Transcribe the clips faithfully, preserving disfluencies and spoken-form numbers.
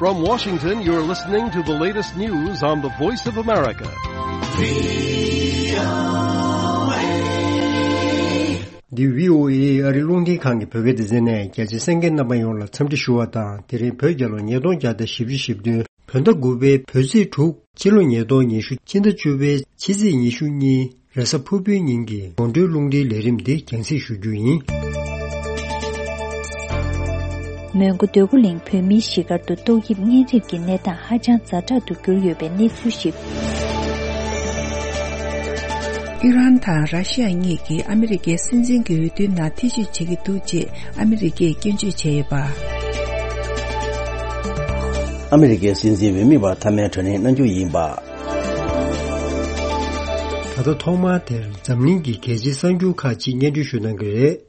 From Washington, you're listening to the latest news on the Voice of America. འདི་བྷི་ཨོ་ཨེ་ཨ་རིའི་རླུང་འཕྲིན་ཁང་གི་བོད་སྐད་སྡེ་ཚན་ནས། རྒྱ་ཆེ་གསན་མཁན་རྣམ་པ་ཡོངས་ལ་འཚམས་འདྲི་ཞུ་བ་དང་། དེ་རིང་བོད་རྒྱལ་ལོ་ཉིས་སྟོང་བརྒྱ་དང་བཞི་བཅུ་ཞེ་བདུན། བོད་ཟླ་དགུ་པའི་བོད་ཚེས་དྲུག་སྤྱི་ལོ་ཉིས་སྟོང་ཉི་ཤུ། སྤྱི་ཟླ་བཅུ་པའི་ཕྱི་ཚེས་ཉི་ཤུ་གཉིས། རེས་གཟའ་ཕུར་བུའི་ཉིན་གྱི་དགོང་དྲོའི་རླུང་འཕྲིན་ལས་རིམ་འདི་རྒྱང་སྲིང་ཞུ་རྒྱུ་ཡིན། མོན་གྷོ་འདོད་རྒུ་གླིང་བོད་མིའི་གཞིས་སྒར་དུ་ཏོག་དབྱིབས་གཉན་རིམས་ཀྱི་གནས་སྟངས་ཧ་ཅང་ཛ་དྲག་ཏུ་གྱུར་ཡོད་པའི་གནས་ཚུལ་ཞིག་ཨི་རན་དང་ར་ཤི་ཡ་གཉིས་ཀྱིས་ཨ་མི་རི་ཀའི་སྲིད་འཛིན་གྱི་འོས་བསྡུའི་ནང་ཐེ་བྱུས་བྱེད་ཀྱི་འདུག་ཅེས་ཨ་མི་རི་ཀས་སྐྱོན་བརྗོད་བྱས་ཡོད་པ། ཨ་མི་རི་ཀའི་སྲིད་འཛིན་འོས་མི་པ་མཐའ་མའི་དྲི་ལན་གནང་རྒྱུ་ཡིན་པ། ད་ལྟ་ཐོག་མར་དེར་འཛམ་གླིང་གི་གལ་ཆེའི་གསར་འགྱུར་ཁག་ཅིག་སྙན་སྒྲོན་ཞུ་གནང་གི་རེད།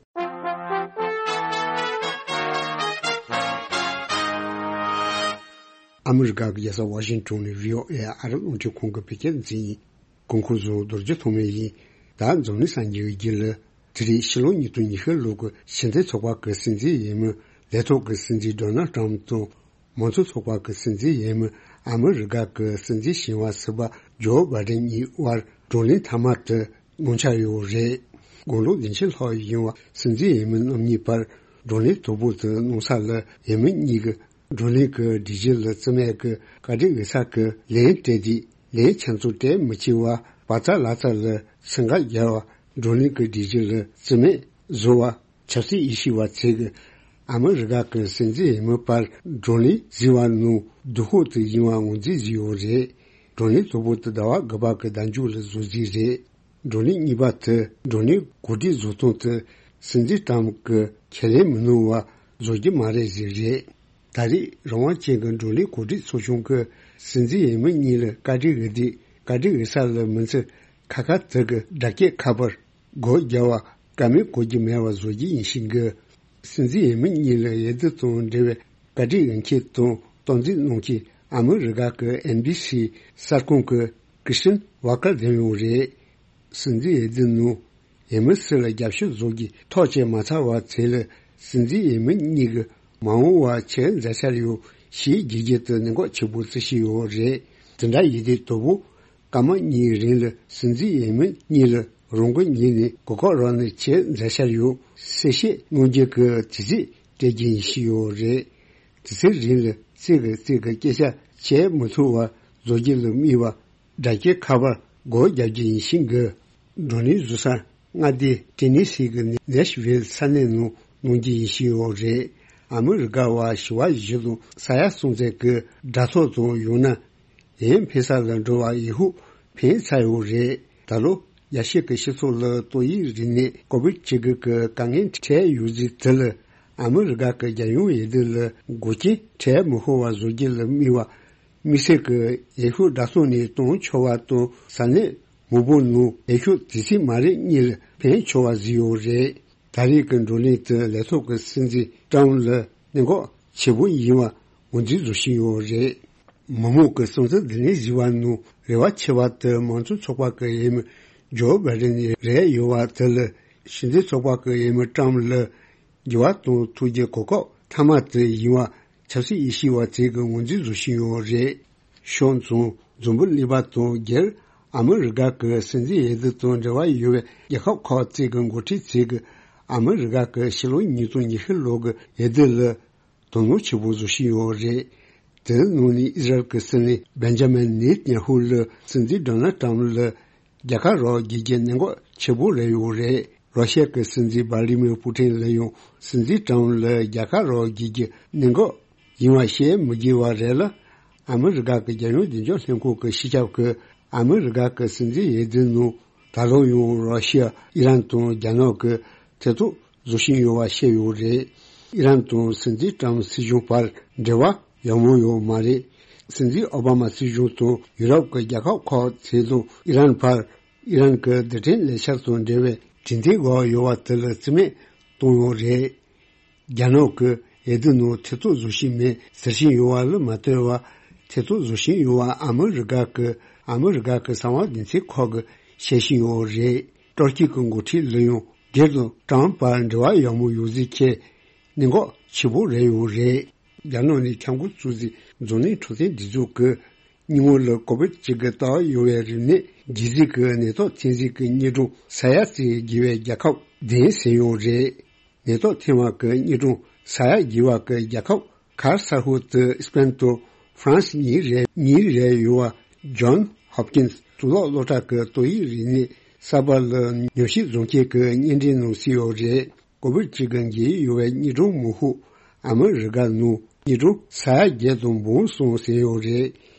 ཨ་མི་རི་ཀ་གི་རྒྱལ་ས་ཝ་ཤིང་ཊོན་ནས་བྷི་ཨོ་ཨེ་ཨ་རབ་རླུང་འཕྲིན་ཁང་གི་བོད་སྐད་སྡེ་ཚན་ཡིན། གོང་འཁོད་བཟོ་རྡོ་རྗེ་ཐོགས་མེད་ཡིན། ད་འཛམ་གླིང་གསར་འགྱུར་བརྒྱུད་ལ། དེ་རིང་ཕྱི་ལོ་ཉིས་སྟོང་ཉི་ཤུ་ལོ་གི་ཕྱི་འཐེན་ཚོགས་པ་གི་སྲིད་འཛིན་འོས་མི་ལས་ཐོག་གི་སྲིད་འཛིན་ཌོ་ནལ་ཊམ་དང་། མང་གཙོ་ཚོགས་པ་གི་སྲིད་འཛིན་འོས་མི་ཨ་མི་རི་ཀ་གི་སྲིད་འཛིན་ཞི་བ་ཟུར་པ་ཇོ་བྷའི་ཌེན་གཉིས་དབར་བགྲོ་གླེང་མཐའ་མ་དེ་གནང་འཆར་ཡོད་རེད། དགུང་ལོ་བདུན་ཅུ་ལྷག་ཡིན་པ་སྲིད་འཛིན་འོས་མི་རྣམ་གཉིས་བར་བགྲོ་གླེང་དོད་པོ་དེ་གནང་ས་ལ། འོས་མི་གཉིས་ཀྱི་བགྲོ་གླེང་གི་སྒྲིག་གཞི་ལ་རྩིས་མེད་ཀྱི་བཀའ་ཁྲིའི་འོས་ས་གི་ལན་སྤྲད་དུས། ལན་ཆ་ཚང་སྤྲད་མི་བྱེད་པར་བར་ཚ་ལ་ཚ་ལ་ཚིག་འགའ་བརྒྱབ་པ། བགྲོ་གླེང་གི་སྒྲིག་གཞི་ལ་རྩིས་མེད་བཟོ་བ། ཆབ་སྲིད་དབྱེ་ཞིབ་པ་ཚོས་ཀྱིས་ཨ་མི་རི་ཀ་གི་སྲིད་འཛིན་འོས་མི་བར་བགྲོ་གླེང་བཟོས་པ་ནང་སྡུག་ཤོས་དེ་ཡིན་པ་ངོས་འཛིན་བཟོས་ཡོད་རེད། བགྲོ་གླེང་དོད་པོ་དེ་ཟླ་བ་དགུ་པ་གི་ཟླ་མཇུག་ལ་བཟོ་རྩིས་རེད། བགྲོ་གླེང་གཉིས་པ་དེ་བགྲོ་གླེང་གོ་སྒྲིག་བཟོ་སྟངས་དེ་སྲིད་འཛིན་ཊམ་གྱིས་ཁས་ལེན་མི་གནང་བར་བཟོ་རྒྱུ་མ་རེད་ཟེར་རེད། ད་རེས་རང་དབང་ཅན་གྱི་བགྲོ་གླེང་གོ་སྒྲིག་ཚོགས་ཆུང་གིས་སྲིད་འཛིན་འོས་མི་གཉིས་ལ་བཀའ་ཁྲིའི་འོས་བསྡུའི་བཀའ་ཁྲིའི་འོས་ས་ལ་མི་ཚེ་ཁ་ཁ་དེ་གི་སྒྲ་སྐྱེད་ཁ་པར་སྒོ་བརྒྱབ་པ་བཀའ་མོལ་གོ་རྒྱུ་མེད་པ་བཟོ་རྒྱུ་ཡིན་ཞིང་གི། སྲིད་འཛིན་འོས་མི་གཉིས་ལ་འོས་བསྡུ་དང་འབྲེལ་བའི་བཀའ་ཁྲིའི་འོས་འཁྱེར་དང་སྟངས་འཛིན་གནང་མཁན་ཨ་མི་རི་ཀ་གི་ཨེན་བྷི་སི་གསར་ཁང་གི་ཀི་སྟིན་ཝ་ཀར་འདེམས་ཡོད་རེད། སྲིད་འཛིན་འོས་བསྡུའི་ནང་འོས་མི་སུ་ལ་རྒྱབ་སྐྱོར་བཟོ་རྒྱུའི་ཐག་བཅད་མ་ཚར་བར་དེ་ལ་སྲིད་འཛིན་འོས་མི་གཉིས་ཀྱིས་མ་འོངས་པར་ཆེས་མཛའ་ཆར་ཡོད་ཞེས་བརྗོད་རྒྱུ་དེ་གནད་འགག་ཆེན་པོ་བརྩི་བཞིན་ཡོད་རེད། དེ་འདྲ་ཡིན་དུས་དོ་བོ་སྐར་མ་གཉིས་རིང་ལ་སྲིད་འཛིན་འོས་མི་གཉིས་ལ་རང་འགུལ་ངོས་ནས་གོ་སྐབས་རག་ནས་ཆེས་མཛའ་ཆར་ཡོད་གསལ་བཤད་གནང་རྒྱུ་གི་དུས་ཚོད་སྤྲད་རྒྱུ་ཡིན་བཞིན་ཡོད་རེད། དུས་ཚོད་རིང་ལ་རྩེ་གི་རྩེ་གི་སྐད་ཆ་བྱེད་མི་ཐུབ་པ་བཟོ་རྒྱུ་ལ་དམིགས་པ། སྒྲ་སྐྱེད་ཁ་པར་སྒོ་རྒྱག་རྒྱུ་ཡིན་ཞིང་གི། བགྲོ་གླེང་བཟོ་ས་མངའ་སྡེ་ཊེ་ནེ་སི་གི་ནེ་ཤ་ཝིལ་ས་གནས་ནང་གནང་རྒྱུ་ཡིན་བཞིན་ཡོད་རེད། ཨ་མི་རི་ཀ་བ་ཞི་བ་བཞི་དང་ས་ཡ་སུམ་བརྒྱ་གི་དྲ་ཐོག་དང་ཡང་ན་འོས་འཕེན་ས་ལ་འགྲོ་བ་འོས་ཤོག་འཕེན་ཚར་ཡོད་རེད། ད་ལོ་རྒྱལ་སྤྱི་གི་སྤྱི་ཚོགས་ལ་ཏོག་དབྱིབས་རིམས་ནད་ཀོ་བིད་བཅུ་དགུ་གི་དཀའ་ངལ་འཕྲད་ཡོད་རྗེས་དེ་ལ་ཨ་མི་རི་ཀ་གི་རྒྱལ་ཡོངས་འོས་བསྡུ་ལ་འགོག་རྐྱེན་འཕྲད་མི་ཤོར་བ་བཟོ་རྒྱུ་ལ་དམིགས་པ། དམིགས་བསལ་གྱི་འོས་ཤོག་དྲ་ཐོག་ནས་གཏོང་ཆོག་པ་དང་ས་གནས་མང་པོ་ནང་འོས་ཤོག་དུས་ཚོད་མ་རེད་གཉིས་ལ་འཕེན་ཆོག་པ་བཟོས་ཡོད་རེད། ད་རེས་ཀྱི་བགྲོ་གླེང་དེ་ལས་ཐོག་གི་སྲིད་འཛིན་ཀྲམ་ལ་གནད་འགག་ཆེ་པོ་ཡིན་པ་ངོས་འཛིན་བཟོ་བཞིན་ཡོད་རེད། མི་མང་གི་སེམས་ཚོར་བསྡུ་ལེན་བཟོས་པ་ནང་རེ་བ་ཆེ་བ་དེ་མང་གཙོ་ཚོགས་པ་གི་འོས་མི་ཇོ་བྷའི་ཌེན་རེད་ཡོད་པ་དེ་ལ་སྲིད་འཛིན་ཚོགས་པ་གི་འོས་མི་ཀྲམ་ལ་འགྱུར་བ་གཏོང་ཐུབ་རྒྱུ་གོ་སྐབས་མཐའ་མ་དེ་ཡིན་པ་ཆབ་སྲིད་དབྱེ་ཞིབ་པ་ཚོས་ཀྱི་ངོས་འཛིན་བཟོ་བཞིན་ཡོད་རེད། ཕྱོགས་མཚུངས་འཛམ་བུ་གླིང་པ་དང་སྒེར་ཨ་མི་རི་ཀ་གི་སྲིད་འཛིན་འོས་བསྡུ་དང་འབྲེལ་བ་ཡོད་པའི་རྒྱལ་ཁབ་ཁག་ཅིག་གི་འགོ་ཁྲིད་ཚོས་ཀྱི་ཨ་མི་རི་ཀ་གི་ཕྱི་ལོ་ཉིས་སྟོང་ཉི་ཤུ་ལོ་གི་འོས་བསྡུ་ལ་དོ་སྣང་ཆེན་པོ་བཟོ་བཞིན་ཡོད་རེད། དེའི་ནང་ནས་ཨི་ཟ་རེལ་གྱི་སྲིད་བློན་བེན་ཇ་མིན་ནེ་ཏན་ཡ་ཧུ་ལ་སྲིད་འཛིན་ཌོ་ནལ་ཏྲམ་ལ་རྒྱལ་ཁ་རག་རྒྱུའི་གནད་འགག་ཆེན་པོ་རེད་ཡོད་རེད། རོ་ཤི་ཡ་གི་སྲིད་འཛིན་བྷ་ལ་ཏི་མིར་པུ་ཏིན་ལ་ཡང་སྲིད་འཛིན་ཀྲམ་ལ་རྒྱལ་ཁ་རག་རྒྱུའི་གནད་འགག་ཡིན་པ་བཤད་མི་དགོས་པ་རེད་ལ། ཨ་མི་རི་ཀ་གི་རྒྱལ་ཡོངས་བདེ་འཇགས་ལྷན་ཁང་གི་སྤྱི་ཁྱབ་ཀྱིས་ཨ་མི་རི་ཀ་གི་སྲིད་འཛིན་འོས་བསྡུའི་ནང་ད་ལོ་ཡང་རོ་ཤི་ཡ་ཨི་རན་དང་རྒྱ་ནག་གི་ཐེ་གཏོགས་བཟོ་བཞིན་ཡོད་པ་བཤད་ཡོད་རེད། ཨི་རན་དང་སྲིད་འཛིན་ཀྲམ་སྲིད་གཞུང་བར་འབྲེལ་བ་ཡག་མོ་ཡོད་མ་རེད། སྲིད་འཛིན་ཨོ་བྷ་མ་སྲིད་གཞུང་དང་ཡུ་རོབ་ཀྱི་རྒྱལ་ཁབ་ཁག་ཚོ་དང་ཨི་རན་བར་ཨི་རན་གྱི་རྡུལ་ཕྲན་ལས་འཆར་དང་འབྲེལ་བའི་གྲོས་མཐུན་འགོག་ཡོད་པ་དེ་ལ་རྩིས་མེད་བཏང་ཡོད་རེད། རྒྱ་ནག་གིས་འོས་བསྡུ་ནང་ཐེ་གཏོགས་བཟོ་བཞིན་མེད་ཟེར་བཞིན་ཡོད་པ་ལ་མ་ལྟོས་པར་ཐེ་གཏོགས་བཟོ་བཞིན་ཡོད་པ་ཨ་མི་རི་ཀ་གི་ཨ་མི་རི་ཀ་གི་གསང་བ་སྡེ་ཚན་ཁག་གིས་བཤད་བཞིན་ཡོད་རེད། ཏུར་ཀི་གི་འགོ་ཁྲིད་ལ་ཡང་སྒེར་དང་ཀྲམ་བར་འབྲེལ་བ་ཡག་མོ་ཡོད་ཚུལ་ཁྱེད་གནད་འགག་ཆེ་པོ་རེད་ཡོད་རེད། རྒྱ་ནག་ནས་ཁྱབ་ཁོངས་གཙོ་འཛིན་རྫོང་ནས་འཕྲོད་བསྟེན་སྒྲིག་འཛུགས་ཀྱི་སྙིང་བོ་ལ་ཀོ་བིད་བཅུ་དགུ་ལྟ་བ་ཡོད་པའི་རིམས་ནད་རྒྱས་འཛིན་གྱི་ནད་ཐོག་ཚད་འཛིན་གྱི་སྙན་སྒྲོན་ས་ཡ་རྩ་བརྒྱད་པའི་རྒྱལ་ཁབ་བདུན་ཟིན་ཡོད་རེད། ནད་ཐོག་ཐེངས་མ་གི་སྙན་སྒྲོན་ས་ཡ་བརྒྱད་པ་གི་རྒྱལ་ཁབ་ཁག་གསར་ཤོས་དེ་སི་པན་དང་ཧྥ་རན་སི་གཉིས་རེད། གཉིས་རེད་ཡོད་པ། ཇོན་ཧོབ་ཀིན་སི་གཙུག་ལག་སློབ་གྲྭ་གི་ཏོག་དབྱིབས་རིམས་ནད་གསར་པ་ལ་ཉམས་ཞིབ་བཟོ་མཁན་གྱི་སྙན་འགྲེལ་ནང་གསལ་ཡོད་རེད། ཀོ་བིད་བཅུ་དགུ་འགོས་ཡོད་པའི་སྙན་སྒྲོན་མང་ཤོས་ཨ་མི་རི་ཀ་ནང་སྙན་སྒྲོན་ས་ཡ་བརྒྱད་དང་འབུམ་གསུམ་ཟིན་ཡོད་རེད།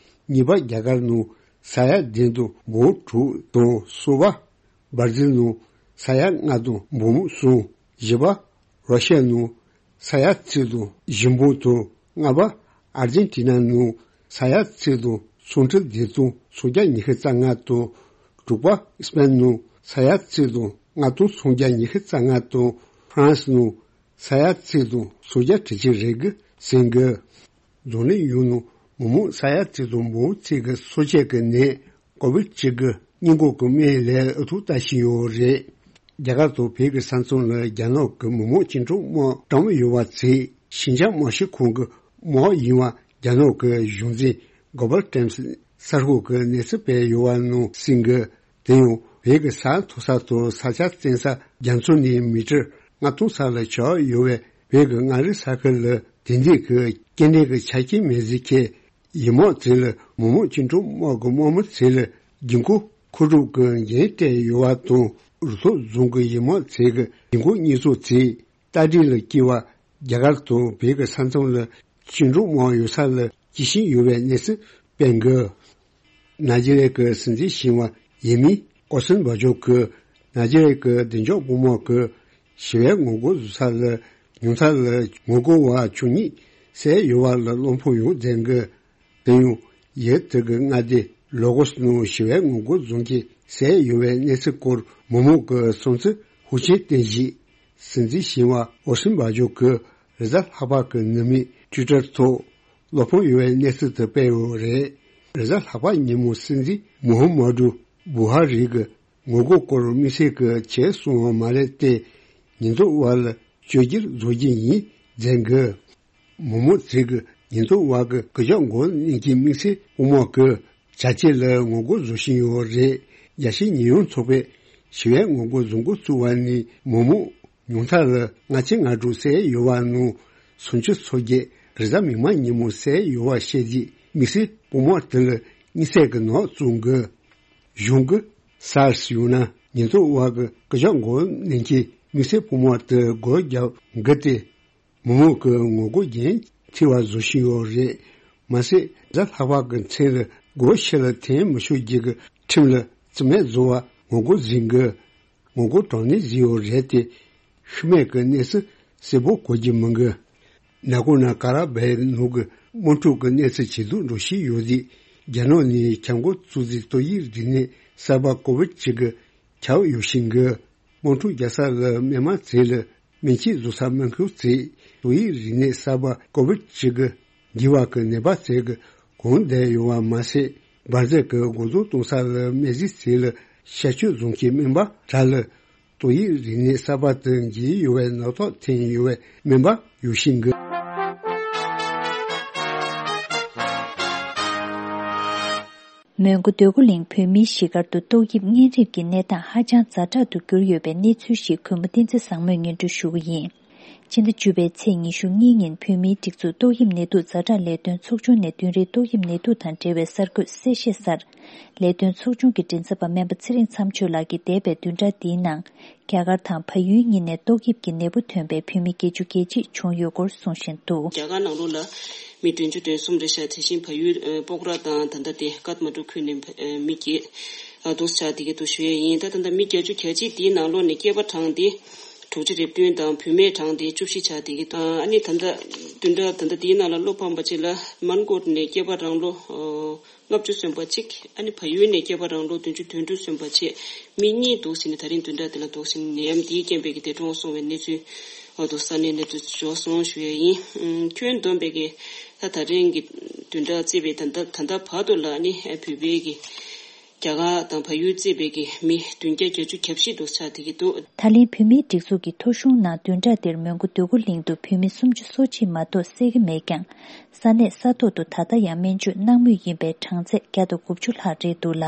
གཉིས་པ་རྒྱ་གར་ནང་ས་ཡ་བདུན་དང་འབུམ་དྲུག་དང་སོ་པ། སྦར་ཟིལ་ནང་ས་ཡ་ལྔ་དང་འབུམ་གསུམ། བཞི་པ། རོ་ཤ་ནང་ས་ཡ་གཅིག་དང་བཞི་འབུམ་དང་ལྔ་པ། ཨར་ཇེན་ཊི་ན་ནང་ས་ཡ་གཅིག་དང་སུམ་ཁྲི་བདུན་སྟོང་སུམ་བརྒྱ་ཉི་ཤུ་རྩ་ལྔ་དང་། དྲུག་པ། སི་པན་ནང་ས་ཡ་གཅིག་དང་ལྔ་སྟོང་སུམ་བརྒྱ་ཉི་ཤུ་རྩ་ལྔ་དང་། ཧྥ་རན་སི་ནང་ས་ཡ་གཅིག་དང་སུམ་བརྒྱ་དྲུག་ཅུ་རེ་དགུ་ཟིན་གི། འཛམ་གླིང་ཡོངས་ནང་མི་མང་ས་ཡ་གཅིག་དང་འབུམ་གཅིག་གི་སོ་སྐྱེ་གི་ནད་ཀོ་བིད་བཅུ་དགུ་སྔོན་འགོག་གི་སྨན་ལས་ཨུ་ཐུག་ལྟ་བཞིན་ཡོད་རེད། རྒྱ་གར་དང་བོད་ཀྱི་ས་མཚམས་ལ་རྒྱ་ནག་གི་མི་དམངས་བཅིངས་འགྲོལ་དམག་བཀྲམ་ཡོད་པ་བརྩིས། ཤིན་ཅང་དམག་ཤུགས་ཁང་གི་དམག་ཡིན་པ་རྒྱ་ནག་གི་གཞུང་འཛིན་གོ་བལ་ཊེམ་སི་གསར་ཤོག་གི་གནས་ཚུལ་སྤེལ་ཡོད་པ་ནང་གསུངས་གི། དེ་ཡང་བོད་ཀྱི་ས་མཐོ་ས་དང་ས་ཆ་བཙན་ས་རྒྱ་མཚོ་ནས་མི་ཊར་ལྔ་སྟོང་ས་ལ་ཆགས་ཡོད་པའི་བོད་ཀྱི་མངའ་རིས་ས་ཁུལ་ལ་དེང་དུས་ཀྱི་སྐྱེ་གནས་ཀྱི་ཆ་རྐྱེན་མེད་ཟེར་མཁན། ཡིན་མོག་ཚེ་ལ་མི་དམངས་བཅིངས་འགྲོལ་དམག་གི་དམག་མི་ཚེ་ལ་རྒྱུན་མཁོ་མཁོ་སྒྲུབ་ཀྱི་འགན་སྤྲད་ཡོད་པ་དང་། རུ་ཐོག་རྫོང་གི་ཡིན་མོག་ཚེ་གི་རྒྱུན་མཁོ་གཉེར་ཚོགས་ཚེ་རྟ་དྲེལ་ལ་སྐྱེལ་བ་རྒྱ་གར་དང་བོད་ཀྱི་ས་མཚམས་ལ་བཅིངས་འགྲོལ་དམག་ཡོད་ས་ལ་སྐྱེལ་བཞིན་ཡོད་པའི་གནས་ཚུལ་སྤེལ་འགོ། ནཱི་ཇི་རི་ཡ་གི་སྲིད་འཛིན་ཞི་བ་ཡེ་མི་ཨོ་སིན་བྷ་ཇོ་གིས་ནཱི་ཇི་རི་ཡ་གི་མདུན་ཅོག་དཔོན་དམག་གིས་ཞི་བའི་ངོ་རྒོལ་བཟོ་ས་ལ་ཉུང་མཐའ་ལ་ངོ་རྒོལ་བ་བཅུ་གཉིས་བསད་ཡོད་པ་ལ་བློ་ཕམ་ཡོང་མཛད་འགོ། དེ་ཡང་ཡུལ་དེ་གི་མངའ་སྡེ་ལོ་གོ་སི་ནང་ཞི་བའི་ངོ་རྒོལ་བཟོ་མཁན་བསད་ཡོད་པའི་གནས་ཚུལ་སྐོར་མི་མང་གི་བསམ་ཚུལ་ཤུགས་ཆེན་བསྟན་བཞིན། སྲིད་འཛིན་ཞི་བ་ཨོ་སིན་བྷ་ཇོ་གིས་རེས་གཟའ་ལྷག་པ་གི་ནུབ་མོའི་ཊུའི་ཊར་ཐོག་བློ་ཕམ་ཡོད་པའི་གནས་ཚུལ་དེ་སྤེལ་ཡོད་རེད། རེས་གཟའ་ལྷག་པ་ཉིན་མོ་སྲིད་འཛིན་མུ་ཧམ་མ་ཏུ་བུ་ཧ་རི་གི་ངོ་རྒོལ་སྐོར་དམིགས་བསལ་གྱི་བྱས་སོང་བ་མ་རེད་དེ། ཉེན་རྟོག་པ་ལ་བཅོས་བསྒྱུར་བཟོ་རྒྱུ་ཡིན་མཛད་འགོ། མི་མང་ཚོས་ཀྱི་ཉེན་རྟོག་པ་གི་སྐུ་ཞབས་མགོ་གནོན་གྱི་དམིགས་བསལ་དཔུང་དམག་གི་བྱ་སྤྱོད་ལ་ངོ་རྒོལ་བཟོ་བཞིན་ཡོད་རེད། རྒྱལ་སྤྱིའི་ཉེན་གཡོལ་ཚོགས་པས་ཞི་བའི་ངོ་རྒོལ་བཟོ་འགོ་བཙུགས་པ་ནས་མི་མང་ཉུང་མཐའ་ལ་ལྔ་བཅུ་ང་དྲུག་བསད་ཡོད་པ་ནང་སུམ་ཅུ་སོ་བརྒྱད་རེས་གཟའ་མིག་དམར་ཉིན་མོ་བསད་ཡོད་པ་བཤད་རྗེས། དམིགས་བསལ་དཔུང་དམག་དེ་ལ་དམིགས་བསལ་གྱི་ནག་བཙུགས་འགོ། གཞུང་གི་སར་སི་ཡང་ན་ཉེན་རྟོག་པ་གི་སྐུ་ཞབས་མགོ་གནོན་གྱི་དམིགས་བསལ་དཔུང་དམག་དེ་སྒོ་བརྒྱབ་འགོ་སྟེ། མི་མང་གི་ངོ་རྒོལ་རྒྱུན་མཐུད་པ་བཟོ་བཞིན་ཡོད་རེད། མ་ཟད་གཟའ་ལྷག་པ་གི་མཚན་ལ་སྒོ་ཕྱི་ལ་འཐེན་མི་ཆོག་རྒྱུ་གི་ཁྲིམས་ལ་བརྩི་མེད་བཟོ་བ་ངོ་རྒོལ་ཟིན་གི། ངོ་རྒོལ་དྲག་གནོན་བཟོས་ཡོད་རེད་དེ། ཤི་རྨས་ཀྱི་གནས་ཚུལ་གསལ་པོ་གོ་རྒྱུ་མི་འདུག། ནཱ་གོར་ནོ་ཀ་ར་བྷག་ནང་གི་དམག་འཁྲུག་གི་གནས་ཚུལ་ཇེ་སྡུག་འགྲོ་བཞིན་ཡོད་དུས། རྒྱ་ནག་ནས་ཁྱབ་ཁོངས་གཙོ་འཛིན་ཏོག་དབྱིབས་རིམས་ནད་གསར་པ་ཀོ་བིད་བཅུ་དགུ་ཁྱབ་ཡོད་བཞིན་གི། དམག་འཁྲུག་རྒྱག་ས་ལ་སྨན་མ་ཚེ་ལ་སྨན་བཅོས་བཟོ་ས་མི་འཁོར་ཚེ། ཏོག་དབྱིབས་རིམས་ནད་གསར་པ་ཀོ་བིད་བཅུ་དགུ་འདི་བ་གི་ནད་པ་ཚེ་གི་གོང་བསྡད་ཡོད་པ་མ་ཟད། འབར་རྫས་ཀྱི་འགོག་སྡོམ་གཏོང་ས་ལ་སྨན་རྫས་ཚེ་ལ་ཤ་སྐྱོན་བཟོ་མཁན་སྨན་པ་དྲག་ལ། ཏོག་དབྱིབས་རིམས་ནད་གསར་པ་དེ་འགོས་ཡོད་པའི་ནད་ཐོག་འཐེན་ཡོད་པའི་སྨན་པ་ཡོད་བཞིན་གི། མོན་གྷོ་འདོད་རྒུ་གླིང་བོད་མིའི་གཞིས་སྒར་དུ་ཏོག་དབྱིབས་གཉན་རིམས་ཀྱི་གནས་སྟངས་ཧ་ཅང་ཛ་དྲག་ཏུ་གྱུར་ཡོད་པའི་གནས་ཚུལ་ཞིག་གུས་མོ་བསྟན་འཛིན་བཟང་མོས་སྙན་སྒྲོན་ཞུ་གི་ཡིན། ཕྱི་ཟླ་བཅུ་པའི་ཚེས་ཉི་ཤུ་གཉིས་ཉིན་བོད་མིའི་སྒྲིག་འཛུགས་ཏོག་དབྱིབས་ནད་དུག་ཛ་དྲག་ལས་དོན་ཚོགས་ཆུང་ནས་བདུན་རེའི་ཏོག་དབྱིབས་ནད་དུག་དང་འབྲེལ་བའི་གསར་འགོད་གསལ་བཤད་གསར། ལས་དོན་ཚོགས་ཆུང་གི་མགྲིན་ཚབ་པ་སྨན་པ་ཚེ་རིང་མཚམས་ཆོས་ལགས་ཀྱིས་འདས་པའི་བདུན་ཕྲག་འདིའི་ནང་རྒྱ་གར་དང་བལ་ཡུལ་གཉིས་ནས་ཏོག་དབྱིབས་ཀྱི་ནད་འབུ་ཐོན་པའི་བོད་མི་བརྒྱད་ཅུ་གྱ་གཅིག་བྱུང་ཡོད་སྐོར་གསུང་བཞིན་འདུག། རྒྱ་གར་ནང་ལོགས་ལ་མི་བདུན་ཅུ་དོན་གསུམ་རེད་ཤག། དེ་བཞིན་བལ་ཡུལ་པོག་ར་དང་ད་ལྟ་དེ་ཀཐ་མན་ཌུ་ཁུལ་ནས་མི་བརྒྱད་འདུག་ཆགས་བསྡད་ཀྱི་འདུག་ཞུ་ཡས་ཡིན། ད་ད་ལྟ་མི་བརྒྱད་ཅུ་གྱ་གཅིག་དེའི་ནང་ལོགས་ནས་སྐྱེས་པ་གྲངས་དེ་དྲུག་ཅུ་རེ་བདུན་དང་བུད་མེད་གྲངས་དེ་བཅུ་བཞི་ཆགས་བསྡད་ཀྱི་འདུག། ཨ་ནི་ད་ལྟ་བདུན་ཕྲག་ད་ལྟ་དེའི་ནང་ལ་བློ་ཕམ་པ་ཅིག་ལ་མན་གོར་ནས་སྐྱེས་པ་རང་ལོ་ལྔ་བཅུ་སོན་པ་གཅིག། ཨ་ནི་བལ་ཡུལ་ནས་སྐྱེས་པ་རང་ལོ་བདུན་ཅུ་དོན་དྲུག་སོན་པ་བཅས་མི་གཉིས་འདུག་ཟེར་ནས་ད་རིང་བདུན་ཕྲག་དེ་ལ་འདུག་ཟེར་ནས་ནད་ཡམས་འདིའི་རྐྱེན་པས་ཀྱི་འདས་གྲོངས་སོང་བའི་གནས་ཚུལ་འོ་འདུག་ས་གནས་གནས་ཚུལ་འབྱོར་སོང་ཞུ་ཡས་ཡིན། ཁྱོན་བསྡོམས་པས་ཀྱི་ད་ད་རིང་གི་བདུན་ཕྲག་བརྩིས་པའི་ད་ལྟ་ད་ལྟ་བར་དུ་ལ་ཨ་ནི་བོད་པའི་གི་ རྒྱ་གར་དང་བལ་ཡུལ་བརྩིས་པའི་གི་མི་བདུན་བརྒྱ་བརྒྱད་ཅུ་གྱ་བཞི་འདུག་ཆགས་བསྡད་ཀྱི་འདུག། ད་ལན་བོད་མིའི་སྒྲིག་འཛུགས་ཀྱི་ཐོ་གཞུང་ནང་བདུན་ཕྲག་འདིར་མོན་གྷོ་འདོད་རྒུ་གླིང་དུ་བོད་མི་སུམ་ཅུ་སོ་གཅིག་མ་གཏོགས་བསད་ཀྱི་མེད་ཀྱང་། ས་གནས་ས་ཐོག་ཏུ་ད་ལྟ་ཡང་སྨན་བཅོས་གནང་མུས་ཡིན་པའི་གྲངས་ཚད་བརྒྱ་དང་དགུ་བཅུ་ལྷག་རེད་འདུག་ལ།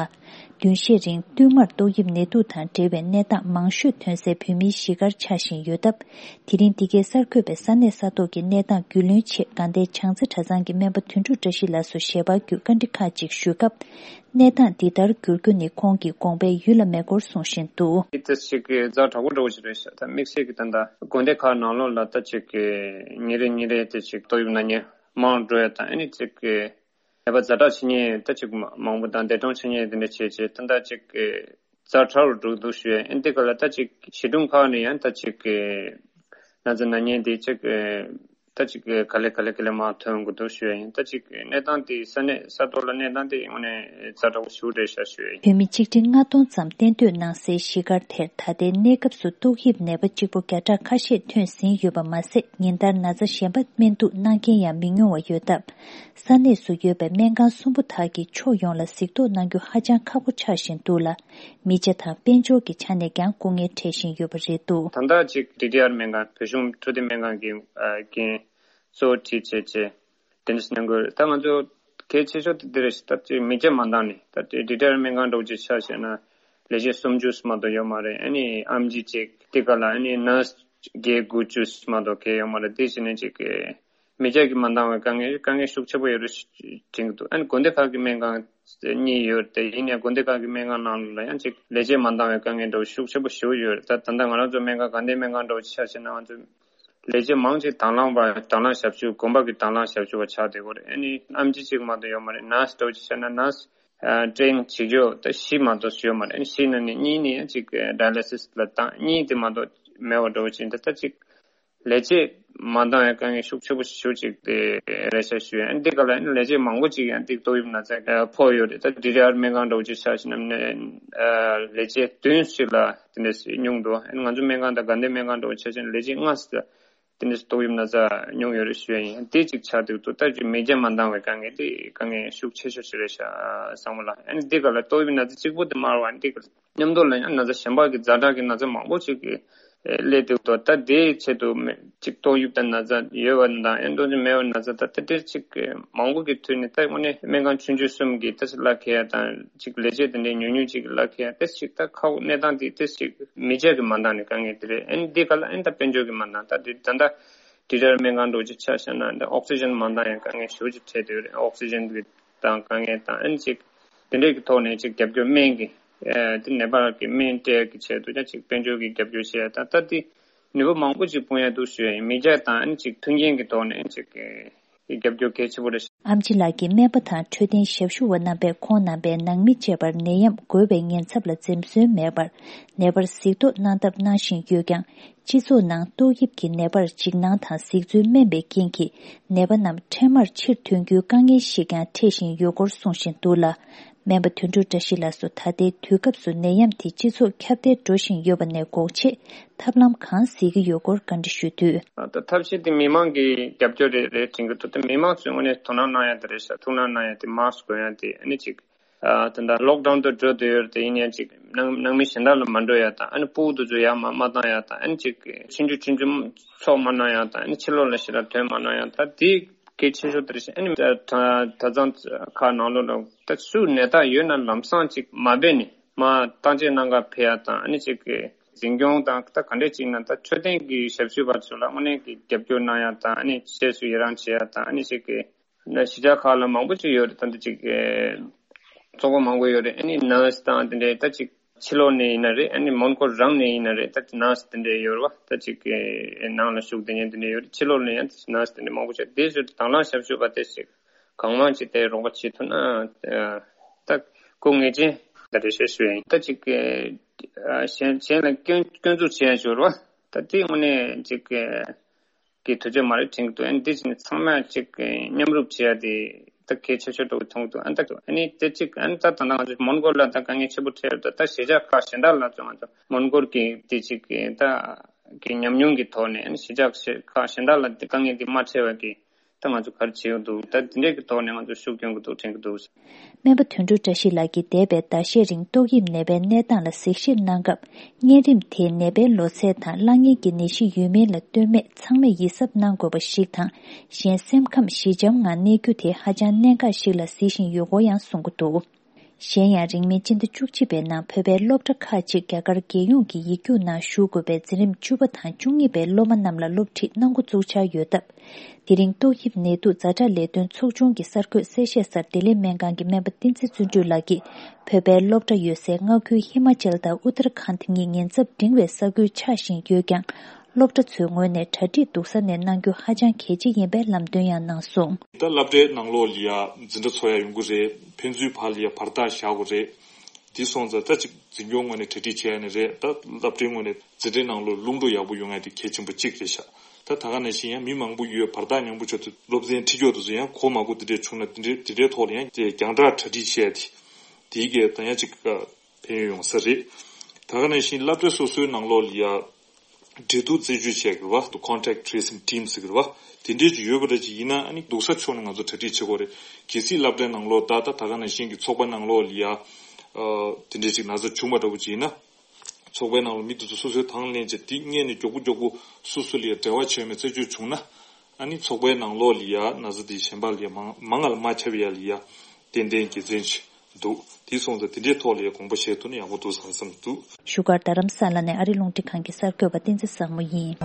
བདུན་ཤས་རིང་བསྟུད་མར་ཏོག་དབྱིབས་ནད་དུག་དང་འབྲེལ་བའི་གནས་སྟངས་མང་ཤོས་ཐོན་སའི་བོད་མིའི་གཞིས་སྒར་ཆགས་བཞིན་ཡོད་སྟབས། དེ་རིང་འདི་གའི་གསར་འགོད་པས་ས་གནས་ས་ཐོག་གི་གནས་སྟངས་རྒྱུས་ལོན་ཆེད་དགའ་ལྡན་བྱང་རྩེ་གྲྭ་ཚང་གི་སྨན་པ་དོན་གྲུབ་བཀྲ་ཤིས་ལགས་སུ་ཞལ་པར་བརྒྱུད་བཀའ་འདྲི་ཁག་ཅིག་ཞུས་སྐབས། གནས་སྟངས་འདི་ལྟར་འགྱུར་རྒྱུ་ནི་ཁོང་གིས་དགོངས་པའི་ཡུལ་ལ་མེད་སྐོར་གསུངས་བཞིན་འདུག། ད་ཅིག་གི་ཛ་དྲག་པོ་འདྲ་བོ་ཞིག་རེད་ཤག། ད་དམིགས་བསལ་གྱི་ད་ལྟ་དགོན་སྡེ་ཁག་ནང་ལོགས་ལ་ད་ཅིག་གི་ཉིན་རེ་ཉིན་རེ་དེ་ཅིག་ཏོག་དབྱིབས་ནད་ཉེན་མང་འགྲོ་ཡ་དང་། ཨ་ནི་ཅིག་གི་ནད་པ་ཛ་དྲག་ཆེ་ཉེན་ད་ཅིག་མ་མང་པོ་དང་འདས་གྲོངས་ཆེ་ཉེན་དེ་འདྲ་བྱས་བྱས་ད་ད་ཅིག་གི་ཛ་དྲག་རུ་འགྲོ་འདུག་ཞུ་ཡ། ཨ་ནི་དེ་ག་ལ་ད་ཅིག་བྱིས་སྒྲུང་ཁག་ནས་ཡང་ད་ཅིག་གི་ན་ཚ་ན་ཉེན་དེ་ཅིག་གི་ད་ཅིག་ག་ལེ་ག་ལེ་ག་ལེ་མར་ཐོན་དགོས་འདུག་ཞུ་ཡ་ཡིན། ད་ཅིག་གནས་སྟངས་དེ་ས་གནས་ས་ཐོག་ལ་གནས་སྟངས་དེ་དངོས་གནས་ཛ་དྲག་པོ་ཞེ་པོ་རེད་ཤག་ཞུ་ཡ་ཡིན། བོད་མི་ཆིག་ཁྲི་ལྔ་སྟོང་ཙམ་གཏན་སྡོད་གནང་སའི་གཞིས་སྒར་དེར་ད་ལྟའི་གནས་སྐབས་སུ་ཏོག་དབྱིབས་ནད་པ་གཅིག་པོ་བརྒྱ་ཕྲག་ཁ་ཤས་ཐོན་ཟིན་ཡོད་པ་མ་ཟད། ཉིན་ལྟར་ན་ཚ་གཞན་པ་སྨན་གཏུག་གནང་མཁན་ཡང་མི་ཉུང་བ་ཡོད་སྟབས། ས་གནས་སུ་ཡོད་པའི་སྨན་ཁང་གསུམ་པོ་དག་གིས་ཕྱོགས་ཡོངས་ལ་གཟིགས་རྟོག་གནང་རྒྱུ་ཧ་ཅང་ཁག་པོ་ཆགས་བཞིན་འདུག་ལ། མི་ཆ་དང་དཔལ་འབྱོར་གྱི་ཆ་ནས་ཀྱང་སྐུ་ངལ་འཕྲད་བཞིན་ཡོད་པ་རེད་འདུག། ད་ལྟ་ཅིག་ཌི་ཌི་ཨར་སྨན་ཁང་བོད་གཞུང་འཕྲོད་བསྟེན་སྨན་ཁང་གི་ཨ་འགན་གཙོ་བོ་ཁྲིད་བྱས་བྱས་དེ་འདྲ་ཞིག་གནང་དགོས་རེད། ད་ང་ཚོ་གལ་ཆེ་ཤོས་དེ་འདི་རེད་ཤག། ད་ཅིག་མི་ཆ་མ་འདང་ནས་ད་ཅིག་ཌི་ཌི་ཨར་སྨན་ཁང་འདྲ་བོ་ཅིག་ཆ་བཞག་ན་ལས་བྱེད་སུམ་ཅུ་མ་གཏོགས་ཡོད་མ་རེད། ཨ་ནི་ཨེམ་ཆི་ཅིག་དེ་ག་ལ་ཨ་ནི་ནར་སི་བརྒྱད་དགུ་བཅུ་མ་གཏོགས་གང་ཡང་ཡོད་མ་རེད། དེ་བྱས་ནས་ཅིག་མི་ཆ་གི་མ་འདང་བའི་དཀའ་ངལ་དཀའ་ངལ་ཤུགས་ཆེ་པོ་ཡོད་རེད་དྲན་གྱི་འདུག། ཨ་ནི་དགོན་སྡེ་ཁག་གི་སྨན་ཁང་གཉིས་ཡོད་རེད་དེ། ཡིན་ཡང་དགོན་སྡེ་ཁག་གི་སྨན་ཁང་ནང་ལ་ཡང་ཅིག་ལས་བྱེད་མ་འདང་བའི་དཀའ་ངལ་འདྲ་བོ་ཤུགས་ཆེ་པོ་ཞེ་པོ་ཡོད་རེད། ད་ད་ལྟ་ང་རང་ཚོ་སྨན་ཁང་དགའ་ལྡན་སྨན་ཁང་འདྲ་བོ་ཆ་བཞག་ན་ང་ཚོ་ལས་བྱེད་མང་ཆེ་དང་བླངས་པ་དང་བླངས་ཞབས་ཞུ་དགོན་པ་གི་དང་བླངས་ཞབས་ཞུ་བ་ཆགས་བསྡད་ཡོད་རེད། ཨ་ནི་ཨེམ་ཆི་གཅིག་མ་གཏོགས་ཡོད་མ་རེད། ནར་སི་འདྲ་བོ་ཅིག་བྱས་ན་ནར་སི་ཨ་ཊེན་བྱེད་རྒྱུ་ད་བཞི་མ་གཏོགས་ཡོད་མ་རེད། ཨ་ནི་བཞི་ནང་ནས་གཉིས་ནི་ཡང་ཅིག་ཌ་ཡ་ལི་སི་ལ་བཏང་། གཉིས་དེ་མ་གཏོགས་མེད་པ་འདྲ་བོ་ཅིག་ད་ལྟ་ཅིག་ལས་བྱེད་མ་འདང་བའི་དཀའ་ངལ་ཤུགས་ཆེ་པོ་ཞེ་པོ་ཅིག་དེ་རེད་ཤག་ཞུ་ཡ། ཨ་ནི་འདི་ག་ལ་ཨ་ནི་ལས་བྱེད་མང་པོ་ཅིག་ཡང་འདི་ཏོག་དབྱིབས་ན་ཚ་ཕོག་ཡོད་རེད། ད་ཌི་ཌི་ཨར་སྨན་ཁང་འདྲ་བོ་ཅིག་ཆ་བཞག་ན་ཨ་ལས་བྱེད་བདུན་ཞིག་ལ་དེ་འདྲ་སྙུང་འདུག། ཨ་ནི་ང་ཚོ་སྨན་ཁང་དང་དགའ་ལྡན་སྨན་ཁང་འདྲ་བོ་ཆ་བཞག་ན་ལས་བྱེད་ལྔ་ཞིག་ལ་དེ་འདྲ་ཏོག་དབྱིབས་ན་ཚ་མྱོང་ཡོད་རེད་ཞུ་ཡ་ཡིན། དེ་གཅིག་ཆགས་འདུག་ཏུ་ལྟ་ཅིག་མི་ཆ་མ་འདང་བའི་དཀའ་ངལ་དེ་དཀའ་ངལ་ཤུགས་ཆེ་ཤོས་ཤིག་རེད་ཤག་བསམ་བློ་ལ། ཨ་ནི་འདི་ག་ལ་ཏོག་དབྱིབས་ན་ཚ་གཅིག་པོ་དེ་མ་རེད་པ། འདི་ག་ལ་མཉམ་དུ་ལ་ཡང་ན་ཚ་གཞན་པ་གི་ཛ་དྲག་གི་ན་ཚ་མང་པོ་ཅིག་གི་སླེབས་འདུག་ཏོ། ད་དེའི་ཆེད་དུ་ཅིག་ཏོག་དབྱིབས་དང་ན་ཚ་ཡོད་པ་དང་ཨེ་འདྲ་ཅིག་མེད་པའི་ན་ཚ་ད་ལྟ་དེར་ཅིག་མང་པོ་གི་མཐུད་ནས་ད་དངོས་གནས་སྨན་ཁང་ཆུང་ཆུང་གསུམ་གི་ད་ཅིག་གླ་འཁེལ་ཡ་དང་ཅིག་ལས་བྱེད་དེ་འདྲའི་ཉུང་ཉུང་ཅིག་གི་གླ་འཁེལ་ཡ་ད་ཅིག་ད་ཁག་པོ་གནས་སྟངས་དེ་ད་ཅིག་མི་ཆ་གི་མ་འདང་ནས་དཀའ་ངལ་དེ་རེད། ཨེ་འདི་ག་ལ་ཨེ་ད་དཔལ་འབྱོར་གི་མ་འདང་། ད་དེ་ད་ད་ཌི་ཌི་ཨར་སྨན་ཁང་འདྲ་བོ་ཅིག་ཆ་བཞག་ན་ད་ཨོག་སི་ཇན་མ་འདང་ཡང་དཀའ་ངལ་ཞེ་པོ་ཅིག་འཕྲད་བསྡད་ཡོད་རེད། ཨོག་སི་ཇན་གི་དང་དཀའ་ངལ་དང་ཨ་ནི་ཅིག་དེ་འདྲས་ཀྱི་ཐོག་ནས་ཅིག་རྒྱབ་སྐྱོར་སྨན་གྱི་ཨ་དེ་ནད་པ་གི་སྨན་སྤྲད་ཀྱི་ཆེད་དུ་ཀྱང་ཅིག་དཔལ་འབྱོར་གྱི་རྒྱབ་སྐྱོར་བྱས་ད་ལྟ་དེ་ནུས་པ་མང་པོ་ཅིག་སྤུངས་ཡ་འདུག་ཞུ་ཡ་ཡིན། མི་སྐྱ་དང་ཨ་ནི་ཅིག་མཐུན་རྐྱེན་གྱི་ཐོག་ནས་ཅིག་རྒྱབ་སྐྱོར་གལ་ཆེ་པོ་རེད། ཨེམ་ཆི་ལགས་ཀྱིས་སྨན་པ་དང་འཕྲོད་བསྟེན་ཞབས་ཞུ་བ་རྣམ་པས་ཁོང་རྣམ་པའི་ནང་མི་བཅས་པར་ནད་ཡམས་འགོས་པའི་ཉེན་ཚབས་ལ་འཛེམ་ཟོན་མེད་པར་ནད་པར་གཟིགས་རྟོག་གནང་ཐབས་གནང་བཞིན་ཡོད་ཀྱང་། སྤྱི་ཚོགས་ནང་ཏོག་དབྱིབས་ཀྱི་ནད་པར་འཇིགས་སྣང་དང་གཟིགས་ཚུལ་དམན་པའི་རྐྱེན་གྱིས་ནད་པ་རྣམས་འཕྲལ་མར་ཕྱིར་ཐོན་རྒྱུའི་དཀའ་ངལ་ཞིག་ཀྱང་འཕྲད་བཞིན་ཡོད་སྐོར་གསུངས་བཞིན་འདུག་ལ། སྨན་པ་དོན་གྲུབ་བཀྲ་ཤིས་ལགས་སུ་ད་ལྟའི་དུས་སྐབས་སུ་ནད་ཡམས་དེ་སྤྱི་ཚོགས་ཁྱབ་གདལ་འགྲོ་བཞིན་ཡོད་པ་ནས་འགོག་ཆེད་ཐབས་ལམ་གང་གཟིགས་ཀྱི་ཡོད་སྐོར་བཀའ་འདྲི་ཞུས་དུས། ད་ཐབས་ཤེས་དེ་མི་མང་གི་རྒྱབ་སྐྱོར་རེད་རེད་དྲན་གྱི་འདུག། ད་མི་མང་ཚོས་དངོས་གནས་དོ་སྣང་གནང་ཡ་དེ་རེད་ཤག། ཐུགས་སྣང་གནང་ཡ་དེ་མཱ་སི་ཀི་གོན་ཡ་དེ་ཨ་ནི་ཅིག་ཨ་ད་ལྟ་ལོག་ཌའུན་དུ་འགྲོ་བསྡད་ཡོད་རེད་དེ། ཡིན་ཡང་ཅིག་ནང་ནང་མི་གཞན་དག་ལ་མ་འགྲོ་ཡ་དང་ཨ་ནི་སྤུ་གུ་དེ་ཚོ་ཡར་མར་མ་བཏང་ཡ་དང་ཨ་ནི་ཅིག་ཆུང་ཆུང་ཆུང་ཆུང་ཚོགས་མ་གནང་ཡ་དང་ཨ་ནི་ཕྱི་ལོགས་ལ་ཞེ་དྲག་ཐོན་མ་གནང་ཡ། ད་དེ་གལ་ཆེ་ཤོས་དེ་རེད་ཤག། ཨ་ནི་གྲྭ་གྲྭ་ཚང་ཁག་ནང་ལོགས་ལ་ད་སུ་ནད་རྟགས་ཡོད་ན་ལམ་སང་ཅིག་མ་སྦས་ནས་མར་བརྟག་དཔྱད་གནང་ག་ཕེབས་ཡ་དང་ཨ་ནི་ཅིག་གི་འཛིན་སྐྱོང་དང་ད་ག་འདྲས་ཅིག་ན་ད་འཕྲོད་བསྟེན་གྱི་ཞབས་ཞུ་བ་ཚོ་ལ་དངོས་གནས་ཀྱི་རྒྱབ་སྐྱོར་གནང་ཡ་དང་ཨ་ནི་རྗེས་སུ་ཡི་རང་བྱེད་ཡ་དང་ཨ་ནི་ཅིག་གི་ན་གཞིས་ཆགས་ཁག་ལ་མང་པོ་ཅིག་ཡོད་རེད། ད་འདི་ཅིག་ཚོགས་པ་མང་པོ་ཡོད་རེད། ཨ་ནི་ནར་སི་དང་དེ་འདྲའི་ད་ཅིག་ཕྱི་ལོགས་ནས་ཡིན་ན་རེད། ཨ་ནི་མོན་གྷོ་རང་ནས་ཡིན་ན་རེད། ད་ནར་སི་དེ་འདྲའི་ཡོད་རེད་བ། ད་ཅིག་ནང་ལ་བཞུགས་བསྡད་མཁན་དེ་འདྲ་ཡོད་རེད། ཕྱི་ལོགས་ནས་ཡང་ནར་སི་དེ་འདྲ་མང་པོ་ཅིག་དེ་ཚོས་དང་བླངས་ཞབས་ཞུ་བ་དེ་ཞིག་གང་མང་ཅིག་དེ་རོགས་པ་བྱེད་ཐུབ་ན་ད་སྐུ་ངལ་ཅན་ད་རེ་ཞེས་ཞུ་ཡིན། ད་ཅིག་གཞན་གཞན་ལ་སྐྱོན་སྐྱོན་འཛུགས་བྱེད་ཡ་ཞུ་རེད་བ། ད་དེ་དངོས་གནས་ཅིག་གི་དུས་ཚོད་མ་རེད་དྲན་གྱི་འདུག། ཨ་ནི་འདི་བྱས་ནས་ཚང་མ་ཅིག་མཉམ་རུབ་བྱེད་ཡ་དེ་ད་གལ་ཆེ་ཤོས་འདྲ་བོ་མཐོང་གི་འདུག། ཨ་ནི་ད་ཨ་ནི་དེ་ཅིག་ཨ་ནི་ད་ད་ལྟ་ང་ཚོ་མོན་གྷོ་ལ་ད་དཀའ་ངལ་ཆེན་པོ་འཕྲད་ཡོད། ད་ད་གཞིས་ཆགས་ཁག་གཞན་དག་ལ་ཚོ་ང་ཚོ་མོན་གྷོ་གི་དེ་ཅིག་ད་གི་ཉམས་མྱོང་གི་ཐོག་ནས་ཨ་ནི་གཞིས་ཆགས་ཁག་གཞན་དག་ལ་དེ་དཀའ་ངལ་དེ་མ་འཕྲད་པ་གི་ ད་ང་ཚོ་ག་རེ་བྱེད་ཀྱི་འདུག་ད་འདི་འདྲས་ཀྱི་ཐོག་ནས་ང་ཚོ་ཤུགས་སྐྱོན་གྱི་འདུག་དྲན་གྱི་འདུག་སྨན་པ་དོན་གྲུབ་བཀྲ་ཤིས་ལགས་ཀྱིས་འདས་པའི་ཟླ་ཤས་རིང་ཏོག་དབྱིབས་ནད་པའི་གནས་སྟངས་ལ་གཟིགས་ཞིབ་གནང་སྐབས། གཉན་རིམས་དེ་ནད་པའི་ལོ་ཚད་དང་སླར་གཉན་གྱི་ནད་གཞི་ཡོད་མིན་ལ་ལྟོས་མེད་ཚང་མས་ཡིད་གཟབ་གནང་དགོས་པ་ཞིག་དང་། གཞན་སེམས་ཁམས་ཞི་འཇམ་ངང་གནས་རྒྱུ་དེ་ཧ་ཅང་གནད་འགག་ཞིག་ལ་གཟིགས་བཞིན་ཡོད་སྐོར་ཡང་གསུང་གི་འདུག་གཞན་ཡང་། རིང་མིན་སྤྱི་ཟླ་བཅུ་གཅིག་པའི་ནང་བོད་པའི་སློབ་གྲྭ་ཁག་ཅིག་རྒྱ་གར་རྒྱལ་ཡོངས་ཀྱི་ཡིག་རྒྱུགས་ནང་ཞུགས་དགོས་པའི་འཛིན་རིམ་བཅུ་པ་དང་བཅུ་གཉིས་པའི་སློབ་མ་རྣམས་ལ་སློབ་ཁྲིད་གནང་འགོ་བཙུགས་འཆར་ཡོད་སྟབས། དེ་རིང་ཏོག་དབྱིབས་ནད་དུག་ཛ་དྲག་ལས་དོན་ཚོགས་ཆུང་གི་གསར་འགོད་གསལ་བཤད་སར་ལྡི་ལི་སྨན་ཁང་གི་སྨན་པ་བསྟན་འཛིན་བརྩོན་འགྲུས་ལགས་ཀྱིས། བོད་པའི་སློབ་གྲྭ་ཡོད་སའི་མངའ་ཁུལ་ཧི་མ་ཅལ་དང་ཨུ་ཏར་ཁཱན་ཌ་གཉིས་ཉེན་ཚབས་འབྲིང་བའི་ས་ཁུལ་ཆགས་བཞིན་ཡོད་ཀྱང་། སློབ་གྲྭ་ཚོའི་ངོས་ནས་གྲ་སྒྲིག་སྡུག་ས་ནས་གནང་རྒྱུ་ཧ་ཅང་གལ་ཆེ་ཡིན་པའི་ལམ་སྟོན་ཡང་གནང་སོང་། ད་སློབ་གྲྭའི་ནང་ལོགས་ལ་ཡ་འཛིན་གྲྭ་ཚོགས་ཡ་ཡོང་གི་རེད། ཕན་ཚུན་བར་ལ་ཡ་བར་ཐག་བཞག་དགོས་རེད། དེ་སོང་ཙང་ད་ཅིག་འཛིན་སྐྱོང་ངོས་ནས་གྲ་སྒྲིག་བྱས་ཡ་ནི་རེད། ད་སློབ་གྲྭའི་ངོས་ནས་འཛིན་གྲྭའི་ནང་ལོགས་རླུང་འགྲོ་ཡག་པོ་ཡོང་ཡ་དེ་གལ་ཆེན་པོ་གཅིག་རེད་ཤག་ད་ད་ག་ནང་བཞིན་ཡང་མི་མང་པོ་ཡོད། བར་ཐག་ཉུང་པོ་ཆགས་དུས་སློབ་ཚན་ཁྲིད་ཕྱོགས་དེ་ཚོ་ཡང་གོ་མ་གོ་དེ་འདྲས་བྱུང་ན་དེ་འདྲས་དེ་འདྲའི་ཐོག་ལ་ཡང་དེ་རྒྱང་བསྒྲགས་གྲ་སྒྲིག་བྱས་ཏེ་དེའི་གས་ད་ཡང་ཅིག་ཕན་ཡོན་ཡོང་ས་རེད། ད་ག་ནང་བཞིན་སློབ་གྲྭ་སོ་སོའི་ནང་ལོགས་ལ་ཡ་འབྲེལ་གཏུག་རྩད་གཅོད་བྱེད་དགོས་པ། དུ་contact tracing team ཟེར་གི་རེད་བ། དེ་འདྲས་ཅིག་ཡོད་པ་འདྲ་ཅིག་ཡིན་ན་ཨ་ནི་སྡུག་ས་ཕྱོགས་ནས་ང་ཚོ་གྲ་སྒྲིག་བྱེད་དགོས་རེད། གལ་སྲིད་སློབ་གྲྭའི་ནང་ལོགས་ད་ད་ད་ག་ནང་བཞིན་གྱི་ཚོགས་པ་ནང་ལོགས་ལ་ཡ་དེ་འདྲས་ཅིག་ན་ཚ་བྱུང་བ་འདྲ་པོ་ཅིག་ཡིན་ན། ཚོགས་པའི་ནང་ལ་མི་དེ་ཚོ་སོ་སོའི་དང་ལེན་བྱས་དེ་སྔོན་ནས་མགྱོགས་པོ་མགྱོགས་པོ་སོ་སོ་ལ་ཡ་འབྲེལ་བ་བྱས་མེད་རྩད་གཅོད་བྱུང་ན། ཨ་ནི་ཚོགས་པའི་ནང་ལོགས་ལ་ཡ་ན་ཚ་དེ་གཞན་པ་ལ་ཡ་མང་མང་ང་ལ་མ་ཁྱབ་ཡ་ལ་ཡ་ཏན་ཏན་དགེ་མཚན་ཅིག་འདུག་དེ་སོང་ཙང་དེ་འདྲའི་ཐོག་ལ་ཡ་དགོངས་པ་བཞེས་ཐུབ་ན་ཡག་པོ་འདུག་བསམ་བསམ་འདུག་བཞུགས་སྒར་རྡ་རམ་ས་ལ་ནས་ཨ་རི་རླུང་འཕྲིན་ཁང་གི་གསར་འགོད་པ་བསྟན་འཛིན་བཟང་མོ་ཡིན།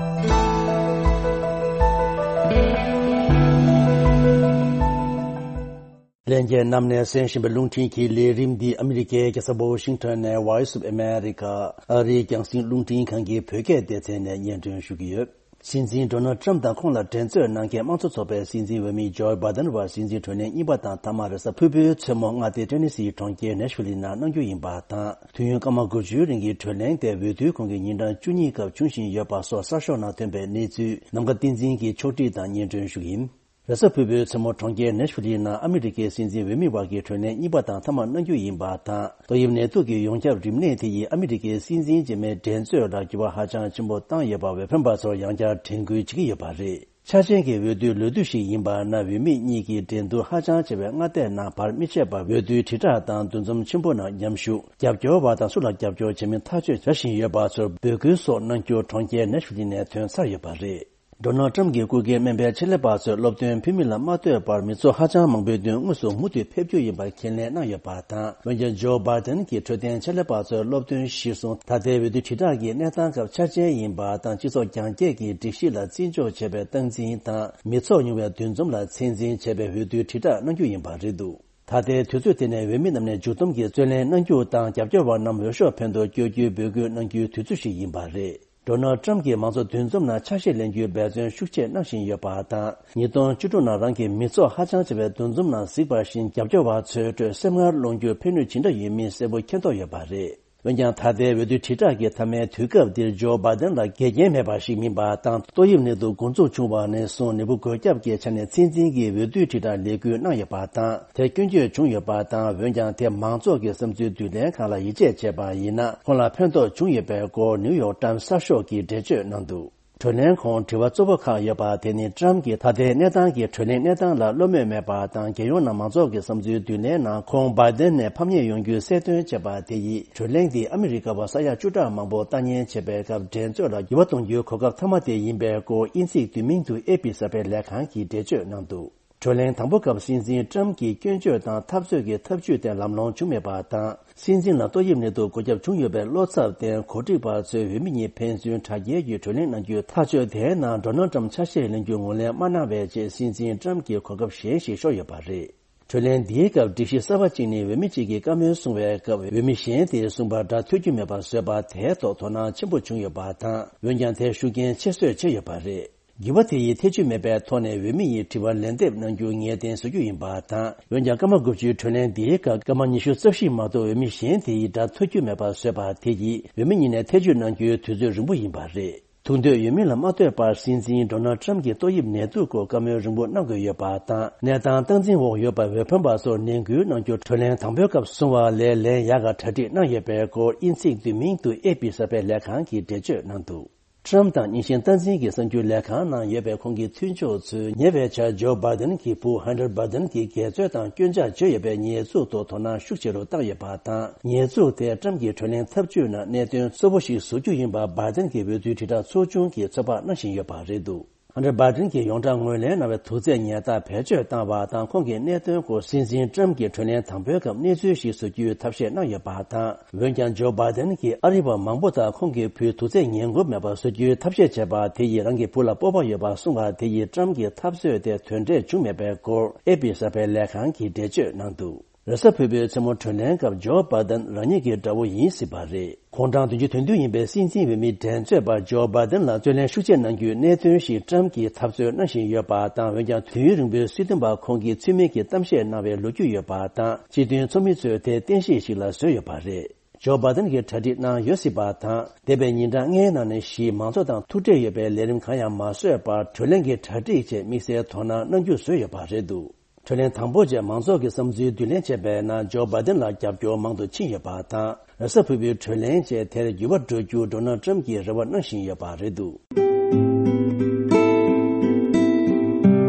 ལྷན་རྒྱས་རྣམས་ནས་གསན་བཞིན་པའི་རླུང་འཕྲིན་གྱི་ལས་རིམ་འདི་ཨ་མི་རི་ཀའི་རྒྱལ་ས་ཝ་ཤིང་ཊོན་ནས་Voice of America ཨ་རིའི་རྒྱང་སྲིང་རླུང་འཕྲིན་ཁང་གི་བོད་སྐད་སྡེ་ཚན་ནས་སྙན་སྒྲོན་ཞུ་གི་ཡོད། སྲིད་འཛིན་ཌོ་ནལ་ཊམ་དང་ཁོང་ལ་འགྲན་རྩོད་གནང་མཁན་དམངས་གཙོ་ཚོགས་པའི་སྲིད་འཛིན་འོས་མི་ཇོ་བྷའི་ཌེན་བར་སྲིད་འཛིན་གྲོས་གླེང་གཉིས་པ་དང་ཐ་མ་རེས་གཟའ་ཕུར་བུའི་མཚན་མོ་མངའ་སྡེ་ཊེ་ནེ་སིའི་གྲོང་ཁྱེར་ནེ་ཤི་ཝིལ་ནང་གནང་རྒྱུ་ཡིན་པ་དང་། དུས་ཡུན་སྐར་མ་དགུ་བཅུའི་རིང་གི་གྲོས་གླེང་དེ་འོས་བསྡུའི་གོང་གི་ཉིན་གྲངས་བཅུ་གཉིས་སྐབས་འབྱུང་བཞིན་ཡོད་པ་སོགས་གསར་ཤོག་ནང་ཐོན་པའི་གནས་ཚུལ་ནམ་མཁའ་བསྟན་འཛིན་གྱིས་ཕྱོགས་སྒྲིག་དང་སྙན་སྒྲོན་ཞུ་གི་ཡིན། རེས་གཟའ་ཕུར་བུའི་མཚན་མོ་གྲོང་ཁྱེར་ནེ་ཤི་ཝིལ་ནང་ཨ་མི་རི་ཀའི་སྲིད་འཛིན་འོས་མི་བར་གྱི་གྲོས་གླེང་གཉིས་པ་དང་ཐ་མ་གནང་རྒྱུ་ཡིན་པ་དང་། ཏོག་དབྱིབས་ནད་དུག་གི་ཡོངས་ཁྱབ་རིམས་ནད་དེ་ཡིས་ཨ་མི་རི་ཀའི་སྲིད་འཛིན་རྗེས་མའི་འགྲན་རྩོད་ལ་འགྱུར་བ་ཧ་ཅང་ཆེན་པོ་བཏང་ཡོད་པར་འོས་འཕེན་པ་ཚོར་ཡང་བསྐྱར་དྲན་སྐུལ་བྱེད་ཀྱི་ཡོད་པ་རེད། འཆར་ཅན་གྱི་འོས་བསྡུའི་ལོ་དུས་ཤིག་ཡིན་པ་ན། འོས་མི་གཉིས་ཀྱི་འགྲན་བསྡུར་ཧ་ཅང་ཆེ་བའི་མངའ་སྡེ་ནང་བར་མི་ཆད་པར་འོས་བསྡུའི་དྲིལ་བསྒྲགས་དང་འདུ་འཛོམས་ཆེན་པོ་ནང་མཉམ་ཞུགས། རྒྱབ་སྐྱོར་བ་དང་སུ་ལ་རྒྱབ་སྐྱོར་བྱེད་མིན་ཐག་གཅོད་བྱ་བཞིན་ཡོད་པ་ཚོར་འབོད་སྐུལ་སོགས་གནང་རྒྱུ་གྲོང་ཁྱེར་ནེ་ཤི་ཝིལ་ནས་ཐོན་ཚར་ཡོད་པ་རེད། ཌོ་ནལ་ཊམ་གྱི་སྐུ་སྒེར་སྨན་པའི་ཆེད་ལས་པ་ཚོས་སློབ་ཐོན་ཕུལ་མིན་ལ་མ་ལྟོས་པར་མི་ཚོགས་ཧ་ཅང་མང་པོའི་མདུན་དངོས་སུ་མུ་མཐུད་ཕེབས་རྒྱུ་ཡིན་པར་ཁས་ལེན་གནང་ཡོད་པ་དང་། འོན་ཀྱང་ཇོ་བྷའི་ཌེན་གྱི་འཕྲོད་བསྟེན་ཆེད་ལས་པ་ཚོས་སློབ་ཐོན་གཞིར་བཟུང་ད་ལྟའི་འོས་བསྡུ་དྲིལ་བསྒྲགས་ཀྱི་གནས་སྟངས་སྐབས་འཆར་ཅན་ཡིན་པ་དང་། སྤྱི་ཚོགས་རྒྱང་བཀྱེད་ཀྱི་སྒྲིག་གཞི་ལ་བརྩི་འཇོག་བྱས་པའི་སྟངས་འཛིན་དང་། མི་ཚོགས་ཉུང་བའི་འདུ་འཛོམས་ལ་ཚད་འཛིན་བྱས་པའི་འོས་བསྡུའི་དྲིལ་བསྒྲགས་གནང་རྒྱུ་ཡིན་པ་རེད་འདུག་ད་ལྟའི་དུས་ཚོད་དེ་ནི་འོས་མི་རྣམས་ནས་མཇུག་བསྡོམས་ཀྱི་རྩོད་ལེན་གནང་རྒྱུ་དང་། རྒྱབ་སྐྱོར་བ་རྣམས་འོས་ཤོག་འཕེན་ཐོག་བསྐྱོད་རྒྱུའི་འབོད་སྐུལ་གནང་རྒྱུའི་དུས་ཚོད་ཞིག་ཡིན་པ་རེད། ཌོ་ནལ་ཊམ་གྱིས་མང་ཚོགས་འདུ་འཛོམས་ནང་ཆ་ཤས་ལེན་རྒྱུའི་འབད་བརྩོན་ཤུགས་ཆེ་གནང་བཞིན་ཡོད་པ་དང་། ཉིས་སྟོང་བཅུ་དྲུག་ནང་རང་གི་མི་ཚོགས་ཧ་ཅང་ཆེ་བའི་འདུ་འཛོམས་ནང་གཟིགས་པ་བཞིན། རྒྱབ་སྐྱོར་བ་ཚོའི་ཁྲོད་སེམས་ངར་སློང་རྒྱུར་ཕན་ནུས་ཇི་འདྲ་ཡོད་མིན་གསལ་པོ་མཁྱེན་རྟོགས་ཡོད་པ་རེད། འོན་ཀྱང་། ད་ལྟའི་འོས་བསྡུ་དྲིལ་བསྒྲགས་ཀྱི་མཐའ་མའི་དུས་སྐབས་འདིར་ཇོ་བྷའི་ཌེན་ལ་འགལ་རྐྱེན་མེད་པ་ཞིག་མིན་པ་དང་། ཏོག་དབྱིབས་ནད་དུག་འགོ་འཛུགས་བྱུང་བ་ནས་བཟུང་ནད་འབུ་འགོས་ཁྱབ་ཀྱི་ཆ་ནས་ཚད་འཛིན་གྱི་འོས་བསྡུའི་དྲིལ་བསྒྲགས་ལས་འགུལ་གནང་ཡོད་པ་དང་། དེ་སྐྱོན་བརྗོད་བྱུང་ཡོད་པ་དང་། འོན་ཀྱང་། དེ་མང་ཚོགས་ཀྱི་བསམ་ཚུལ་བསྡུ་ལེན་ཁང་ལ་ཡིད་ཆེས་བྱས་པ་ཡིན་ན། ཁོང་ལ་ཕན་ཐོགས་བྱུང་ཡོད་པའི་སྐོར་ནིའུ་ཡོག་ཊམ་གསར་ཤོག་གིས་འགྲེལ་བརྗོད་གནང་འདུག་གྲོས་གླེང་ཁོངས་དྲི་བ་གཙོ་བོ་ཁག་ཡོད་པ་དེ་ནི། ཊམ་གྱིས་ད་ལྟའི་གནས་སྟངས་ཀྱི་གྲོས་གླེང་གནས་སྟངས་ལ་བློ་མོས་མེད་པ་དང་། རྒྱལ་ཡོངས་ནང་མང་ཚོགས་ཀྱི་བསམ་ཚུལ་བསྡུ་ལེན་ནང་ཁོང་བྷའི་ཌེན་ནས་ཕམ་ཉེས་ཡོང་རྒྱུའི་གསལ་སྟོན་བྱས་པ་དེ་ཡིས། གྲོས་གླེང་འདིས་ཨ་མི་རི་ཀ་བ་ས་ཡ་བཅུ་ཕྲག་མང་པོ་ལྟ་ཉན་བྱེད་པའི་སྐབས། འགྲན་རྩོད་ལ་འགྱུར་བ་གཏོང་རྒྱུའི་གོ་སྐབས་མཐའ་མ་དེ་ཡིན་པའི་སྐོར། དབྱིན་ཚིག་བསྡུས་མིང་དུ་ཨེ་པི་གསར་སྤེལ་ལས་ཁང་གིས་འགྲེལ་བརྗོད་གནང་འདུག་གྲོས་གླེང་དང་པོ་སྐབས་སྲིད་འཛིན་ཊམ་གྱིས་སྐྱོན་བརྗོད་དང་འཐབ་རྩོད་ཀྱི་ཐབས་ཇུས་དེ་ལམ་ལྷོང་བྱུང་མེད་པ་དང་། སྲིད་འཛིན་ལ་ཏོག་དབྱིབས་ནད་དུག་འགོས་ཁྱབ་བྱུང་ཡོད་པའི་བློ་འཚབ་བརྟེན། གོ་སྒྲིག་པ་ཚོས་འོས་མི་གཉིས་ཕན་ཚུན་དྲ་རྒྱའི་བརྒྱུད་གྲོས་གླེང་གནང་རྒྱུའི་ཐག་གཅོད་དེའི་ནང་ཌོ་ནལ་ཊམ་ཆ་ཤས་ལེན་རྒྱུ་ངོས་ལེན་མ་གནང་བའི་རྗེས། སྲིད་འཛིན་ཊམ་གྱིས་གོ་སྐབས་གཞན་ཞིག་ཤོར་ཡོད་པ་རེད། གྲོས་གླེང་འདིའི་སྐབས་སྒྲིག་གཞི་གསར་པ་གཅིག་ནི། འོས་མི་གཅིག་གིས་བཀའ་མོལ་གསུང་བའི་སྐབས། འོས་མི་གཞན་དེས་གསུངས་པ་སྒྲ་ཐོས་རྒྱུ་མེད་པར་བཟོས་པ་དེའི་ཐོག་དོ་སྣང་ཆེན་པོ་བྱུང་ཡོད་པ་དང་། འོན་ཀྱང་། དེས་ཤུགས་རྐྱེན་ཆེ་བཟོས་བྱས་ཡོད་པ་རེད། འགྱུར་བ་དེ་ཡིས་ཐེ་བྱུས་མེད་པའི་ཐོག་ནས་འོས་མི་ཡིས་དྲི་བ་ལན་འདེབས་གནང་རྒྱུ་ངེས་གཏན་བཟོ་རྒྱུ་ཡིན་པ་དང་། འོན་ཀྱང་། སྐར་མ་དགུ་བཅུའི་གྲོས་གླེང་འདིའི་སྐབས། སྐར་མ་ཉི་ཤུ་རྩ་བཞི་མ་གཏོགས་འོས་མི་གཞན་དེ་ཡིས་སྒྲ་ཐོས་རྒྱུ་མེད་པར་བཟོས་པ་དེ་ཡིས། འོས་མི་གཉིས་ནས་ཐེ་བྱུས་གནང་རྒྱུའི་དུས་ཚོད་རིང་པོ་ཡིན་པ་རེད། ཐུགས་འདོད་ཡོད་མིན་ལ་མ་ལྟོས་པར། སྲིད་འཛིན་ཌོ་ནལ་ཊམ་གྱིས་ཏོག་དབྱིབས་ནད་དུག་སྐོར་བཀའ་མོལ་རིང་པོ་གནང་དགོས་ཡོད་པ་དང་། གནས་སྟངས་སྟངས་འཛིན་འོག་ཡོད་པར་འོས་འཕེན་པ་ཚོར་ནན་སྐུལ་གནང་རྒྱུ། གྲོས་གླེང་དང་པོའི་སྐབས་གསུངས་པ་ལས་ལན་ཡག་ག་གྲ་སྒྲིག་གནང་ཡོད་པའི་སྐོར། དབྱིན་ཚིག་བསྡུས་མིང་དུ་ཨེ་པི་གསར་སྤེལ་ལས་ཁང་གིས་འགྲེལ་བརྗོད་གནང་འདུག་ཊམ་དང་རྙིང་ཞེན་སྟངས་འཛིན་གྱི་གསར་འགྱུར་ལས་ཁང་ནང་ཡོད་པའི་ཁོང་གི་མཐུན་ཕྱོགས་ཚོས་ཉེ་བའི་ཆར་ཇོ་བྷའི་ཌེན་གྱི་བུ་ཧན་ཊར་བྷའི་ཌེན་གྱིས་འགལ་རྩོད་དང་སྐྱོན་ཆ་བརྗོད་ཡོད་པའི་ཉེས་འཛུགས་ཐོག་དོ་སྣང་ཤུགས་ཆེ་རུ་བཏང་ཡོད་པ་དང་། ཉེས་འཛུགས་དེ་ཊམ་གྱི་གྲོས་གླེང་ཐབས་ཇུས་ནང་གནད་དོན་གཙོ་བོ་ཞིག་བཟོ་རྒྱུ་ཡིན་པ་བྷའི་ཌེན་གྱི་འོས་བསྡུའི་དྲིལ་བསྒྲགས་ཚོགས་ཆུང་གིས་ཚོད་དཔག་གནང་བཞིན་ཡོད་པ་རེད་འདུག་ཧན་ཊར་བྷའི་ཌེན་གྱིས་ཡོངས་གྲགས་ངོས་ལེན་གནང་བའི་དུག་རྫས་ཉལ་ཐ་བེད་སྤྱོད་བཏང་བ་དང་ཁོང་གི་གནད་དོན་སྐོར་སྲིད་འཛིན་ཊམ་གྱི་གྲོས་གླེང་དང་པོའི་སྐབས་གནས་ཚུལ་ཞིག་བཟོ་རྒྱུའི་ཐབས་ཤེས་གནང་ཡོད་པ་དང་། འོན་ཀྱང་ཇོ་བྷའི་ཌེན་གྱིས་ཨ་རི་བ་མང་པོ་དང་ཁོང་གི་བུས་དུག་རྫས་ཉལ་དགོས་མེད་པ་བཟོ་རྒྱུའི་ཐབས་ཤེས་བྱས་པ་དེ་ཡིས་རང་གི་བུ་ལ་སྤོབས་པ་ཡོད་པ་གསུངས་པ་དེ་ཡིས་ཊམ་གྱི་འཐབ་རྩོད་དེ་དོན་འབྲས་བྱུང་མེད་པའི་སྐོར་ཨེ་པི་གསར་སྤེལ་ལས་ཁང་གིས་འགྲེལ་བརྗོད་གནང་འདུག་རེས་གཟའ་ཕུར་བུའི་མཚན་མོ་གྲོས་གླེང་སྐབས་ཇོ་བྷའི་ཌེན་རང་ཉིད་ཀྱི་དགྲ་བོ་ཡིན་སྲིད་པ་རེད། ཁོང་གྲངས་བདུན་ཅུ་དོན་བདུན་ཡིན་པའི་སྲིད་འཛིན་འོས་མི་འགྲན་རྩོད་པ་ཇོ་བྷའི་ཌེན་ལ་རྩོད་ལེན་ཤུགས་ཆེ་གནང་རྒྱུའི་གནད་དོན་ཞིག་ཊམ་གྱིས་འཐབ་རྩོད་གནང་བཞིན་ཡོད་པ་དང་། འོན་ཀྱང་དུས་ཡུན་རིང་པོའི་སྲིད་དོན་པ་ཁོང་གིས་ཚུལ་མིན་གྱི་གཏམ་བཤད་གནང་བའི་ལོ་རྒྱུས་ཡོད་པ་དང་། སྤྱི་མཐུན་ཚོགས་མི་ཚོས་དེ་བསྟན་བཤིག་ཞིག་ལ་བཟོས་ཡོད་པ་རེད། ཇོ་བྷའི་ཌེན་གྱིས་གྲ་སྒྲིག་གནང་ཡོད་སྲིད་པ་དང་། འདས་པའི་ཉིན་གྲངས་ལྔའི་ནང་ནས་གཞིས་མང་ཚོགས་དང་ཐུག་འཕྲད་ཡོད་པའི་ལས་རིམ་གང་ཡང་མ་བཟོས་པར་གྲོས་གླེང་གི་གྲ་སྒྲིག་བྱས་དམིགས་བསལ་དོ་སྣང་གནང་རྒྱུ་བཟོས་ཡོད་པ་རེད་འདུག་གྲོས་གླེང་དང་པོ་རྗེས་མང་ཚོགས་ཀྱི་བསམ་ཚུལ་བསྡུ་ལེན་བྱས་པའི་ནང་ཇོ་བྷའི་ཌེན་ལ་རྒྱབ་སྐྱོར་མང་དུ་ཕྱིན་ཡོད་པ་དང་། རེས་གཟའ་ཕུར་བུའི་གྲོས་གླེང་རྗེས་དེར་འགྱུར་བ་འགྲོ་རྒྱུ་ཌོ་ནལ་ཊམ་གྱིས་རེ་བ་གནང་བཞིན་ཡོད་པ་རེད་འདུག་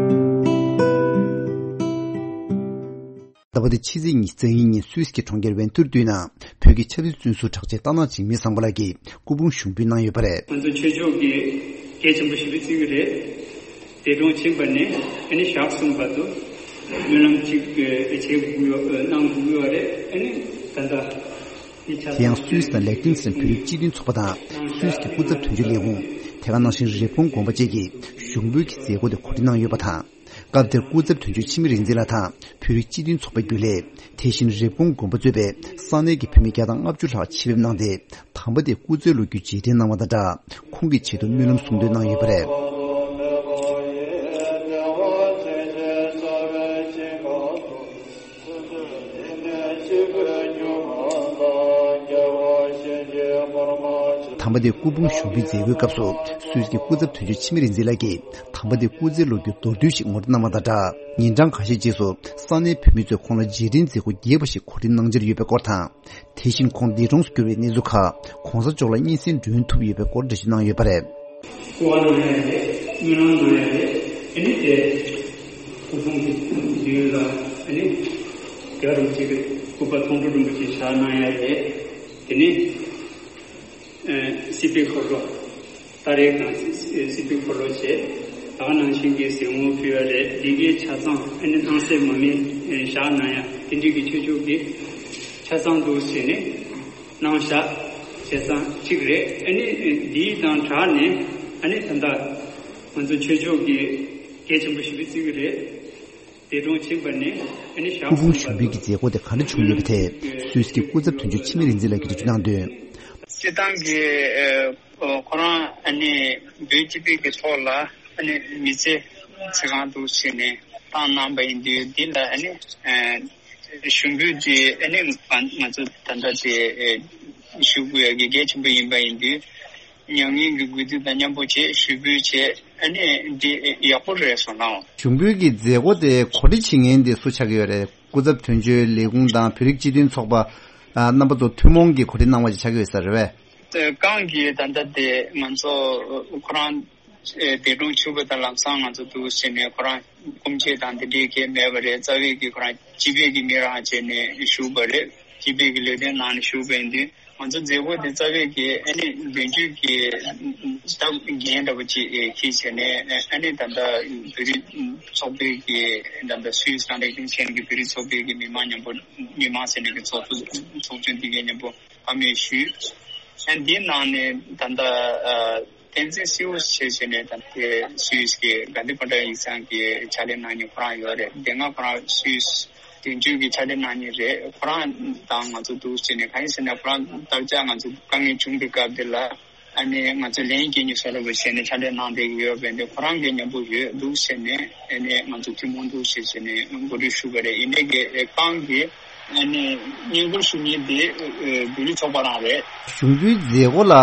ཟླ་བ་འདིའི་ཕྱི་ཚེས་ཉི་ཤུ་རྩ་གཉིས་ཉིན་སུད་སི་གི་གྲོང་ཁྱེར་ཝེན་ཐུར་དུས་ན་བོད་ཀྱི་ཆབ་སྲིད་བཙོན་ཟུར་དྲག་ཆེ་རྟ་ནག་འཇིགས་མེད་བཟང་པོ་ལགས་ཀྱིས་སྐུ་ཕུང་ཞུགས་འབུལ་གནང་ཡོད་པ་རེད། ང་ཚོ་ཆོས་ཕྱོགས་ཀྱི་གལ་ཆེན་པོ་ཞེ་པོ་བརྩི་གི་རེད། འདས་གྲོངས་ཕྱིན་པ་ནས་ཨ་ནི་ཞག་གསུམ་བར་དུ་སྨོན་ལམ་གཅིག་བྱེད་དགོས་ཡོད་གནང་དགོས་ཡོད་རེད། ཨ་ནི་ད་ལྟ་དེ་ཡང་སུད་སི་དང་ལེག་ཏིང་སི་ཊན་བོད་རིགས་སྤྱི་མཐུན་ཚོགས་པ་དང་སུད་སི་གི་སྐུ་ཚབ་དོན་གཅོད་ལས་ཁུངས། དེ་ག་ནང་བཞིན་རེབ་གོང་དགོན་པ་བཅས་ཀྱིས་ཞུགས་འབུལ་གྱི་མཛད་སྒོ་དེ་གོ་སྒྲིག་གནང་ཡོད་པ་དང་། སྐབས་དེར་སྐུ་ཚབ་དོན་གཅོད་འཆི་མེད་རིག་འཛིན་ལགས་དང་བོད་རིགས་སྤྱི་མཐུན་ཚོགས་པའི་རྒྱུན་ལས། དེ་བཞིན་རེབ་གོང་དགོན་པ་གཙོས་པའི་ས་གནས་ཀྱི་བོད་མི་བརྒྱ་དང་ལྔ་བཅུ་ལྷག་ཆེད་ཕེབས་གནང་སྟེ། དམ་པ་དེའི་སྐུ་ཚེའི་ལོ་རྒྱུས་རྗེས་དྲན་གནང་བ་དང་སྦྲགས། ཁོང་གི་ཆེད་དུ་སྨོན་ལམ་གསུང་འདོན་གནང་ཡོད་པ་རེད། དམ་པ་དེའི་སྐུ་ཕུང་ཞུགས་འབུལ་མཛད་སྒོའི་སྐབས་སུ་སུད་སི་གི་སྐུ་ཚབ་དོན་གཅོད་འཆི་མེད་རིག་འཛིན་ལགས་ཀྱིས་དམ་པ་དེའི་སྐུ་ཚེའི་ལོ་རྒྱུས་མདོར་བསྡུས་ཤིག་ངོ་སྤྲོད་གནང་བ་དང་སྦྲགས། ཉིན་གྲངས་ཁ་ཤས་རྗེས་སུ་ས་གནས་བོད་མི་ཚོས་ཁོང་ལ་རྗེས་དྲན་མཛད་སྒོ་རྒྱས་པ་ཞིག་གོ་སྒྲིག་གནང་འཆར་ཡོད་པའི་སྐོར་དང་། དེ་བཞིན་ཁོང་འདས་གྲོངས་སུ་གྱུར་བའི་གནས་ཚུལ་ཁག་གོང་ས་མཆོག་ལ་སྙན་སེང་སྒྲོན་ཐུབ་ཡོད་པའི་སྐོར་འགྲེལ་བརྗོད་གནང་ཡོད་པ་རེད། སྐུ་དབང་གནང་ཡ་རེད། སྨོན་ལམ་གནང་ཡ་རེད། ཨ་ནི་དེ་སྐུ་ཕུང་གི་མདུན་ལ་ཨ་ནི་རྒྱལ་བ་རིན་པོ་ཆེ་གི་སྐུ་པར་མཐོང་གྲོལ་རིན་པོ་ཆེ་བཞག་གནང་ཡ་རེད། དེ་ནས་ཨ་སྲིད་པའི་འཁོར་ལོ། སྟག་རལ་གང་སྲིད་པའི་འཁོར་ལོ་བྱས། ད་ག་ནང་བཞིན་གྱི་ཟེར་སྔོན་ཕུལ་བ་རེད། འདི་གའི་ཆ་ཚང་ཨ་ནི་སྣང་གསལ་མ་མེད་བཞག་གནང་ཡ་དེ་འདྲའི་གི་ཆོས་ཕྱོགས་ཀྱི་ཆ་ཚང་འདུག་ཟེར་ནས་གནང་བཞག་བྱས་ཙང་གཅིག་རེད། ཨ་ནི་འདི་དང་སྦྲགས་ནས་ཨ་ནི་ད་ལྟ་ང་ཚོ་ཆོས་ཕྱོགས་ཀྱི་གལ་ཆེན་པོ་ཞེ་པོ་བརྩི་གི་རེད། འདས་གྲོངས་ཕྱིན་པ་ནས་ཨ་ནི་ཞག་སྐུ་ཕུང་གསུམ་ཞུགས་འབུལ་གྱི་མཛད་སྒོ་དེ་ག་འདྲ་བྱུང་ཡོད་པའི་ཐད་སུད་སི་གི་སྐུ་ཚབ་དོན་གཅོད་འཆི་མེད་རིག་འཛིན་ལགས་ཀྱིས་འགྲེལ་བརྗོད་གནང་དོན། སྤྱིར་བཏང་གི་ཨ་ཁོ་རང་ཨ་ནི་བོད་སྤྱི་པའི་གི་ཐོག་ལ་ཨ་ནི་མི་ཚེ་ཚེ་གང་འདུག་ཟེར་ནས་བཏང་གནང་པ་ཡིན་དུས་འདི་ལ་ཨ་ནི་ཨ་ཞུགས་འབུལ་དེ་ཨ་ནི་ང་ང་ཚོ་ད་ལྟ་དེ་ཨ་ཞུ་དགོས་ཡ་གི་གལ་ཆེན་པོ་ཡིན་པ་ཡིན་དུས། མྱ་ངན་གྱི་གུས་འདུད་དང་མཉམ་པོ་བྱས་ཞུགས་འབུལ་བྱས་ཨ་ནི་འདི་ཡག་པོ་རེད་བསམ་ན། ཞུགས་འབུལ་གྱི་མཛད་སྒོ་དེ་གོ་སྒྲིག་བྱེད་མཁན་དེ་སུ་ཆགས་ཀྱི་ཡོད་རེད། སྐུ་ཚབ་དོན་གཅོད་ལས་ཁུངས་དང་བོད་རིགས་སྤྱི་མཐུན་ཚོགས་པ་རྣམ་པ་ཚོ་ཐུན་མོང་གིས་གོ་སྒྲིག་གནང་བ་ཞིག་ཆགས་ཀྱི་ཡོད་ས་རེད་པས། གང་གི་ད་ལྟ་དེ་ང་ཚོ་ཁོ་རང་འདས་གྲོངས་ཆུ་བོ་དང་ལམ་སང་ང་ཚོ་འདུག་ཟེར་ནས་ཁོ་རང་སྐུ་མཆེད་དང་དེ་འདྲའི་གས་མེད་པ་རེད། རྩ་བའི་གི་ཁོ་རང་སྤྱི་པའི་གི་མི་རང་བྱས་ནས་ཞུགས་པ་རེད། སྤྱི་པའི་གི་ལས་དོན་ནང་ནས་ཞུགས་པ་ཡིན་དུས། ང་ཚོ་མཛད་སྒོ་དེ་རྩ་བའི་གི་ཨ་ནི་མདུན་སྐྱོད་ཀྱི་སྟབས་འགན་འདྲ་པོ་ཅིག་ཁྱེར་བྱས་ནས་ཨ་ནི་ད་ལྟ་བོད་རིགས་ཚོགས་པའི་གི་ད་ལྟ་སུད་སི་དང་ལེག་ཏིང་སི་ཊན་གི་བོད་རིགས་ཚོགས་པའི་གི་མི་མང་མཉམ་པོ་མི་མང་ཟེར་ནས་གི་ཚོགས་གཙོ་ཚོགས་གཙོ་འདི་གའི་མཉམ་པོ་བཀའ་མོལ་ཞུས། ཨ་འདིའི་ནང་ནས་ད་ལྟ་བསྟན་འཛིན་སེའུ་ཞེས་བྱས་ནས་ད་ལྟ་སུད་སི་གི་གྷན་དྷི་ཕན་ཌ་ཡིག་ཚང་གི་ཕྱག་ལས་གནང་མཁན་ཁོ་རང་ཡོད་རེད། དེ་སྔ་ཁོ་རང་སུད་སི་དོན་གཅོད་ཀྱི་ཕྱག་ལས་གནང་མཁན་རེད། ཁོ་རང་དང་ང་ཚོ་འདུག་ཟེར་ནས་གང་ཡིན་ཟེར་ན་ཁོ་རང་དར་ཆ་ང་ཚོ་དཀའ་ངལ་བྱུང་པའི་སྐབས་དེ་ལ་ཨ་ནི་ང་ཚོ་ལན་སྐྱེལ་མཁན་བཟོ་འདྲ་པོ་བྱས་ནས་ཕྱག་ལས་གནང་བསྡད་ཀྱི་ཡོད་པས་འདི་ཁོ་རང་གི་མཉམ་པོ་ཡོད་འདུག་ཟེར་ནས་ཨ་ནི་ང་ཚོ་ཐུན་མོང་འདུག་ཟེར་ཟེར་ནས་གོ་སྒྲིག་ཞུས་པ་རེད། ཡིན་ནའི་གི་ཨེ་ཁང་གི་ཨ་ནི་བསྙེན་བཀུར་ཞུ་མཁན་དེ་ཨེ་བོད་རིགས་ཚོགས་པ་རང་རེད། ཞུགས་འབུལ་མཛད་སྒོ་ལ་ཨ་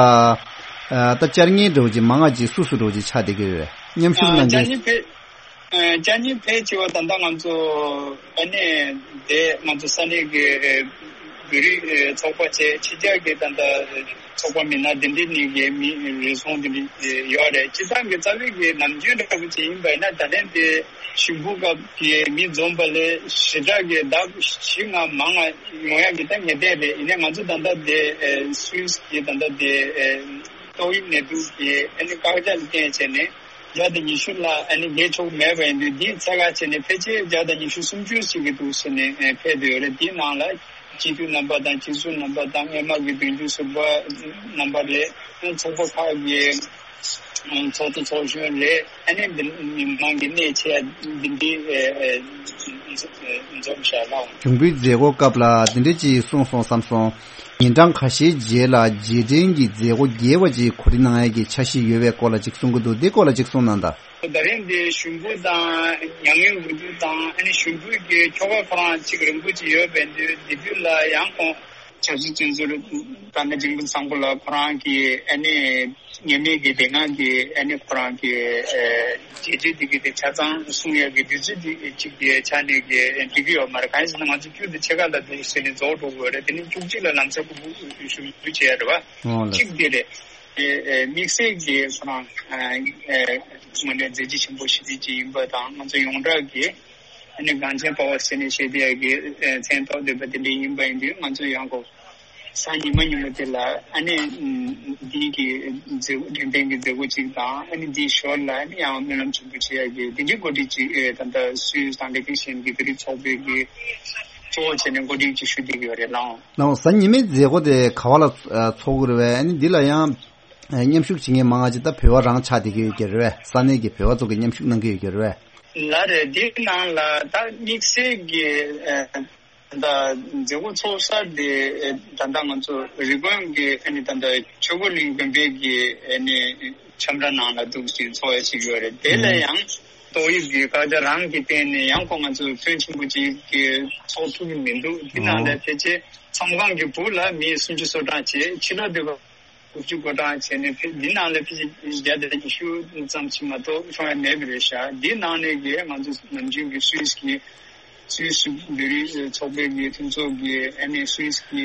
ད་བཅར་མཁན་འདྲ་བོ་ཅིག་མང་བ་ཅིག་སུ་སུ་འདྲ་བོ་ཅིག་ཆགས་བསྡད་ཀྱི་ཡོད། མཉམ་ཞུགས་གནང་མཁན། ཨ་བཅར་མཁན་ཕལ་ཨ་བཅར་མཁན་ཕལ་ཆེ་བ་ད་ལྟ་ང་ཚོ་ཨ་ནི་དེ་ང་ཚོ་ས་གནས་ཀྱི་ཨེ་ བོད་རིགས་ཚོགས་པ་བཅས་ཕྱི་རྒྱལ་གྱི་ད་ལྟ་ཚོགས་པ་མི་སྣ་འདི་འདྲའི་ནས་ཀྱི་མི་རེ་ཟུང་འདི་འདྲ་ཡོད་རེད། སྤྱིར་བཏང་གི་རྩ་བའི་གི་ནམ་རྒྱུན་འདྲ་བོ་ཅིག་ཡིན་པ་ཡིན་ན། ད་ལན་དེ་ཞུགས་འབུལ་སྐབས་ཀྱི་མི་འཛོམས་པ་ལས་ཞེ་དྲག་གི་ཟླ་བཞི་ལྔ་མང་ང་ཡོང་ཡག་གི་ད་ངེས་གཏན་རེད། ཡིན་ནའི་ང་ཚོ་ད་ལྟ་དེ་སུད་སི་གི་ད་ལྟ་དེ་ཏོག་དབྱིབས་ནད་དུག་གི་ཨ་ནི་བཀག་རྒྱ་ལ་བརྟེན་བྱས་ནས་བརྒྱ་དང་ཉི་ཤུ་ལ་ཨ་ནི་བརྒལ་ཆོག་མེད་པ་ཡིན་དུས། འདིའི་ཚད་བཀག་བྱས་ནས་ཕལ་ཆེར་བརྒྱ་དང་ཉི་ཤུ་སུམ་ཅུ་ཞིག་གི་འདུག་ཟེར་ནས་ཕེབས་བསྡད་ཡོད་རེད། དེའི་ནང་ལ་སྤྱི་འཐུས་རྣམ་པ་དང་སྤྱི་ཟུར་རྣམ་པ་དང་། སྔོན་མ་གི་དོན་གཅོད་ཟུར་པ་རྣམ་པ་རེད། ཚོགས་པ་ཁག་གི་ཚོགས་གཙོ་ཚོགས་གཞོན་རེད། ཨ་ནི་འདི་མི་མང་གི་གནད་ཆེ་འདི་འདྲའི་འཛོམས་བཞག་ལ། ཞུགས་འབུལ་མཛད་སྒོ་སྐབས་ལ་འདི་འདྲ་ཅིག་གསུངས་སོང་བསམ་སོང་། ཉིན་གྲངས་ཁ་ཤས་རྗེས་ལ་རྗེས་དྲན་གྱི་མཛད་སྒོ་རྒྱས་པ་ཅིག་གོ་སྒྲིག་གནང་ཡས་ཀྱི་འཆར་གཞི་ཡོད་པའི་སྐོར་ལ་ཅིག་གསུང་གི་འདུག་འདི་སྐོར་ལ་ཅིག་གསུང་གནང་དང་། ད་རིང་འདི་ཞུགས་འབུལ་དང་མྱ་ངན་གུས་འདུད་དང་། ཨ་ནི་ཞུགས་འབུལ་གྱི་ཆོ་ག་ཁོ་རང་གཅིག་རིང་པོ་ཅིག་ཡོད་པའི་དུས། འདི་དུས་ལ་ཡང་ཁོང་ཆབ་སྲིད་བཙོན་ཟུར་ད་ནི་འཇིགས་མེད་བཟང་པོ་ལགས་ཁོ་རང་གི་ཨ་ནི་ཉེས་མེད་ཀྱི་དེ་སྔ་གི་ཨ་ནི་ཁོ་རང་གི་ཨེ་བྱས་རྗེས་འདི་གི་དེ་ཆ་ཚང་གསུང་ཡག་གི་དུས་ཚོད་འདི་གཅིག་གི་ཆ་ནས་ཀྱི་འགྲིག་གི་ཡོད་མ་རེད། གང་ཡིན་ཟེར་ན་ང་ཚོ་བཅུ་དང་ཕྱེད་ཀ་ལ་འདུག་ཟེར་ནས་རྫོགས་འགྲོ་གི་ཡོད་རེད། དེ་ནི་བཅུ་གཅིག་ལ་ལམ་སང་ཞུགས་འབུལ་བྱེད་ཡ་རེད་བ། ཨོ་ལགས། གཅིག་དེ་རེད། ཨེ་ཨེ་དམིགས་བསལ་གྱི་ཁོ་རང་ཨེ་ཨེ་དངོས་གནས་མཛད་རྗེས་ཆེན་པོ་ཞེ་པོ་ཅིག་ཡིན་པ་དང་། ང་ཚོ་ཡོངས་གྲགས་ཀྱི་ཨ་ནི་གངས་ཅན་པ་ཕ་ཟེར་ནས་བཤད་བསྡད་ཡ་གི་ཨེ་མཚན་ཐོགས་བསྡད་པ་དེ་འདྲ་ཡིན་པ་ཡིན་དུས། ང་ཚོ་ཡང་ཁོ་གཟའ་ཉི་མ་ཉིན་མོ་དེ་ལ་ཨ་ནི་ཨམ་འདི་གི་མཛད་སྒོ་དྲན་རྟེན་གྱི་མཛད་སྒོ་ཅིག་དང་། ཨ་ནི་འདིའི་ཞོར་ལ་ཨ་ནི་ཡང་སྨོན་ལམ་ཆེན་པོ་བྱེད་ཡ་གི་འདི་འདྲའི་གོ་སྒྲིག་ཅིག་ཨེ་ད་ལྟ་སུད་སི་དང་ལེག་ཊེང་ཤན་གྱི་བོད་རིགས་ཚོགས་པའི་གི་གཙོ་བོ་བྱས་ནས་གོ་སྒྲིག་ཅིག་ཞུ་བསྡད་ཀྱི་ཡོད་རེད་ལགས། ལགས། གཟའ་ཉི་མའི་མཛད་སྒོ་དེ་ག་བ་ལ་ཨ་ཚོགས་ཀྱི་རེད་པས། ཨ་ནི་འདི་ལ་ཡང་ཨ་མཉམ་ཞུགས་བྱེད་མཁན་མང་ང་ཅིག་ད་བོད་པ་རང་ཆགས་བསྡད་ཀྱི་ཡོད་ཀྱི་རེད་པས། ས་གནས་ཀྱི་བོད་པ་ཚོ་གིས་མཉམ་ཞུགས་གནང་གི་ཡོད་ཀྱི་རེད་པས། ལགས་རེད། འདིའི་ནང་ལ་ད་དམིགས་བསལ་གྱི་ཨ་ད་མཛད་སྒོ་ཚོགས་ས་དེ་ཨ་ད་ལྟ་ང་ཚོ་རི་ཀོན་གྱི་ཨ་ནི་ད་ལྟ་ཆོས་འཁོར་གླིང་དགོན་པའི་གི་ཨ་ནི་ཁྱམས་ར་ནང་ལ་འདུག་སེ་ཚོགས་ཡ་ཞིག་ཡོད་རེད། དེ་ལ་ཡང་ཏོག་དབྱིབས་ཀྱི་བཀག་རྒྱ་རང་གི་སྟེང་ནས་ཡང་ཁོ་ང་ཚོ་ཕོན་ཆེན་པོ་ཅིག་གི་ཚོགས་ཐུབ་ཀྱི་མི་འདུག་དེ་ནང་ལ་ཕལ་ཆེར་མཚམས་ཁང་གི་སྦུག་ལ་མི་སུམ་ཅུ་སོ་གྲངས་བྱས། ཕྱི་ལོགས་སྡོད་པ་དགུ་བཅུ་གོ་གྲངས་བྱས་ནས་ཕེབས། འདི་ནང་ལ་ཕལ་ཆེར་བརྒྱ་དང་ཉི་ཤུ་ཙམ་ཞིག་མ་གཏོགས་ལྷོད་ཡ་མེད་པ་རེད་ཤག་འདི་ནང་ནས་ཀྱི་ང་ཚོ་ནམ་རྒྱུན་གྱི་སུད་སི་གི་སུད་སི་བོད་རིགས་ཚོགས་པའི་གི་མཐུན་ཚོགས་ཀྱི་ཨ་ནི་སུད་སི་གི་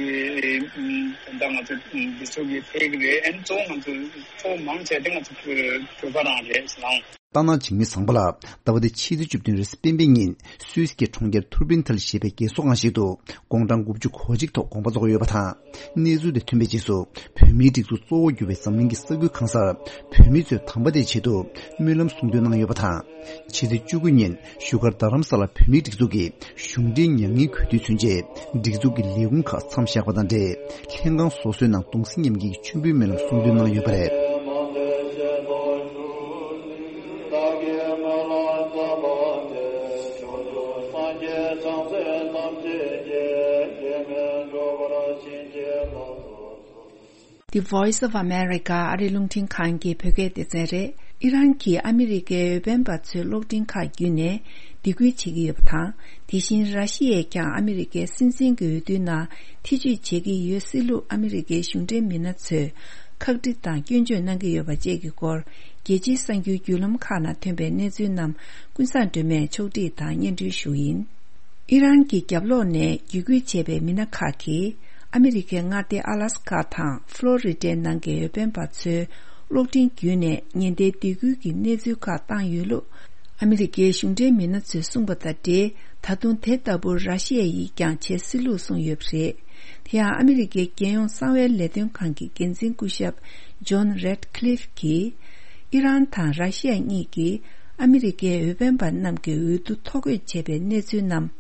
ད་ང་ཚོ་འདི་ཚོ་གི་ཕེབས་ཀྱི་རེད། ཨ་ནི་གཙོ་བོ་ང་ཚོ་ཚོགས་མང་ཆེ་དེ་ང་ཚོ་བོད་པ་རང་རེད་ཟེར་ནའང་། སྟག་སྣ་འཇིགས་མེད་བཟང་པོ་ལགས་ཟླ་བ་འདིའི་ཕྱི་ཚེས་བཅུ་བདུན་རེས་གཟའ་སྤེན་པའི་ཉིན་སུད་སི་གི་གྲོང་ཁྱེར་ཐུར་བིན་ཐལ་ཞེས་པའི་རྒས་གསོ་ཁང་ཞིག་ཏུ་དགུང་གྲངས་དགུ་བཅུ་གོ་གཅིག་ཐོག་དགོངས་པ་རྫོགས་ཡོད་པ་དང་། གནས་ཚུལ་དེ་ཐོན་པའི་རྗེས་སུ་བོད་མིའི་སྒྲིག་འཛུགས་གཙོ་བོ་གྱུར་བའི་འཛམ་གླིང་གི་ས་ཁུལ་གང་སར་བོད་མི་ཚོས་དམ་པ་དེའི་ཆེད་དུ་སྨོན་ལམ་གསུང་འདོན་གནང་ཡོད་པ་དང་། ཕྱི་ཚེས་བཅུ་དགུ་ཉིན་བཞུགས་སྒར་རྡ་རམ་ས་ལར་བོད་མིའི་སྒྲིག་འཛུགས་ཀྱི་གཞུང་འབྲེལ་མྱ་ངན་གུས་འདུད་མཚོན་ཆེད་སྒྲིག་འཛུགས་ཀྱི་ལས་ཁུངས་ཁག་མཚམས་བཞག་པ་དང་འབྲེལ། ལྷན་ཁང་སོ་སོའི་ནང་གདུང་སེམས་མཉམ་སྐྱེད་ཀྱི་མཆོད་འབུལ་སྨོན་ལམ་གསུང་འདོན་གནང་ཡོད་པ་རེད། The Voice of America ཨ་རིའི་རླུང་འཕྲིན་ཁང་གི་བོད་སྐད་སྡེ་ཚན་རེད། ཨི་རན་གྱིས་ཨ་མི་རི་ཀའི་འོས་འཕེན་པ་ཚོའི་གློག་འཕྲིན་ཁག་བརྒྱུད་ནས་སྡིགས་སྐུལ་བྱེད་ཀྱི་ཡོད་པ་དང་། དེ་བཞིན་ར་ཤི་ཡས་ཀྱང་ཨ་མི་རི་ཀའི་སྲིད་འཛིན་གྱི་འོས་བསྡུའི་ནང་ཐེ་བྱུས་བྱེད་ཀྱི་ཡོད་སྲིད་ལུགས་ཨ་མི་རི་ཀའི་གཞུང་འབྲེལ་མི་སྣ་ཚོས་ཁག་དཀྲི་དང་སྐྱོན་བརྗོད་གནང་གི་ཡོད་པ་བཅས་ཀྱི་སྐོར། རྒྱལ་སྤྱིའི་གསར་འགྱུར་བརྒྱུད་ལམ་ཁག་ནང་ཐོན་པའི་གནས་ཚུལ་རྣམས་ཀུན་བཟང་སྒྲོལ་མས་ཕྱོགས་སྒྲིག་དང་སྙན་སྒྲོན་ཞུ་ཡིན། ཨི་རན་གྱི་རྒྱབ་ལོགས་ནས་བརྒྱུད་སྐུལ་བྱས་པའི་མི་སྣ་ཁག་གིས་ཨ་མི་རི་ཀའི་མངའ་སྡེ་ཨ་ལ་སི་ཀ་དང་ཧྥ་ལོ་རི་ཏའི་ནང་གི་འོས་འཕེན་པ་ཚོའི་གློག་འཕྲིན་བརྒྱུད་ནས་ཉེན་བརྡའི་སྡིགས་སྐུལ་གྱི་གནས་ཚུལ་ཁག་བཏང་ཡོད་ལུགས། ཨ་མི་རི་ཀའི་གཞུང་འབྲེལ་མི་སྣ་ཚོས་གསུངས་པ་དང་འབྲེལ། ད་དུང་དེ་ལྟ་བུར་ར་ཤི་ཡ་ཡིས་ཀྱང་བྱེད་སྲིད་ལུགས་གསུངས་ཡོད་པ་རེད། དེ་ཡང་ཨ་མི་རི་ཀའི་རྒྱལ་ཡོངས་གསང་བའི་ལས་དོན་ཁང་གི་འགན་འཛིན་སྐུ་ཞབས་ཇོན་རེད་ཁི་ལིབ་ཀྱིས། ཨི་རན་དང་ར་ཤི་ཡ་གཉིས་ཀྱིས་ཨ་མི་རི་ཀའི་འོས་འཕེན་པ་རྣམས་ཀྱི་འོས་བསྡུ་ཐོ་འགོད་བྱས་པའི་གནས་ཚུལ་རྣམས་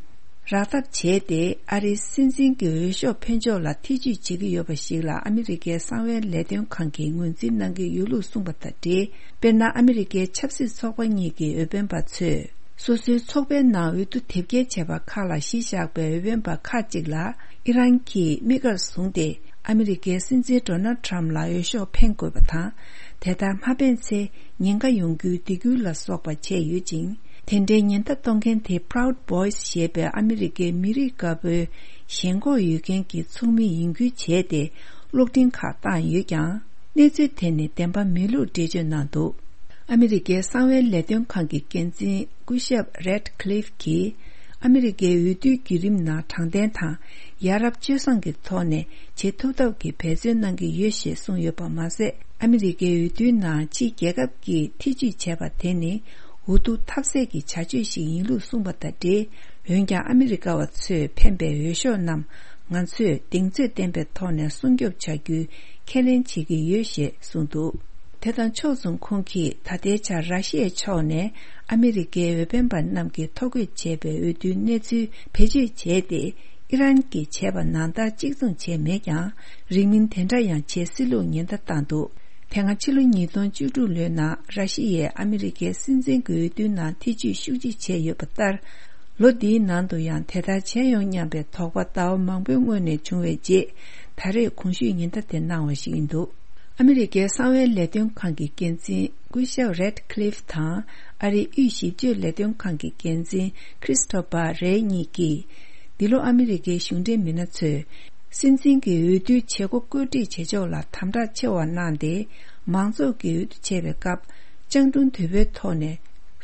རག་ཐབས་བྱས་ཏེ། ཨ་རིའི་སྲིད་འཛིན་གྱི་འོས་ཤོག་འཕེན་ཕྱོགས་ལ་ཐེ་བྱུས་བྱེད་ཀྱི་ཡོད་པ་ཞིག་ལ་ཨ་མི་རི་ཀའི་གསང་བའི་ལས་དོན་ཁང་གིས་ངོས་འཛིན་གནང་གི་ཡོད་ལུགས་གསུངས་པ་དང་འབྲེལ། དཔེར་ན། ཨ་མི་རི་ཀའི་ཆབ་སྲིད་ཚོགས་པ་གཉིས་ཀྱི་འོས་འཕེན་པ་ཚོས་སོ་སོའི་ཚོགས་པའི་ནང་འོས་བསྡུ་དེབ་སྐྱེལ་བྱས་པ་ཁག་ལ་གཞི་བཞག་པའི་འོས་འཕེན་པ་ཁག་ཅིག་ལ་ཨི་རན་གྱིས་དམིགས་བཀར་བཟུང་སྟེ། ཨ་མི་རི་ཀའི་སྲིད་འཛིན་ཌོ་ནལ་ཊམ་ལ་འོས་ཤོག་འཕེན་དགོས་པ་དང་། དེ་ལྟར་མ་འཕེན་ཚེ་ཉེན་ཁ་ཡོང་རྒྱུའི་སྡིགས་སྐུལ་ལ་སོགས་པ་བྱས་ཡོད་ཅིང་། དེ་འདྲའི་ཉེན་བརྡ་གཏོང་མཁན་དེ་Proud Boys ཞེས་པའི་ཨ་མི་རི་ཀའི་མི་རིགས་དཀར་པོའི་ཞེན་ཁོག་ཡོད་མཁན་གྱི་ཚོགས་མི་ཡིན་ཁུལ་བྱས་ཏེ། གློག་འཕྲིན་ཁག་བཏང་ཡོད་ཀྱང་། གནས་ཚུལ་དེ་ནི་བདེན་པ་མིན་ལུགས་འགྲེལ་བརྗོད་གནང་འདུག་ཨ་མི་རི་ཀའི་གསང་བའི་ལས་དོན་ཁང་གི་འགན་འཛིན་སྐུ་ཞབས་རེད་ཁི་ལིབ་ཀྱིས། ཨ་མི་རི་ཀའི་འོས་བསྡུའི་བརྒྱུད་རིམ་ནང་དྲང་བདེན་དང་ཡ་རབས་སྤྱོད་བཟང་གི་ཐོག་ནས་བྱེད་ཐུབ་ཐབས་ཀྱི་འབད་བརྩོན་གནང་གི་ཡོད་ཞེས་གསུངས་ཡོད་པ་མ་ཟད། ཨ་མི་རི་ཀའི་འོས་བསྡུའི་ནང་ཕྱིའི་རྒྱལ་ཁབ་ཀྱིས་ཐེ་ཇུས་བྱས་པ་དེ་ནི་འུ་ཐུག་ཐབས་ཟད་ཀྱི་བྱ་སྤྱོད་ཞིག་ཡིན་ལུགས་གསུངས་པ་དང་འབྲེལ། འོན་ཀྱང་ཨ་མི་རི་ཀ་བ་ཚོས་འཕེན་པའི་འོས་ཤོག་རྣམས་ང་ཚོས་གདེང་ཚོད་ལྡན་པའི་ཐོག་ནས་སྲུང་སྐྱོབ་བྱ་རྒྱུའི་ཁས་ལེན་བྱེད་ཀྱི་ཡོད་ཞེས་གསུངས་འདུག་དེ་དང་ཕྱོགས་མཚུངས་ཁོང་གིས་ད་ལྟའི་ཆར་ར་ཤི་ཡའི་ཕྱོགས་ནས་ཨ་མི་རི་ཀའི་འོས་འཕེན་པ་རྣམས་ཀྱིས་ཐོ་འགོད་བྱས་པའི་འོས་བསྡུའི་གནས་ཚུལ་བེད་སྤྱོད་བྱས་ཏེ། ཨི་རན་གྱིས་བྱས་པ་ནང་ལྟར་གཅིག་མཚུངས་བྱས་མེད་ཀྱང་། རིང་མིན་དེ་འདྲ་ཡང་བྱེད་སྲིད་ལུགས་ཉེན་བརྡ་བཏང་འདུག་དེ་སྔ་ཕྱི་ལོ་ཉིས་སྟོང་བཅུ་དྲུག་ལོའི་ནང་ར་ཤི་ཡས་ཨ་མི་རི་ཀའི་སྲིད་འཛིན་གྱི་འོས་བསྡུའི་ནང་ཐེ་ཇུས་ཤུགས་ཆེ་བྱས་ཡོད་པ་ལྟར། ལོ་འདིའི་ནང་དུ་ཡང་དེ་ལྟར་བྱས་ཡོང་སྙམ་པའི་དོགས་པ་ཟླ་བ་མང་པོའི་སྔོན་ནས་བྱུང་བའི་རྗེས། ད་རེས་གོང་ཞུས་ཉེན་བརྡ་དེ་གནང་བ་ཞིག་ཡིན་འདུག་ཨ་མི་རི་ཀའི་གསང་བའི་ལས་དོན་ཁང་གི་འགན་འཛིན་སྐུ་ཞབས་རེད་ཁི་ལིབ་དང་། ཨ་རིའི་དབུས་ཞིབ་དཔྱོད་ལས་དོན་ཁང་གི་འགན་འཛིན་ཁྲིས་ཐོ་པ་རེ་གཉིས་ཀྱིས། འདི་ལོ་ཨ་མི་རི་ཀའི་གཞུང་འབྲེལ་མི་སྣ་ཚོས། སྲིད་འཛིན་གྱི་འོས་བསྡུའི་བྱེད་སྒོ་བཀོད་སྒྲིག་བྱེད་ཕྱོགས་ལ་དམ་དྲག་ཆེ་བ་གནང་སྟེ། མང་ཚོགས་ཀྱི་འོས་བསྡུ་བྱེད་པའི་སྐབས། སྤྱང་གྲུང་དོད་པོའི་ཐོག་ནས།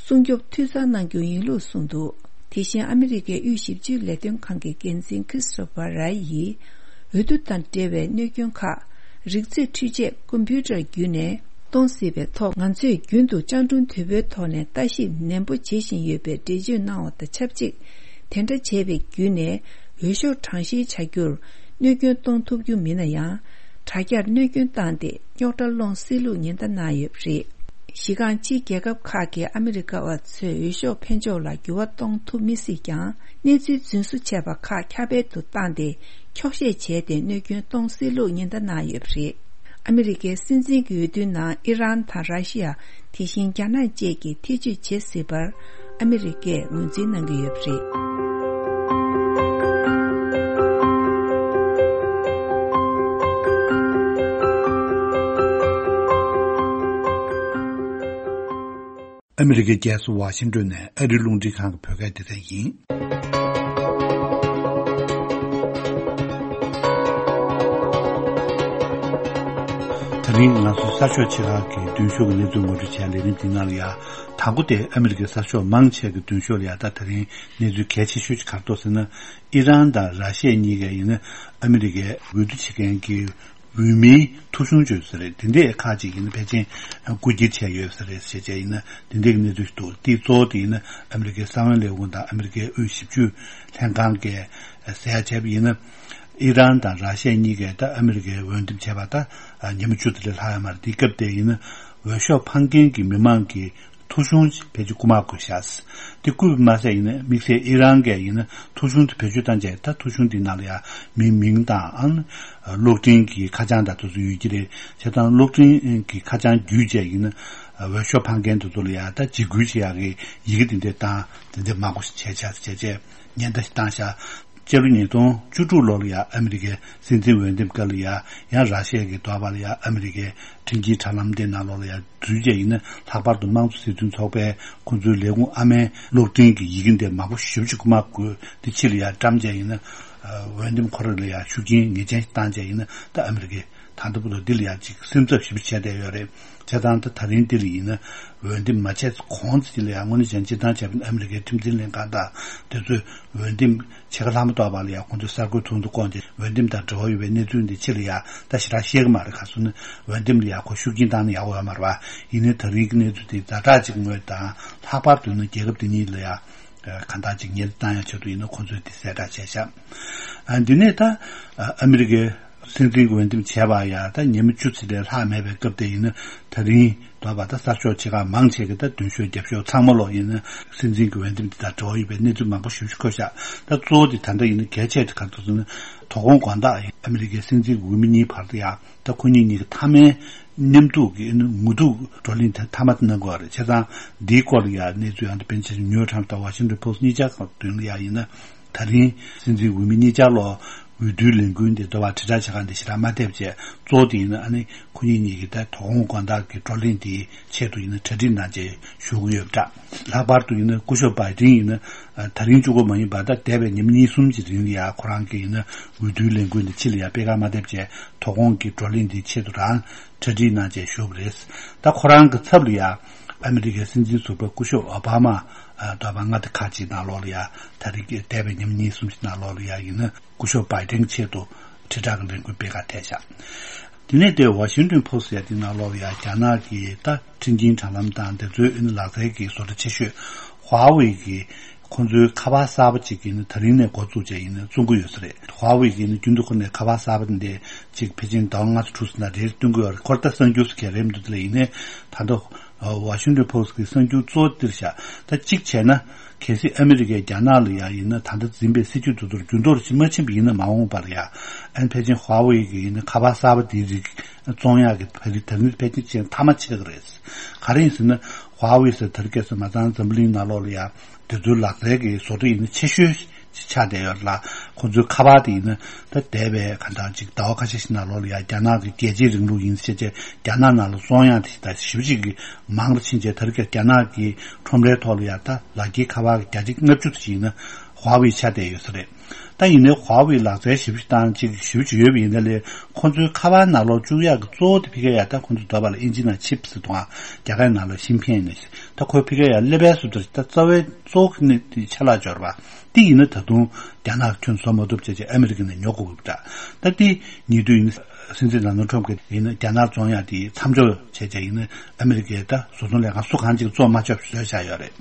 སྲུང་སྐྱོབ་འཐུས་ཚང་གནང་རྒྱུ་ཡིན་ལུགས་གསུངས་འདུག་དེ་བཞིན་ཨ་མི་རི་ཀའི་དབུས་ཞིབ་དཔྱོད་ལས་དོན་ཁང་གི་འགན་འཛིན་ཁྲིས་ཐོ་པ་རེ་ཡིས། འོས་བསྡུ་དང་འབྲེལ་བའི་གནོད་སྐྱོན་ཁག་རིག་རྩོད་འཕྲུལ་ཆས་ཀམ་པུ་ཊར་བརྒྱུད་ནས་གཏོང་སྲིད་པའི་ཐོག་ང་ཚོས་རྒྱུན་དུ་སྤྱང་གྲུང་དོད་པོའི་ཐོག་ནས་ལྟ་ཞིབ་ནན་པོ་བྱེད་བཞིན་ཡོད་པའི་འགྲེལ་བརྗོད་གནང་བ་དང་ཆབས་ཅིག་དེ་འདྲ་བྱས་པའི་བརྒྱུད་ནས་འོས་ཤོག་གྲངས་བཤེར་བྱ་རྒྱུར་གནོད་སྐྱོན་གཏོང་ཐུབ་རྒྱུ་མིན་ན་ཡང་། དྲ་རྒྱར་གནོད་སྐྱོན་བཏང་སྟེ་རྙོག་དྲ་སློང་སྲིད་ལུགས་ཉེན་བརྡ་གནང་ཡོད་པ་རེད། གཞི་རྐང་ཕྱིའི་རྒྱལ་ཁབ་ཁག་གིས་ཨ་མི་རི་ཀ་བ་ཚོས་འོས་ཤོག་འཕེན་ཕྱོགས་ལ་འགྱུར་བ་གཏོང་ཐུབ་མི་སྲིད་ཀྱང་། གནས་ཚུལ་རྫུན་བཟོ་བྱས་པ་ཁག་ཁྱབ་སྤེལ་དུ་བཏང་སྟེ། འཁྱོག་བཤད་བྱས་ཏེ་གནོད་སྐྱོན་གཏོང་སྲིད་ལུགས་ཉེན་བརྡ་གནང་ཡོད་པ་རེད། ཨ་མི་རི་ཀའི་སྲིད་འཛིན་གྱི་འོས་བསྡུའི་ནང་ཨི་རན་དང་ར་ཤི་ཡ། དེ་བཞིན་རྒྱ་ནག་བཅས་ཀྱིས་ཐེ་ཇུས་བྱེད་སྲིད་པར་ཨ་མི་རི་ཀས་ངོས་འཛིན་གནང་གི་ཡོད་པ་རེད། ཨ་མི་རི་ཀའི་རྒྱལ་ས་ཝ་ཤིང་ཏོན་ནས་ཨ་རིའི་རླུང་འཕྲིན་ཁང་གི་བོད་སྐད་སྡེ་ཚན་ཡིན། དེ་རིང་ང་ཚོའི་གསར་ཤོག་ཆེ་ཁག་གི་མདུན་ཤོག་གི་གནས་ཚུལ་ངོ་སྤྲོད་བྱས་ལས་རིམ་འདི་ནང་ལ་ཡ། དང་པོ་དེ་ཨ་མི་རི་ཀའི་གསར་ཤོག་མང་ཆེ་གི་མདུན་ཤོག་ལ་ཡ། ད་དེ་རིང་གནས་ཚུལ་གལ་ཆེ་ཤོས་ཅིག་ག་རེ་འདུག་ཟེར་ན། ཨི་རན་དང་ར་ཤི་ཡ་གཉིས་ཀས་ཡིན་ན་ཨ་མི་རི་ཀའི་འོས་བསྡུ་བྱེད་མཁན་གྱི་འོས་མིའི་ཐོ་གཞུང་བརྗོད་ས་རེད། དེ་འདྲའི་ཁག་ཅིག་ཡིན་ན་ཕལ་ཆེར་རྐུ་འཁྱེར་བྱས་ཡོད་ས་རེད་ཟེར་བྱས་ཡིན་ན། དེ་འདྲའི་གནས་ཚུལ་ཞིག་འདུག་དེའི་གཙོ་བོ་དེ་ཡིན་ན་ཨ་མི་རི་ཀའི་གསང་བའི་ལས་ཁུངས་དང་ཨ་མི་རི་ཀའི་དབུས་ཞིབ་དཔྱོད་ལྷན་ཁང་གིས་ཟེར་ཡ་བྱས་པ་ཡིན་ན། ཨི་རན་དང་ར་ཤི་ཡ་གཉིས་ཀས་ད་ཨ་མི་རི་ཀའི་འོས་འདེམས་བྱས་པ་ད་ཉི་མ་བཅུ་ཙམ་ལས་ལྷག་ཡོད་མ་རེད། དེའི་སྐབས་དེ་ཡིན་ན་འོས་ཤོག་འཕང་མཁན་གྱི་མི་མང་གི་ཐོ་གཞུང་ཕལ་ཆེར་རྐུ་མ་བརྐུས་ཤག་དེ་བརྐུས་པ་མ་ཟད་ཡིན་ན་དམིགས་བསལ་ཨི་རན་གྱི་ཡིན་ན་ཐོ་གཞུང་དེ་བེད་སྤྱོད་བཏང་བྱས། ད་ཐོ་གཞུང་དེ་ནང་ལ་ཡང་མིའི་མིང་དང་ཨང་། གློག་འཕྲིན་གྱི་ཁ་བྱང་དང་དེ་ཚོ་ཡོད་ཀྱི་རེད། བྱས་ཙང་གློག་འཕྲིན་གྱི་ཁ་བྱང་བརྒྱུད་བྱས་ཡིན་ན་འོས་ཤོག་འཕང་མཁན་དེ་ཚོ་ལ་ཡང་ད་འཇིགས་སྐུལ་བྱེད་ཡག་གི་ཡི་གེ་དེ་འདྲ་བཏང་། དེ་འདྲ་མང་པོ་ཞིག་བྱས་ཤག་བྱས་བྱས་ཉེན་བརྡ་ཞིག་བཏང་ཤག་སྤྱི་ལོ་ཉིས་སྟོང་བཅུ་དྲུག་ལོ་ལ་ཡང་ཨ་མི་རི་ཀའི་སྲིད་འཛིན་འོས་འདེམས་སྐབས་ལ་ཡང་ཡང་ར་ཤི་ཡ་གི་འདོད་པ་ལ་ཡང་ཨ་མི་རི་ཀའི་ཁྲིམས་ཀྱི་དྲ་ལམ་དེ་ནང་ལོགས་ལ་ཡང་འཛུལ་བྱས་ཡིན་ན། ལྷག་པར་དུ་དམངས་གཙོ་སྲིད་དོན་ཚོགས་པའི་ཁོང་ཚོའི་ལས་ཁུངས་ཨ་མའི་གློག་འཕྲིན་གྱི་ཡི་གེ་འདི་མང་པོ་ཞེ་པོ་ཅིག་རྐུ་མ་བརྐུས་ཏེ་ཕྱི་ལ་ཡང་བཀྲམ་བྱས་ཡིན་ན། འོས་འདེམས་ཁོ་རང་ལ་ཡང་ཤུགས་རྐྱེན་ངེས་ཅན་ཞིག་བཏང་བྱས་ཡིན་ན། ད་ཨ་མི་རི་ཀའི་ད་ལྟ་བར་དུ་འདི་ལ་ཡང་ཅིག་སེམས་འཚབ་ཞེ་པོ་བྱས་བསྡད་ཡོད་རེད། བྱས་ཙང་ད་ད་རིང་འདི་ལ་ཡིན་ན་འོས་འདེམས་མ་བྱས་གོང་ཙམ་ཅིག་ལ་ཡང་དངོས་གནས་བྱས་ན་སྤྱིར་བཏང་བྱས་པ་ཡིན་ན་ཨ་མི་རི་ཀའི་ཁྲིམས་འཛིན་ལྷན་ཁང་དང་དེ་ཚོས་འོས་འདེམས་ཕྱེད་ཀ་ལྷག་མ་གཏོགས་པ་ལ་ཡང་ཁོང་ཚོས་གསར་འགོད་ཚོགས་འདུ་བསྐོངས་ཏེ་འོས་འདེམས་དང་འབྲེལ་བ་ཡོད་པའི་གནས་ཚུལ་འདི་ཕྱི་ལ་ཡང་ད་ཞེ་དྲག་བཤད་ཀྱི་མ་རེད། ག་རེ་ཟེར་ན་འོས་འདེམས་ལ་ཡང་ཁོ་ཤུགས་རྐྱེན་བཏང་ན་ཡག་པོ་ཡོད་མ་རེད་པ། ཡིན་ནའི་ད་རིང་གི་གནས་ཚུལ་འདི་ཛ་དྲག་ཅིག་ངོས་དང་། ལྷག་པར་དུ་ནི་རྒྱལ་ཁབ་འདི་གཉིས་ལ་ཡང་གང་ལྟར་ཅིག་ཉེན་བརྡ་བཏང་ཡ་ཆེད་དུ་ཡིན་ན་ཁོང་ཚོས་འདི་གསལ་བསྒྲགས་བྱས་ཤག་ཨ། འདི་ནས་ད་ཨ་མི་རི་ཀའི་སྲིད་འཛིན་གྱི་འོས་འདེམས་བྱས་པ་ཡང་ད་ཉི་མ་བཅུ་ཙམ་ལས་ལྷག་མེད་པའི་སྐབས་དེ་ཡིན་ན། ད་རིང་འདོད་པ་ད་གསར་ཤོག་ཆེ་ཁག་མང་ཆེ་གི་ད་མདུན་ཤོག་རྒྱབ་ཤོག་ཚང་མ་ལོག་ཡིན་ན་སྲིད་འཛིན་གྱི་འོས་འདེམས་དེ་དང་འབྲེལ་བ་ཡོད་པའི་གནས་ཚུལ་མང་པོ་ཞེ་པོ་ཅིག་འཁོད་ཤག་ད་གཙོ་བོ་དེ་ད་ལྟ་ཡིན་ན་གལ་ཆེ་དེ་ག་རེ་འདུག་ཟེར་ན། དོ་དགོང་དགོང་དག་ཨ་མི་རི་ཀའི་སྲིད་འཛིན་གྱི་འོས་མི་གཉིས་བར་དུ་ཡང་ད་ཁོ་གཉིས་གཉིས་ཀྱི་མཐའ་མའི་མཉམ་ཐུག་གི་ཨ་ནི་ངོ་ཐུག་བགྲོ་གླེང་དེ་མཐའ་མ་དེ་གནང་དགོས་པ་རེད། བྱས་ཙང་འདིའི་སྐོར་ལ་ཡང་གནས་ཚུལ་ཡང་དེ་དཔེར་ན་ཆ་བཞག་ན་ནིའུ་ཡོག་ཊའིམ་སི་དང་ཝ་ཤིང་ཊོན་པོ་སི་གཉིས་ཆ་ཁག་མདུན་ལ་ཡང་ཡིན་ན། ད་རིང་སྲིད་འཛིན་འོས་མི་གཉིས་ཆར་ལོག་འོས་བསྡུའི་ལས་འགུལ་འདི་འདོད་པ་དྲིལ་བསྒྲགས་བྱེད་སྒང་འདི་ཞེ་དྲག་མ་ཐེབས་བྱས། གཙོ་བོ་དེ་ཡིན་ན་ཨ་ནི་ཁོ་གཉིས་གཉིས་ཀྱི་ད་དོ་དགོང་དགོང་དག་གི་བགྲོ་གླེང་འདིའི་ཆེད་དུ་ཡིན་ན་གྲ་སྒྲིག་གནང་བྱས་བཞུགས་ཀྱི་ཡོད་པ་འདྲ། ལྷག་པར་དུ་ཡིན་ན་སྐུ་ཞབས་བྷའི་ཌེན་ཡིན་ན་ད་རིང་གཅིག་པོ་མ་ཡིན་པར་ད་འདས་པའི་ཉིན་གཉིས་གསུམ་གྱི་རིང་ལ་ཡང་ཁོ་རང་གི་ཡིན་ན་འོས་བསྡུའི་ལས་འགུལ་འདི་ཕྱི་ལ་ཡང་སྤེལ་ཁ་མ་ཐེབས་བྱས་དོ་དགོང་གི་བགྲོ་གླེང་འདིའི་ཆེད་དུ་རང་གྲ་སྒྲིག་གནང་བྱས་བཞུགས་པ་རེད། ད་ཁོ་རང་གི་ཚབ་ལ་ཡང་ ཨ་མི་རི་ཀའི་སྲིད་འཛིན་ཟུར་པ་སྐུ་ཞབས་ཨོ་བྷ་མ་ཨ་ཟླ་བ་ལྔ་དང་ཁ་ཅིག་ནང་ལོགས་ལ་ཡ་ད་རེས་ཀྱི་འདས་པའི་ཉིན་གཉིས་གསུམ་ཞིག་ནང་ལོགས་ལ་ཡ་ཡིན་ན་སྐུ་ཞབས་བྷའི་ཏིན་ཆེད་དུ་དྲིལ་བསྒྲགས་ཀྱི་ལས་འགུལ་སྤེལ་ག་ཐད་བཞག་དེ་ནས་དེ་ཝ་ཤིང་ཏོན་པོ་སི་ཡ་དེ་ནང་ལོགས་ལ་ཡ་རྒྱ་ནག་གི་ད་ཁྲིམས་ཀྱི་དྲ་ལམ་དང་དེ་ཚོའི་ཨ་ནི་ལག་རྩལ་གྱི་བཟོ་གྲྭ་ཆེ་ཤོས་ཧྭ་ཝེ་གི་ཁོང་ཚོའི་ཁ་པར་གསར་པ་ཅིག་གི་ནི་ད་རིང་ནས་འགོ་བཙུགས་བྱས་ཡིན་ན་བཙོང་གི་ཡོད་ས་རེད། ཧྭ་ཝེ་གི་ནི་རྒྱུན་དུ་ཁོ་ནས་ཁ་པར་གསར་པ་འདི་ཅིག་ཕལ་ཆེར་ཟླ་བ་ལྔ་ཙམ་དྲུག་ཙམ་ནང་རེ་རེ་སྟོན་གི་ཡོད་རེད། ཁོ་ད་གསར་འགྱུར་ཟེར་མཁན་རེད་མི་འདུག་དེ་ལ་ཡིན་ནའི་ད་ལྟ་ཝ་ཤིང་ཏོན་པོ་སི་གི་གསར་འགྱུར་གཙོ་བོ་འདིར་བཞག་ད་གཅིག་བྱས་ན་གལ་སྲིད་ཨ་མི་རི་ཀས་རྒྱ་ནག་ལ་ཡ་ཡིན་ན་ད་ལྟ་འཛིན་པའི་སྲིད་ཇུས་དེ་ཚོར་རྒྱུན་དུ་མ་ཕྱིན་པ་ཡིན་ན་མ་འོངས་པར་ཡ་ཨ་ནི་ཕལ་ཆེར་ཧྭ་ཝེ་གི་ཡིན་ན་ཁ་པར་གསར་པ་འདིའི་རིགས་བཙོང་ཡག་གི་ད་རིང་ད་རིང་ཕལ་ཆེར་ཅན་མཐའ་མ་ཆགས་ཀྱི་རེད། ག་རེ་ཡིན་ཟེར་ན་ཧྭ་ཝེ་ཟེར་ད་རེས་ཁ་སང་མ་ཚང་འཛམ་བུ་གླིང་ནང་ལོགས་ལ་ཡ་དེ་ཚོའི་ལག་རྩལ་གྱི་བཟོ་གྲྭ་ཡིན་ན་ཆེ་ཤོས་ཆགས་བསྡད་ཡོད་ལ། ཁོང་ཚོའི་ཁ་པར་དེ་ཡིན་ན་ད་འདས་པའི་གང་ལྟར་ཅིག་ཟླ་བ་ཁ་ཤས་ཤིག་ནང་ལོགས་ལ་ཡ་རྒྱ་ནག་གི་རྒྱལ་གཅེས་རིང་ལུགས་ཡིན་ཟེར་བྱས་རྒྱ་ནག་ནང་ལ་བཙོང་ཡག་དེ་ད་ཞེ་པོ་ཅིག་གི་མང་རུ་ཕྱིན་བྱས་ད་རེས་ཀྱི་རྒྱ་ནག་གི་ཁྲོམ་རའི་ཐོག་ལ་ཡ་ད་ལག་འཁྱེར་ཁ་པར་གྱི་བརྒྱ་ཆ་ལྔ་བཅུ་ཙམ་ཞིག་ཡིན་ན་ཧྭ་ཝེ་ཆགས་བསྡད་ཡོད་ས་རེད། ད་ཡིན་ནའི་ཧྭ་ཝེ་ལག་རྩལ་ཞེ་པོ་ཅིག་བཏང་ཅིག་ཞེ་པོ་ཅིག་ཡོད་པ་ཡིན་ན་ལས་ཁོང་ཚོའི་ཁ་པར་ནང་ལོགས་བཅུག་ཡག་གི་གཙོ་བོ་དེ་ཕ་གི་ཡ་ད་ཁོང་ཚོ་འདོད་པ་ལ་ཨིན་ཇི་ནང་ཆིབ་ཟེར་དུས་རྒྱ་སྐད་ནང་ལ་ཤིང་ཕན་ནས་ད་ཁོའི་ཕ་གི་ཡ་ཀླད་པའི་སུ་དེར་ད་རྩ་བའི་གཙོ་བོ་གི་ནི་དེ་ཆ་ལག་འབྱོར་བ་དེ་ཡིན་ན་ད་དུང་རྒྱ་ནག་ཁྱོན་བཟོ་མ་ཐུབ་བྱས་བྱས་ཨ་མི་རི་ཀ་ནས་ཉོ་དགོས་ཀྱི་འདུག་ད་དེ་ཉེ་དུས་ཡིན་ན་སྲིད་འཛིན་ཌོ་ནལ་ཌི་ཊརམ་ཕི་ཡིན་ན་རྒྱ་ནག་བཙོང་ཡག་དེ་མཚམས་འཇོག་བྱས་བྱས་ཡིན་ན་ཨ་མི་རི་ཀའི་ད་བཟོ་ཚོང་ལས་ཁང་སུ་གང་ཅིག་བཙོང་མ་ཆོག་བཟོས་བཞག་ཡོད་རེད།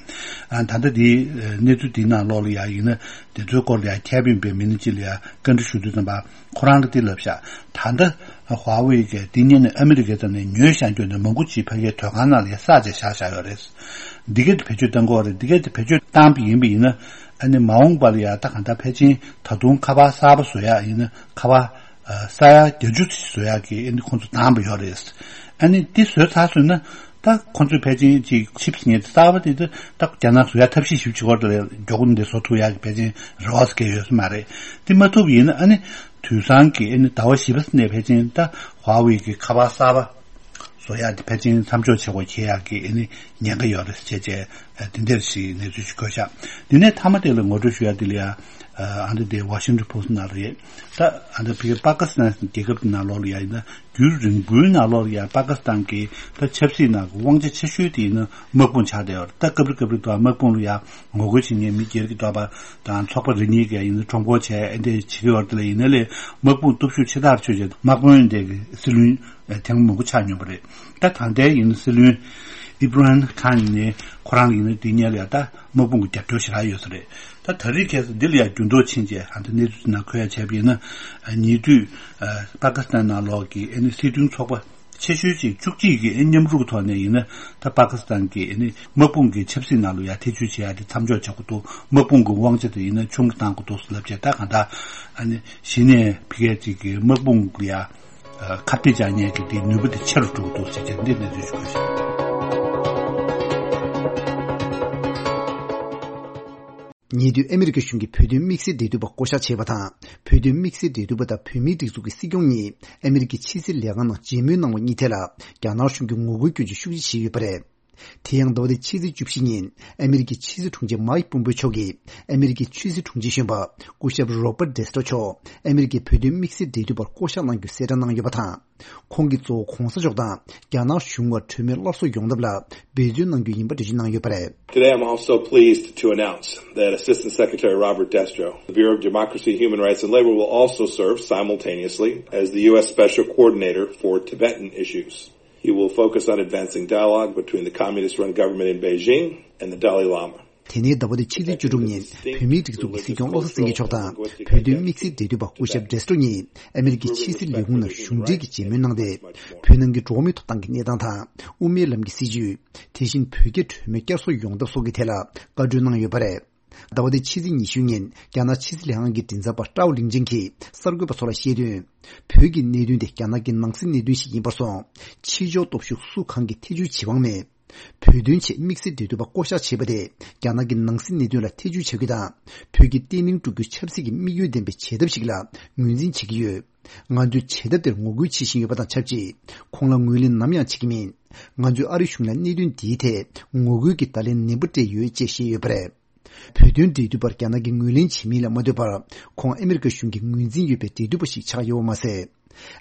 ཨ་ད་ལྟ་དེའི་གནས་ཚུལ་དེའི་ནང་ལོགས་ལ་ཡ་ཡིན་ན་དེ་ཚོའི་སྐོར་ལ་ཡ་ཁྱད་པར་པའི་མི་སྣ་གཅིག་ལ་ཡ་བཀའ་འདྲི་ཞུ་དུས་ཙམ་པ་ཁོ་རང་གིས་དེ་ལབ་ཤག་ད་ལྟ་ཧྭ་ཝེ་གིས་དེ་ཉིད་ནས་ཨ་མི་རི་ཀའི་རྩ་ནས་ཉོས་བཞག་རྒྱུ་ནས་མང་པོ་ཅིག་ཕ་གིའི་དོ་ཁང་ནང་ལ་ཡ་བསགས་བྱས་བཞག་བཞག་ཡོད་རེད། འདི་གས་དེ་བེད་སྤྱོད་གཏང་དགོས་རེད། འདི་གས་དེ་བེད་སྤྱོད་བཏང་པ་ཡིན་པ་ཡིན་ན་ཨ་ནི་མ་འོངས་པ་ལ་ཡ་ད་གང་ལྟར་ཕལ་ཆེར་ད་དུང་ཁ་པར་གསར་པ་བཟོ་ཡག་ཡིན་ན་ཁ་པར་ས་ཡ་བརྒྱད་ཅུ་ཙམ་བཟོ་ཡག་གི་ཨ་ནི་ཁོང་ཚོ་བདམས་པ་ཡོད་རེད། ཨ་ནི་འདི་བཟོས་ཚར་སོང་ན་ད་ཁོང་ཚོས་ཕལ་ཆེར་ཅིག་ཆིབ་སི་ཉེ་གསར་པ་དེ་ད་རྒྱ་ནག་བཟོ་ཡག་ཐབས་ཤེས་ཞིབ་བྱེད་སྐོར་དེ་ལ་མགྱོགས་པོ་འདི་བཟོ་ཐུབ་ཡག་གི་ཕལ་ཆེར་རེ་བ་ཟེར་མཁན་ཡོད་ས་མ་རེད། དེ་མ་ཐུབ་ཡིན་ན་ཨ་ནི་དུས་སང་གི་ཨ་ནི་ཟླ་བ་བཞི་པ་ནས་ཕལ་ཆེར་ད་ཧྭ་ཝེ་གི་ཁ་པར་གསར་པ་བཟོ་ཡག་དེ་ཕལ་ཆེར་མཚམས་འཇོག་བྱེད་དགོས་ཁེལ་ཡག་གི་ཨ་ནི་ཉེན་ཁ་ཡོད་རེད་ཟེར་བྱས་བྱས་དེ་འདྲ་ཞིག་གནས་ཚུལ་ཞིག་གོ་ཤག་དེ་ནས་མཐའ་མ་དེ་ལ་ངོ་སྤྲོད་ཞུ་ཡག་དེ་ལ་ཡ་ཨ་འདི་དེ་ཝ་ཤིང་ཊོན་པོ་སི་ནང་རེད། ད་ཨ་འདི་བི་པ་ཀི་སི་ཐན་རྒྱལ་ཁབ་དེ་ནང་ལོགས་ལ་ཡ་ཡིན་ན་རྒྱུན་རིང་པོའི་ནང་ལོགས་ལ་ཡ་པ་ཀི་སི་ཐན་གྱི་ད་ཆབ་སྲིད་ནང་གི་དབང་ཆ་ཆེ་ཤོས་དེ་ཡིན་ན་དམག་དཔུང་ཆགས་བསྡད་ཡོད་རེད། ད་སྐབས་རེ་སྐབས་རེ་དུ་དམག་དཔུང་ལ་ཡ་ངོ་རྒོལ་བྱེད་མཁན་མི་སྒེར་གྱི་འདོད་པ་དང་ཚོགས་པ་རེ་གཉིས་ཀས་ཡིན་ན་ཁྲོམ་སྐོར་བྱས་ཨེ་འདྲ་བྱེད་ཀྱི་ཡོད་རེད། དེ་ལ་ཡིན་ན་ལས་དམག་དཔུང་སྟོབས་ཤུགས་ཆེ་ཐག་ཆོད་བྱས་དམག་དཔོན་དེ་གི་སྲིད་བློན་ཐེངས་མང་པོ་ཆགས་མྱོང་བ་རེད། ད་ད་ལྟའི་ཡིན་ན་སྲིད་བློན་ཨི་མི་རཱན་ཁཱན་ནས་ཁོ་རང་ལ་ཡིན་ན་དེ་སྔོན་ལ་ཡ་ད་དམག་དཔུང་གི་རྒྱབ་སྐྱོར་ཞེ་དྲག་ཡོད་ས་རེད། ད་ད་རེས་ཁ་སང་འདི་ལ་ཡ་འགྱུར་ལྡོག་ཕྱིན་རྗེས་ཧ་ད་གནས་ཚུལ་ནང་འཁོད་ཡ་བྱས་པ་ཡིན་ན་ཉེ་དུས་པ་ཀི་སི་ཐན་ནང་ལོགས་ཀྱི་ཨ་ནི་སྲིད་དོན་ཚོགས་པ་ཆེ་ཤོས་ཅིག་བཅུ་གཅིག་གི་མཉམ་རུབ་ཐོག་ནས་ཡིན་ན་ད་པ་ཀི་སི་ཐན་གྱི་ཨ་ནི་དམག་དཔུང་གི་ཆབ་སྲིད་ནང་ལ་ཡ་ཐེ་བྱུས་བྱེད་ཡ་དེ་མཚམས་འཇོག་བྱ་དགོས་འདུག་དམག་དཔུང་གི་དབང་ཆ་དེ་ཡིན་ན་ཆུང་དུ་གཏང་དགོས་འདུག་ལབ་བྱས་ད་གང་ལྟར་ཨ་ནི་གཞི་ནས་ཕ་གི་ཅིག་གི་དམག་དཔུང་ལ་ཡ་ཁ་གཏད་བཅག་མཁན་གྱི་དེའི་ནུས་པ་དེ་ཆེ་རུ་འགྲོ་གི་འདུག་ཟེར་བྱས་འདི་གནས་ཚུལ་ཞིག་དགོས་ཤིང་། ཉེ་དུས་ཨ་མི་རི་ཀ་གཞུང་གིས་བོད་དོན་དམིགས་བསལ་འབྲེལ་མཐུད་པ་བསྐོ་གཞག་བྱས་པ་དང་། བོད་དོན་དམིགས་བསལ་འབྲེལ་མཐུད་པ་དང་བོད་མིའི་སྒྲིག་འཛུགས་ཀྱི་སྲིད་སྐྱོང་གཉིས་ཨ་མི་རི་ཀའི་ཕྱི་སྲིད་ལས་ཁང་ནང་མཇལ་མོལ་གནང་བ་གཉིས་ཐད་ལ་རྒྱ་ནག་གཞུང་གིས་ངོ་རྒོལ་སྐྱོན་བརྗོད་ཤུགས་ཆེ་བྱས་ཡོད་པ་རེད། དེ་ཡང་ཟླ་བ་འདིའི་ཕྱི་ཚེས་བཅུ་བཞི་ཉིན་ཨ་མི་རི་ཀའི་ཕྱི་སྲིད་དྲུང་ཆེ་མའིག་པོམ་པེ་མཆོག་གིས་ཨ་མི་རི་ཀའི་ཕྱི་སྲིད་དྲུང་ཆེ་གཞོན་པ་སྐུ་ཞབས་རོ་པར་ཌེ་སི་ཏྲོ་མཆོག་ཨ་མི་རི་ཀའི་བོད་དོན་དམིགས་བསལ་འབྲེལ་མཐུད་པར་བསྐོ་གཞག་གནང་རྒྱུ་གསལ་བསྒྲགས་གནང་ཡོད་པ་དང་། ཁོང་གིས་གཙོ་བོ་༧གོང་ས་མཆོག་དང་རྒྱ་ནག་གཞུང་བར་གྲོས་མོལ་སླར་གསོ་ཡོང་ཐབས་ལ་འབད་བརྩོན་གནང་རྒྱུ་ཡིན་པ་འགྲེལ་བརྗོད་གནང་ཡོད་པ་རེད། Today, I'm also pleased to announce that Assistant Secretary Robert Destro, the Bureau of Democracy, Human Rights, and Labor, will also serve simultaneously as the U S Special Coordinator for Tibetan Issues. He will focus on advancing dialogue between the communist-run government in Beijing and the Dalai Lama. དེ་ནས་ཟླ་བ་འདིའི་ཕྱི་ཚེས་བཅུ་དྲུག་ཉིན་བོད་མིའི་སྒྲིག་འཛུགས་ཀྱི་སྲིད་སྐྱོང་བློ་བཟང་སེང་གེ་མཆོག་དང་བོད་དོན་དམིགས་བསལ་འབྲེལ་མཐུད་པ་སྐུ་ཞབས་ཌེ་སི་ཏྲོ་གཉིས་ཨ་མི་རི་ཀའི་ཕྱི་སྲིད་ལས་ཁུངས་ནང་གཞུང་འབྲེལ་གྱི་མཇལ་མོལ་གནང་སྟེ། བོད་ནང་གི་འགྲོ་བ་མིའི་ཐོབ་ཐང་གི་གནས་སྟངས་དང་དབུ་མའི་ལམ་གྱི་སྲིད་བྱུས། དེ་བཞིན་བོད་རྒྱའི་གྲོས་མོལ་བསྐྱར་གསོ་ཡོང་ཐབས་སོགས་ཀྱི་ཐད་ལ་བཀའ་འཁྲོལ་གནང་ཡོད་པ་རེད། ཟླ་བ་འདིའི་ཕྱི་ཚེས་ཉི་ཤུ་ཉིན་རྒྱ་ནག་ཕྱི་སྲིད་ལྷན་ཁང་གི་མགྲིན་ཚབ་པ་ཀྲའོ་ལིང་ཅན་གྱིས་གསར་འགོད་པ་ཚོ་ལ་བཤད་དོན། བོད་ཀྱི་གནད་དོན་དེ་རྒྱ་ནག་གི་ནང་སྲིད་གནད་དོན་ཞིག་ཡིན་པར་སོང་། ཕྱི་ཕྱོགས་སྟོབས་ཤུགས་སུ་གང་གིས་ཐེ་བྱུས་བྱེད་དབང་མེད། བོད་དོན་ཆེད་དམིགས་བསལ་འབྲེལ་མཐུད་པ་བསྐོ་གཞག་བྱས་པ་དེ་རྒྱ་ནག་གི་ནང་སྲིད་གནད་དོན་ལ་ཐེ་བྱུས་བྱ་རྒྱུ་དང་། བོད་ཀྱི་བརྟན་ལྷིང་སྒྲུབ་རྒྱུའི་ཆབ་སྲིད་ཀྱི་དམིགས་ཡུལ་ལྡན་པའི་བྱེད་ཐབས་ཤིག་ལ་ངོས་འཛིན་བྱེད་ཀྱི་ཡོད། ང་ཚོས་བྱེད་ཐབས་དེར་ངོ་རྒོལ་བྱེད་བཞིན་ཡོད་པ་དང་ཆབས་ཅིག་ཁོང་ལ་ངོས་ལེན་ནམ་ཡང་བྱེད་ཀྱི་མིན། ང་ཚོས་ཨ་རིའི་གཞུང་ལ་གནད་དོན་འདིའི་ཐད་ངོ་རྒོལ་གྱི་བརྡ་ལན་ནན་པོ་སྤྲད་ཡོད་ཅེས་བཤད་ཡོད་པ་རེད། བོད་དོན་འབྲེལ་མཐུད་པར་རྒྱ་ནག་གིས་ངོས་ལེན་བྱེད་མིན་ལ་མ་ལྟོས་པར། ཁོང་ཨ་མི་རི་ཀ་གཞུང་གི་ངོས་འཛིན་ཡོད་པའི་འབྲེལ་མཐུད་པ་ཞིག་ཆགས་ཡོད་པ་མ་ཟད།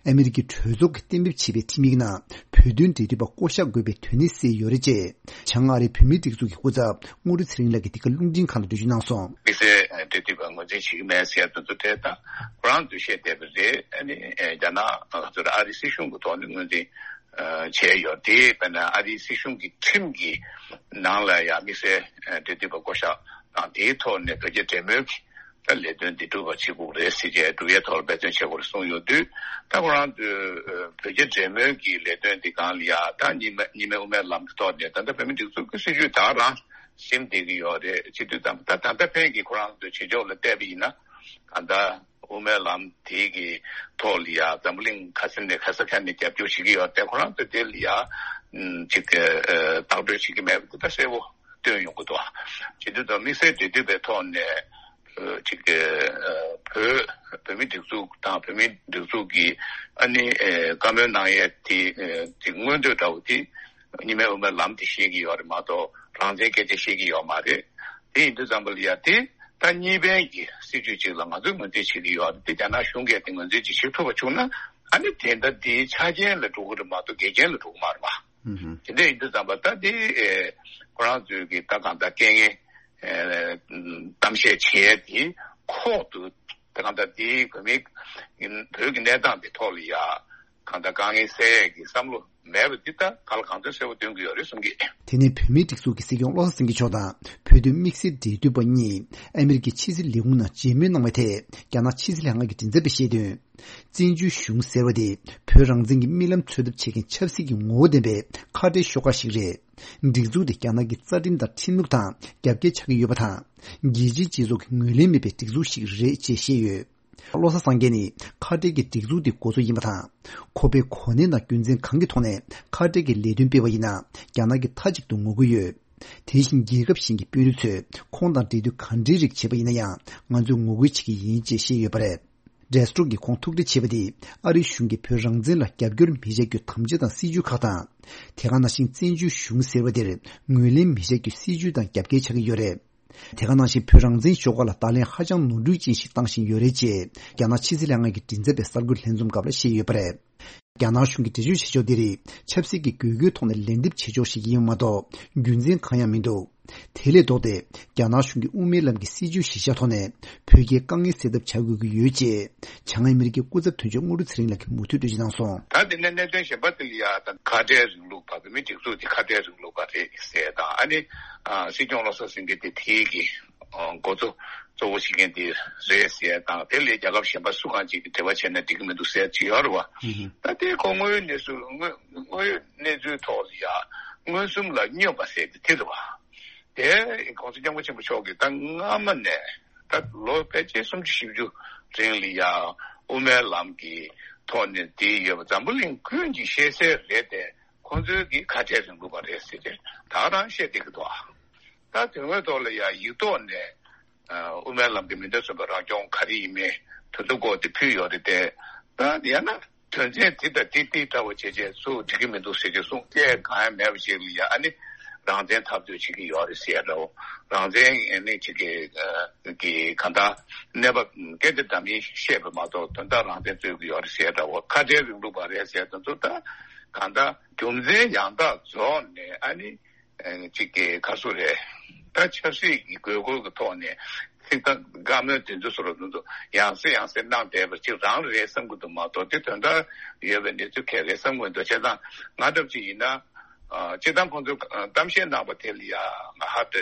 ཨ་མི་རི་ཀའི་གྲོས་ཚོགས་ཀྱིས་གཏན་འབེབས་བྱས་པའི་ཁྲིམས་ཡིག་ནང་བོད་དོན་འབྲེལ་མཐུད་པ་བསྐོ་གཞག་དགོས་པའི་དོན་ནི་གསལ་ཡོད་རེད་ཅེས། བྱང་ཨ་རིའི་བོད་མིའི་སྒྲིག་འཛུགས་ཀྱི་སྐུ་ཚབ་དངོས་གྲུབ་ཚེ་རིང་ལགས་ཀྱིས་འདི་ག་རླུང་འཕྲིན་ཁང་ལ་འགྲེལ་བརྗོད་གནང་སོང་། དམིགས་བསལ་འབྲེལ་མཐུད་པ་ངོས་འཛིན་བྱེད་ཀྱི་མེད་ཟེར་དུས་ཚོད་དེ་དང་། ཁོ་རང་ཚོས་བཤད་བསྡད་པ་རེད། ཨ་ནི་རྒྱ་ནག་ཚོར་ཨ་རིའི་སྲིད་གཞུང་གི་ཐོག་ནས་ངོས་འཛིན་བྱས་ཡོད་དེ། དཔེར་ན་ཨ་རིའི་སྲིད་གཞུང་གི་ཁྲིམས་ཀྱི་ནང་ལ་ཡང་དམིགས་བསལ་འབྲེལ་མཐུད་པ་བསྐོ་གཞག་དང་། དེའི་ཐོག་ནས་བོད་རྒྱ་འབྲེལ་མོལ་གྱི་ད་ལས་དོན་འདི་སྒྲུབ་པ་བྱེད་དགོས་རེད་ཟེར་བྱས། སྒྲུབ་ཡའི་ཐོག་ལ་འབད་བརྩོན་བྱེད་དགོས་རེད་གསུངས་ཡོད་དུས། ད་ཁོ་རང་ཚོས་བོད་རྒྱ་འབྲེལ་མོལ་གྱི་ལས་དོན་འདི་སྒང་ལ་ཡ་ད་གཉིས་སྨན་གཉིས་སྨན་དབུ་མའི་ལམ་གྱི་ཐོག་ནས་ད་ལྟ་བོད་མི་སྒྲིག་འཛུགས་ཀྱི་སྲིད་བྱུས་ད་རང་ཟིན་བསྡད་ཀྱི་ཡོད་རེད། བྱེད་དུས་ཙམ་ད་ད་ལྟ་ཕན་གྱི་ཁོ་རང་ཚོའི་བྱེད་ཕྱོགས་ལ་བལྟས་པ་ཡིན་ན། གང་ལྟར་དབུ་མའི་ལམ་དེ་གི་ཐོག་ལ་ཡ་འཛམ་བུ་གླིང་ག་ས་ནས་ག་ས་ག་ནས་རྒྱབ་སྐྱོར་བྱེད་ཀྱི་ཡོད་དེ། ཁོ་རང་ཚོ་དེ་ལ་ཡ་ཅིག་ལྟག་སྤྲོད་བྱེད་ཀྱི་མེད་པ་དེ་ད་གསལ་པོ་སྟོན་ཡོང་གི་འདུག། བྱེད་དུས་ད་དམིགས་བསལ་འབྲེལ་མཐུད་པའི་ཐོག་ནས་ཅིག་བོད་བོད་མི་སྒྲིག་འཛུགས་དང་བོད་མི་སྒྲིག་འཛུགས་ཀྱི་ཨ་ནི་བཀའ་མོལ་གནང་ཡས་དེ་ཅིག་མངོན་འདོད་འདྲ་བོ་དེ། གཉིས་སྨན་དབུ་མའི་ལམ་དེ་བཤད་ཀྱི་ཡོད་རེད་མ་གཏོགས་རང་བཙན་སྐད་ཆ་བཤད་ཀྱི་ཡོད་མ་རེད། དེ་ཡིན་དུས་ཙམ་པ་ལ་ཡ་དེ་ད་གཉིས་ཕན་གྱི་སྲིད་བྱུས་ཅིག་ལ་ང་ཚོས་ངོས་འཛིན་བྱེད་ཀྱི་ཡོད་རེད། དེ་རྒྱ་ནག་གཞུང་གིས་དེ་ངོས་འཛིན་ཅིག་བྱེད་ཐུབ་པ་བྱུང་ན། ཨ་ནི་དེ་ད་དེའི་ཆ་རྐྱེན་ལ་འགྲོ་གི་རེད་མ་གཏོགས་འགལ་རྐྱེན་ལ་འགྲོ་གི་མ་རེད་པ། དེ་འདྲ་ཡིན་དུས་ཙམ་པ་ད་དེ་ཁོ་རང་ཚོའི་གི་ད་གང་ལྟར་རྐྱེན་ངན་གཏམ་བཤད་བྱས་དེ་ཁོག་ཏུ། ད་གང་ལྟར་དེའི་བོད་མི་བོད་ཀྱི་གནས་སྟངས་དེ་ཐོག་ལ་ཡ་གང་ལྟར་དཀའ་ངལ་སེལ་ཡས་ཀྱི་བསམ་བློ་མེད་པ་འདི་ད་ག་ལ་གང་འཚམ་གསལ་པོ་སྟོན་གྱི་ཡོད་རེད་གསུང་གི། དེ་ནས་བོད་མིའི་སྒྲིག་འཛུགས་ཀྱི་སྲིད་སྐྱོང་བློ་བཟང་སེང་གེ་མཆོག་དང་བོད་དོན་དམིགས་བསལ་འབྲེལ་མཐུད་པ་གཉིས་ཨ་མི་རི་ཀའི་ཕྱི་སྲིད་ལས་ཁུངས་ནང་མཇལ་མོལ་གནང་བའི་ཐད། རྒྱ་ནག་ཕྱི་སྲིད་ལྷན་ཁང་གི་མགྲིན་ཚབ་པས་བཤད་དོན། བཙན་བྱོལ་གཞུང་ཟེར་བ་དེ་བོད་རང་བཙན་གྱི་རྨི་ལམ་འཚོལ་ཐབས་བྱེད་མཁན་ཆབ་སྲིད་ཀྱི་ངོ་བོ་ལྡན་པའི་ཁ་བྲལ་ཤོག་ཁག་ཞིག་རེད། སྒྲིག་འཛུགས་དེ་རྒྱ་ནག་གི་རྩ་ཁྲིམས་དང་ཁྲིམས་ལུགས་དང་རྒྱབ་འགལ་ཆགས་ཀྱི་ཡོད་པ་དང་། རྒྱལ་སྤྱིའི་སྤྱི་ཚོགས་ཀྱི་ངོས་ལེན་མེད་པའི་སྒྲིག་འཛུགས་ཤིག་རེད་ཅེས་བཤད་ཡོད། བློ་བཟང་སངས་རྒྱས་ནི་ཁ་བྲལ་གྱི་སྒྲིག་འཛུགས་དེ་འགོ་གཙོ་ཡིན་པ་དང་། ཁོ་པའི་གོ་གནས་དང་རྒྱུ་མཚན་གང་གི་ཐོག་ནས་ཁ་བྲལ་གྱི་ལས་དོན་སྤེལ་བ་ཡིན་ན་རྒྱ་ནག་གིས་མཐའ་གཅིག་ཏུ་ངོ་རྒོལ་ཡོད། དེ་བཞིན་རྒྱལ་ཁབ་གཞན་གྱི་དཔོན་རིགས་ཚོས་ཁོང་དང་འབྲེལ་མཐུད་ག་འདྲའི་རིགས་བྱས་པ་ཡིན་ན་ཡང་ང་ཚོས་ངོ་རྒོལ་བྱེད་ཀྱི་ཡིན་ཅེས་བཤད་ཡོད་པ་རེད། ཌེ་སི་ཊོག་གིས་ཁོང་ཐུག་འཕྲད་བྱས་པ་དེ་ཨ་རིའི་གཞུང་གིས་བོད་རང་བཙན་ལ་རྒྱབ་སྐྱོར་མི་བྱ་རྒྱུའི་དམ་བཅའ་དང་སྲིད་ཇུས་ཁག་དང་། དེ་ག་ནང་བཞིན་བཙན་བྱོལ་གཞུང་ཟེར་བ་དེར་ངོས་ལེན་མི་བྱ་རྒྱུའི་སྲིད་ཇུས་དང་རྒྱབ་འགལ་ཆགས་ཀྱི་ཡོད་རེད། དེ་ག་ནང་བཞིན་བོད་རང་བཙན་ཤོག་ཁག་ལ་བརྡ་ལན་ཧ་ཅང་ནོར་འཁྲུལ་ཅན་ཞིག་བཏང་བཞིན་ཡོད་རེད་ཅེས་རྒྱ་ནག་ཕྱི་སྲིད་ལྷན་ཁང་གི་མགྲིན་ཚབ་པས་གསར་འགོད་ལྷན་འཛོམས་སྐབས་ལ་བཤད་ཡོད་པ་རེད། རྒྱ་ནག་གཞུང་གིས་འགྲེལ་བརྗོད་བྱེད་ཕྱོགས་འདི་རིགས་ཆབ་སྲིད་ཀྱི་དགོས་མཁོའི་ཐོག་ནས་ལན་འདེབས་བྱེད་ཕྱོགས་ཤིག་ཡིན་པ་མ་གཏོགས་རྒྱུ་མཚན་གང་ཡང་མི་འདུག། དེ་ལས་ལྡོག་སྟེ་རྒྱ་ནག་གཞུང་གིས་དབུ་མའི་ལམ་གྱི་སྲིད་བྱུས་གཞི་བཞག་ཐོག་ནས་བོད་རྒྱའི་དཀའ་ངལ་སེལ་ཐབས་བྱ་དགོས་ཀྱི་ཡོད་ཅེས་བྱང་ཨ་མི་རི་ཀའི་སྐུ་ཚབ་དོན་གཅོད་དངོས་གྲུབ་ཚེ་རིང་ལགས་ཀྱིས་མུ་མཐུད་འགྲེལ་བརྗོད་གནང་སོང་། ད་དེ་ནས་གནད་དོན་གཞན་པ་དེ་ལ་ཡ་ད་ཁ་བྲལ་རིང་ལུགས་པ། བོད་མིའི་སྒྲིག་འཛུགས་དེ་ཁ་བྲལ་རིང་ལུགས་པ་རེད་ཟེར་དང་། ཨ་ནི་ཨ་སྲིད་སྐྱོང་བློ་བཟང་སེང་གེ་དེ་དེའི་གི་འགོ་གཙོ་གཙོ་བོ་བྱེད་མཁན་དེ་རེད་ཟེར་དང་། དེ་ལས་རྒྱལ་ཁབ་གཞན་པ་སུ་གང་ཅིག་གིས་འབྲེལ་བ་བྱས་ན་འགྲིག་གི་མི་འདུག་ཟེར་གྱི་ཡོད་རེད་བ། ད་དེ་ཁོ་དངོས་ཡོད་གནས་ཚུལ་དངོས་དངོས་ཡོད་གནས་ཚུལ་ཐོག་ལ་ཡ་མངོན་སུམ་ལ་སྙོབ་པ་ཟེར་དེ་དེ་རེད་བ། དེ་༸གོང་ས་༸སྐྱབས་མགོན་ཆེན་པོ་མཆོག་གིས་ད་སྔ་མ་ནས་ད་ལོ་ཕལ་ཆེར་སུམ་ཅུ་བཞི་བཅུ་རིང་ལ་ཡ་དབུ་མའི་ལམ་གྱི་ཐོག་ནས་དེ་ཡོད་པ་འཛམ་བུ་གླིང་ཀུན་གྱིས་ཤེས་གསལ་རེད་དེ། ཁོང་ཚོའི་གི་ཁ་བྲལ་རིང་ལུགས་པ་རེད་ཟེར་ཏེ་ད་རང་བཤད་བསྡད་ཀྱི་འདུག་ཨ། ད་དོན་དངོས་ཐོག་ལ་ཡ་ཡིག་ཐོག་ནས་ཨ་དབུ་མའི་ལམ་གྱི་མི་སྡེ་གསུམ་པའི་རང་སྐྱོང་ག་རེ་ཡིན་མིན་དེ་ཚོ་སྐོར་དེ་ཕུལ་ཡོད་རེད་དེ། ད་ཡང་ན་དོན་ཚན་དེ་དང་དེ་དེ་འདྲ་བོ་བྱས་བྱས་སུ་འགྲིག་གི་མི་འདུག་ཟེར་གྱི་གསུང་སྐད་གང་ཡང་མེད་པ་ཞིག་ལ་ཡ། ཨ་ནི་རང་བཙན་འཐབ་རྩོད་བྱེད་ཀྱི་ཡོད་རེད་ཟེར་འདྲ་བོ། རང་བཙན་ཨ་ནི་ཅིག་གི་ཨ་གི་གང་ལྟར་གནས་བབ་སྐད་ཆ་འདྲ་མིན་བཤད་པ་མ་གཏོགས་དོན་དག་རང་བཙན་རྩོད་ཀྱི་ཡོད་རེད་ཟེར་འདྲ་བོ། ཁ་བྲལ་རིང་ལུགས་པ་རེད་ཟེར་དེ་ཚོ་ད་གང་ལྟར་རྒྱུ་མཚན་ཡང་དག་རྫོགས་ནས་ཨ་ནི། ཨ་ནི་གཅིག་གི་ཁ་སུ་རེད། ད་ཆབ་སྲིད་ཀྱི་དགོས་མཁོ་གི་ཐོག་ནས་ཚིག་དང་བཀའ་མོལ་དེ་ཚོ་སོ་ར་དེ་ཚོ་ཡང་སེ་ཡང་སེ་གནང་བསྡད་པ་གཅིག་རང་རེད་བསམ་གི་འདུག་མ་གཏོགས་དེ་དོན་དག་ཡོད་པའི་གནས་ཚུལ་གང་རེད་བསམ་གི་མི་འདུག། བྱས་ཙང་ང་འདྲ་པོ་ཅིག་ཡིན་ན། ཨ་སྤྱིར་བཏང་ཁོང་ཚོས་གཏམ་བཤད་གནང་བ་དེ་ལ་ཡ་ང་ཧ་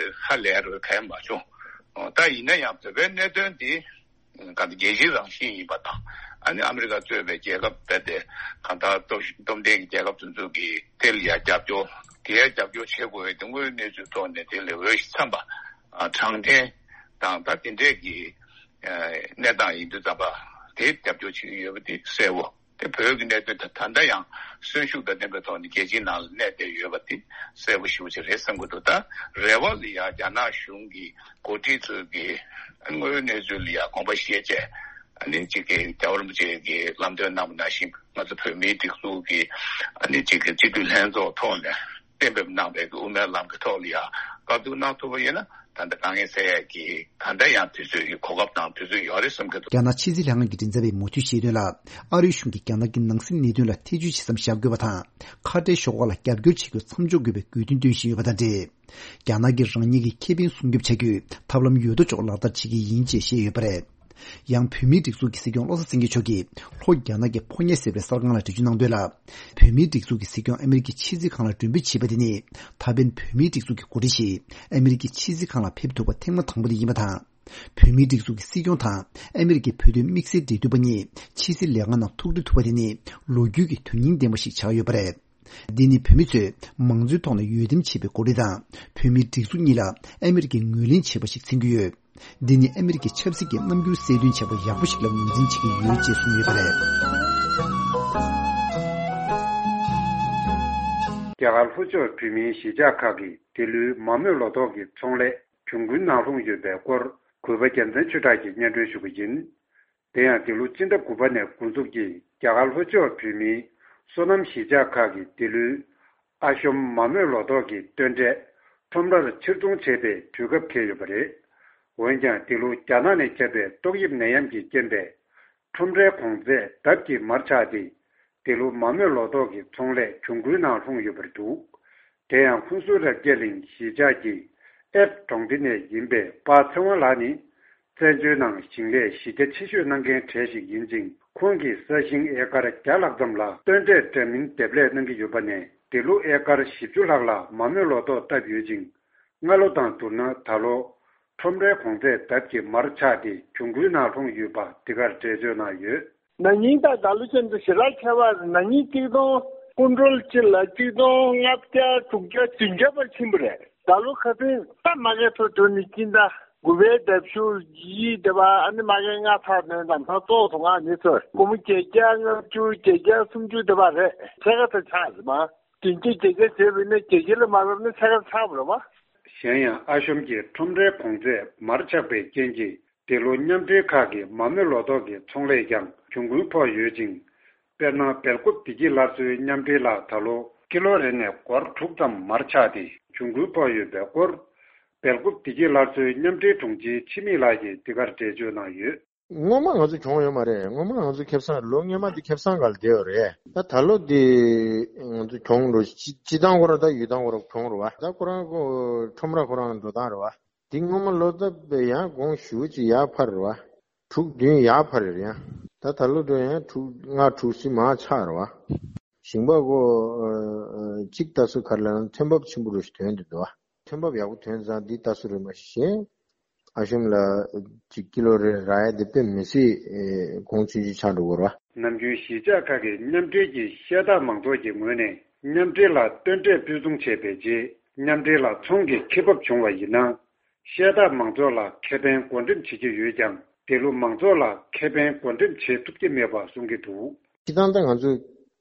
ཧ་ལས་རོགས་གང་ཡང་མ་བྱུང་། ད་ཡིན་ན་ཡང་བོད་པའི་གནད་དོན་འདི། ག་ད་རྒྱལ་སྤྱིའི་རང་བཞིན་ཡིན་པ་དང་། ཨ་ནི་ཨ་མི་རི་ཀ་གཙོས་པའི་རྒྱལ་ཁབ་རྦད་དེ་གང་ལྟར་སྟོབས་སྟོབས་ལྡན་གྱི་རྒྱལ་ཁབ་དེ་ཚོ་གིས་དེ་ལ་ཡ་རྒྱབ་སྐྱོར། དེ་ཡ་རྒྱབ་སྐྱོར་བྱེད་དགོས་པའི་དེ་དངོས་ཡོད་གནས་ཚུལ་ཐོག་ནས་དེ་ལས་འོས་ཤིང་འཚམས་པ་ཨ་དྲང་བདེན་དང་ད་དེ་འདྲས་ཀྱི་ཨ་གནས་སྟངས་ཡིན་དུས་ཙམ་པ་དེ་རྒྱབ་སྐྱོར་བྱེད་ཀྱི་ཡོད་པ་དེ་གསལ་བོ། དེ་བོད་ཀྱི་གནད་དོན་ད་ད་ལྟ་ཡང་གསོན་ཤུགས་དང་ལྡན་པའི་ཐོག་ནས་རྒྱལ་སྤྱིའི་ནང་ལ་གནས་བསྡད་ཡོད་པ་དེ་གསལ་པོ་ཞེ་པོ་ཅིག་རེད་བསམ་གྱི་འདུག། ད་རེ་བ་ལ་ཡ་རྒྱ་ནག་གཞུང་གི་འགོ་ཁྲིད་ཚོས་ཀྱི་དངོས་ཡོད་གནས་ཚུལ་ལ་ཡ་དགོངས་པ་བཞེས་བྱས། ཨ་ནི་གཅིག་གི་རྒྱལ་བ་རིན་པོ་ཆེ་གིས་ལམ་སྟོན་གནང་བ་ནང་བཞིན་ང་ཚོ་བོད་མིའི་སྒྲིག་འཛུགས་ཀྱི་ཨ་ནི་གཅིག་གི་སྤྱི་འཐུས་ལྷན་ཚོགས་ཐོག་ནས་གཏན་འབེབས་གནང་བའི་དབུ་མའི་ལམ་གྱི་ཐོག་ལ་ཡ་བཀའ་བསྡུར་གནང་ཐུབ་པ་ཡིན་ན། ད་ ད་ལྟ་དཀའ་ངལ་སེལ་ཡག་གི་ག་འདྲ་ཡང་དུས་ཚོད་ཀྱི་གོ་སྐབས་དང་དུས་ཚོད་ཡོད་རེད་བསམ་གྱི་འདུག། རྒྱ་ནག་ཕྱི་སྲིད་ལྷན་ཁང་གི་མགྲིན་ཚབ་པས་མུ་མཐུད་བཤད་དོན་ལ། ཨ་རིའི་གཞུང་གིས་རྒྱ་ནག་གི་ནང་སྲིད་གནད་དོན་ལ་ཐེ་བྱུས་ཇི་ཙམ་བཞག་དགོས་པ་དང་། ཁ་བྲལ་ཤོག་ཁག་ལ་རྒྱབ་སྐྱོར་བྱེད་རྒྱུ་མཚམས་འཇོག་དགོས་པའི་དགོས་འདུན་འདོན་བཞིན་ཡོད་པ་དང་འབྲེལ། རྒྱ་ནག་གིས་རང་ཉིད་ཀྱི་ཁེ་ཕན་སྲུང་སྐྱོབ་བྱ་རྒྱུའི་ཐབས་ལམ་ཡོད་དོ་ཅོག་ལག་བསྟར་བྱེད་ཀྱི་ཡིན་ཅེས་བཤད་ཡོད་པ་རེད། ཡང་བོད་མིའི་སྒྲིག་འཛུགས་ཀྱི་སྲིད་སྐྱོང་བློ་བཟང་སེང་གེ་མཆོག་གིས་ལྷོ་རྒྱ་ནག་གི་ཕོ་ཉ་ཟེར་བའི་གསར་ཁང་ལ་འགྲེལ་བརྗོད་གནང་དོན་ལ། བོད་མིའི་སྒྲིག་འཛུགས་ཀྱི་སྲིད་སྐྱོང་ཨ་མི་རི་ཀའི་ཕྱི་སྲིད་ཁང་ལ་མགྲོན་འབོད་བྱས་པ་དེ་ནི། ད་ཕན་བོད་མིའི་སྒྲིག་འཛུགས་ཀྱི་འགོ་ཁྲིད་ཞིག་ཨ་མི་རི་ཀའི་ཕྱི་སྲིད་ཁང་ལ་ཕེབས་ཐུབ་པ་ཐེངས་མ་དང་པོ་དེ་ཡིན་པ་དང་། བོད་མིའི་སྒྲིག་འཛུགས་ཀྱི་སྲིད་སྐྱོང་དང་ཨ་མི་རི་ཀའི་བོད་དོན་དམིགས་བསལ་འབྲེལ་མཐུད་པ་གཉིས་ཕྱི་སྲིད་ལས་ཁང་ནང་ཐུག་འཕྲད་ཐུབ་པ་དེ་ནི་ལོ་རྒྱུས་ཀྱི་དོན་སྙིང་ལྡན་པ་ཞིག་ཆགས་ཡོད་པ་རེད། འདི་ནི་བོད་མི་ཚོས་མང་གཙོའི་ཐོག་ནས་འོས་འདེམས་བྱས་པའི་འགོ་ཁྲིད་དང་བོད་མིའི་སྒྲིག་འཛུགས་གཉིས་ལ་ཨ་མི་རི་ཀས་ངོས་ལེན་བྱས་པ་ཞིག་མཚོན་གྱི་ཡོད། འདི་ནི་ཨ་མི་རི་ཀའི་ཆབ་སྲིད་ཀྱི་རྣམ་འགྱུར་གསལ་སྟོན་བྱས་པ་ཡག་པོ་ཞིག་ལ་ངོས་འཛིན་བྱེད་ཀྱི་ཡོད་ཅེས་གསུངས་ཡོད་པ་རེད། རྒྱ་གར་ལྷོ་ཕྱོགས་བོད་མིའི་གཞིས་ཆགས་ཁག་གིས་འདི་ལོའི་མ་རྨོས་ལོ་ཏོག་གི་ཚོང་ལས་གྱོང་གུན་ནང་ལྷུང་ཡོད་པའི་སྐོར་གུས་པ་རྒྱལ་མཚན་ཆོས་གྲགས་ཀྱིས་སྙན་སྒྲོན་ཞུ་གི་ཡིན། དེ་ཡང་འདི་ལོ་སྤྱི་ཟླ་དགུ་པ་ནས་འགོ་འཛུགས་ཀྱིས་རྒྱ་གར་ལྷོ་ཕྱོགས་བོད་མིའི་སོ་ནམ་གཞིས་ཆགས་ཁག་གིས་འདི་ལོའི་ཨ་ཤོམ་མ་རྨོས་ལོ་ཏོག་གི་སྟོན་འབྲས་ཁྲོམ་རར་ཕྱིར་ཚོང་བྱེད་པའི་དུས་སྐབས་འཁེལ་ཡོད་པ་རེད། འོན་ཀྱང་འདི་ལོ་རྒྱ་ནག་ནས་ཁྱབ་པའི་ཏོག་དབྱིབས་ནད་ཡམས་ཀྱི་རྐྱེན་པས་ཁྲོམ་རའི་གོང་ཚད་ལྡབ་ཀྱིས་མར་ཆག་སྟེ། འདི་ལོ་མ་རྨོས་ལོ་ཏོག་གི་ཚོང་ལས་གྱོང་གུན་ནང་ལྷུང་ཡོད་པར་འདུག། དེ་ཡང་ཁུ་སུ་རབ་རྒྱས་གླིང་གཞིས་ཆགས་ཀྱི་ཨེབ་གྲོང་སྡེ་ནས་ཡིན་པའི་པ་ཚེ་དབང་ལགས་ནི། བཙན་བྱོལ་ནང་ཞིང་ལས་གཞི་རྒྱ་ཆེ་ཤོས་གནང་མཁན་གྲས་ཤིག་ཡིན་ཅིང་། ཁོང་གིས་ས་ཞིང་ཨེ་ཀར་བརྒྱ་ལྷག་ཙམ་ལ་སྟོན་འབྲས་འདྲ་མིན་འདེབས་ལས་གནང་གི་ཡོད་པ་ནས། འདི་ལོ་ཨེ་ཀར་བཞི་བཅུ་ལྷག་ལ་མ་རྨོས་ལོ་ཏོག་བཏབ་ཡོད་ཅིང་། སྔ་ལོ་དང་བསྡུར་ན་ད་ལོ་ཁྲོམ་རའི་གོང་ཚད་ལྡབ་ཀྱིས་མར་ཆག་སྟེ་གྱོང་གུན་ནང་ལྷུང་ཡོད་པ་འདི་གར་འགྲེལ་བརྗོད་གནང་ཡོད། ན་ནིང་དང་ད་ལོ་ཆ་ནས་ཞེ་དྲག་ཁྱད་པར་ན་ནིང་གཅིག་སྟོང་ཀུན་ཊོལ་གཅིག་ལ་གཅིག་སྟོང་ལྔ་བརྒྱ་དྲུག་བརྒྱ་བདུན་བརྒྱ་བར་ཕྱིན་པ་རེད། ད་ལོ་ཁ་སང་ད་མ་གའི་ཐོ་དུ་ནི་སྤྱི་ཟླ་དགུ་པའི་ལྡབ་ཤུ་བཞི་དེ་བ་ཨ་ནི་མ་གའི་ལྔ་ཚར་ནས་དམ་སང་གཙོ་བོ་དུང་ཨ་ནི་ཚོ་སྒོར་མོ་བརྒྱད་བརྒྱ་ལྔ་བཅུ་བརྒྱད་བརྒྱ་སུམ་ཅུ་དེ་བ་རེད། ཕྱེད་ཀ་ཚོ་ཆག་རེད་མ། བདུན་བརྒྱ་བརྒྱད་བརྒྱ་བྱས་པ་ཡིན་ན་བརྒྱད་བརྒྱ་ལ་མ་ལབ་ན་ཕྱེད་ཀ་ཆག་པ་རེད་མ། གཞན་ཡང་ཨ་ཤོམ་གྱི་ཁྲོམ་རའི་གོང་ཚད་མར་ཆག་པའི་རྐྱེན་གྱིས། འདི་ལོ་མཉམ་འབྲེལ་ཁག་གི་མ་རྨོས་ལོ་ཏོག་གི་ཚོང་ལས་ཀྱང་གྱོང་གུན་ཕོག་ཡོད་ཅིང་། དཔེར་ན་སྦེལ་ཀོབ་བདེ་སྐྱིད་སླར་གསོའི་མཉམ་འབྲེལ་ལ་ད་ལོ་ཀི་ལོ་རེ་ནས་སྒོར་དྲུག་ཙམ་མར་ཆག་སྟེ་གྱོང་གུན་ཕོག་ཡོད་པའི་སྐོར། སྦེལ་ཀོབ་བདེ་སྐྱིད་སླར་གསོའི་མཉམ་འབྲེལ་དྲུང་ཆེ་འཆི་མེད་ལགས་ཀྱིས་འདི་གར་འགྲེལ་བརྗོད་གནང་ཡོད། སྔོན་མ་ང་ཚོ་གྱོང་ཡོད་མ་རེད། སྔོན་མ་ང་ཚོ་ཁེ་བཟང་ལོ་སྔོན་མ་འདི་ཁེ་བཟང་སྒང་ལ་བསྡད་ཡོད་རེད། ད་ད་ལོ་འདི་ང་ཚོ་གྱོང་འགྲོ་སྤྱི་སྤྱི་བཏང་ཁོ་རང་ད་ཡུལ་བཏང་ཁོ་རང་གྱོང་རེད་བ། ད་ཁོ་རང་ཁོ་ཁྲོམ་ར་ཁོ་རང་འགྲོ་སྟངས་རེད་བ། འདི་སྔོན་མ་ལོ་ཙཱ་བས་ཡང་གོང་ཞུ་ཅིག་ཡར་འཕར་རེད་བ། དྲུག་བདུན་ཡར་འཕར་རེད་ཡང་། ད་ད་ལོ་འགྲོ་ཡང་དྲུག་ལྔ་དྲུག་ཅུ་མར་ཆག་རེད་བ། ཞིང་པ་གོ་གཅིག་ལྟ་སུ་ག་རེ་ལབ་ན་ཐོན་འབབ་ཆེན་པོ་རུ་ཞིག་ཐོན་འདུག་འདུག་བ། ཐོན་འབབ་ཡག་པོ་ཐོན་ཙང་འདི་ལྟ་སུ་རེད་མ་ཤེས། ཨ་ཤོམ་ལ་གཅིག་ཀི་ལོ་རེ་རག་ཡ་དེ་དཔེ་མི་སྲིད་གོང་ཆུང་ཆུང་ཆགས་འགྲོ་གི་རེད་བ། ནམ་རྒྱུན་གཞིས་ཆགས་ཁག་གི་མཉམ་འབྲེལ་གྱི་ཤ་སྟག་མང་ཚོགས་ཀྱི་ངོས་ནས་མཉམ་འབྲེལ་ལ་སྟོན་འབྲས་ཕུལ་བཙོང་བྱས་པའི་རྗེས་མཉམ་འབྲེལ་ལ་ཚོང་གི་ཁེ་འབབ་བྱུང་བ་ཡིན་ན། ཤ་སྟག་མང་ཚོགས་ལ་ཁེ་ཕན་བགོ་འགྲེམས་བྱེད་ཀྱི་ཡོད་ཀྱང་། འདི་ལོ་མང་ཚོགས་ལ་ཁེ་ཕན་བགོ་འགྲེམས་བྱེད་ཐུབ་ཀྱི་མེད་པ་གསུང་གི་འདུག། སྤྱིར་བཏང་ད་ང་ཚོ་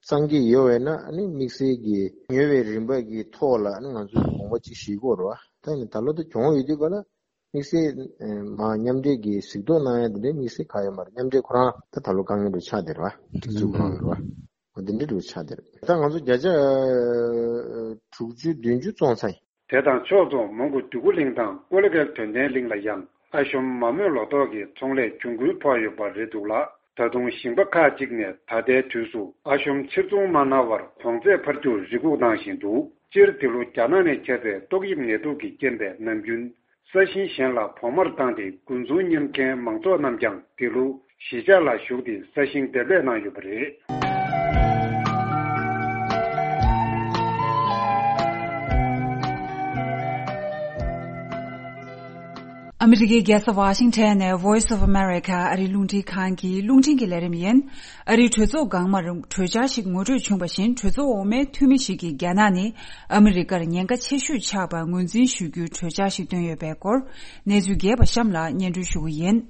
གཙང་གི་ཡོད་པས་ན་ཨ་ནི་དམིགས་བསལ་གྱི་ཉོ་བའི་རིན་པ་གི་ཐོག་ལ་ཨ་ནི་ང་ཚོས་དགོངས་པ་ཅིག་བཞེས་དགོས་རེད་བ། ད་ནི་ད་ལོ་ད་གྱོང་ཡོད་དུས་ག་ལ་དམིགས་བསལ་མ་མཉམ་འབྲེལ་གྱི་གཟིགས་རྟོག་གནང་ཡ་དེ་འདྲའི་དམིགས་བསལ་ག་ཡོད་མ་རེད། མཉམ་འབྲེལ་ཁོ་རང་ད་ད་ལོ་དཀའ་ངལ་འགྲོ་ཆགས་བསྡད་རེད་བ། སྒྲིག་འཛུགས་ཁོ་རང་རེད་བ། འོ་དེ་འདྲའི་འགྲོ་ཆགས་བསྡད་རེད། ད་ང་ཚོ་བརྒྱ་ཆ་དྲུག་ཅུ་བདུན་ཅུ་བཙོང་ཚར་ཡིན། དེ་དང་ཕྱོགས་མཚུངས་མོན་གྷོ་འདོད་རྒུ་གླིང་དང་ཀོ་ལི་གྷལ་དོན་ལྡན་གླིང་ལ་ཡང་ཨ་ཤོམ་མ་རྨོས་ལོ་ཏོག་གི་ཚོང་ལས་གྱོང་གུན་ཕོག་ཡོད་པ་རེད་འདུག་ལ། ད་དུང་ཞིང་པ་ཁག་ཅིག་ནས་ད་ལྟའི་དུས་སུ་ཨ་ཤོམ་ཕྱིར་ཚོང་མ་གནང་བར་གོང་ཚད་འཕར་རྒྱུར་རེ་སྒུག་གནང་བཞིན་འདུག། སྤྱིར་འདི་ལོ་རྒྱ་ནག་ནས་ཁྱབ་པའི་ཏོག་དབྱིབས་ནད་དུག་གི་རྐྱེན་པས་ནམ་རྒྱུན་ས་ཞིང་གཞན་ལ་བོགས་མར་བཏང་སྟེ་འགོ་འཛུགས་གཉེར་མཁན་མང་ཚོགས་རྣམས་ཀྱང་འདི་ལོ་གཞིས་ཆགས་ལ་ཞུགས་ཏེ་ས་ཞིང་འདེབས་ལས་གནང་ཡོད་པ་རེད། ཨ་མི་རི་ཀའི་རྒྱལ་ས་ཝ་ཤིང་ཊོན་ནས་Voice of America ཨ་རིའི་རླུང་འཕྲིན་ཁང་གི་རླུང་འཕྲིན་གྱི་ལས་རིམ་ཡིན། ཨ་རིའི་གྲོས་ཚོགས་སྒང་མར་གྲོས་འཆར་ཞིག་ངོ་སྤྲོད་བྱུང་བ་བཞིན། གྲོས་ཚོགས་འོག་མའི་འཐུས་མི་ཞིག་གིས་རྒྱ་ནག་ནི་ཨ་མི་རི་ཀར་ཉེན་ཁ་ཆེ་ཤོས་ཆགས་པར་ངོས་འཛིན་ཞུ་རྒྱུའི་གྲོས་འཆར་ཞིག་བཏོན་ཡོད་པའི་སྐོར། གནས་ཚུལ་རྒྱས་པ་གཤམ་ལ་སྙན་སྒྲོན་ཞུ་གི་ཡིན།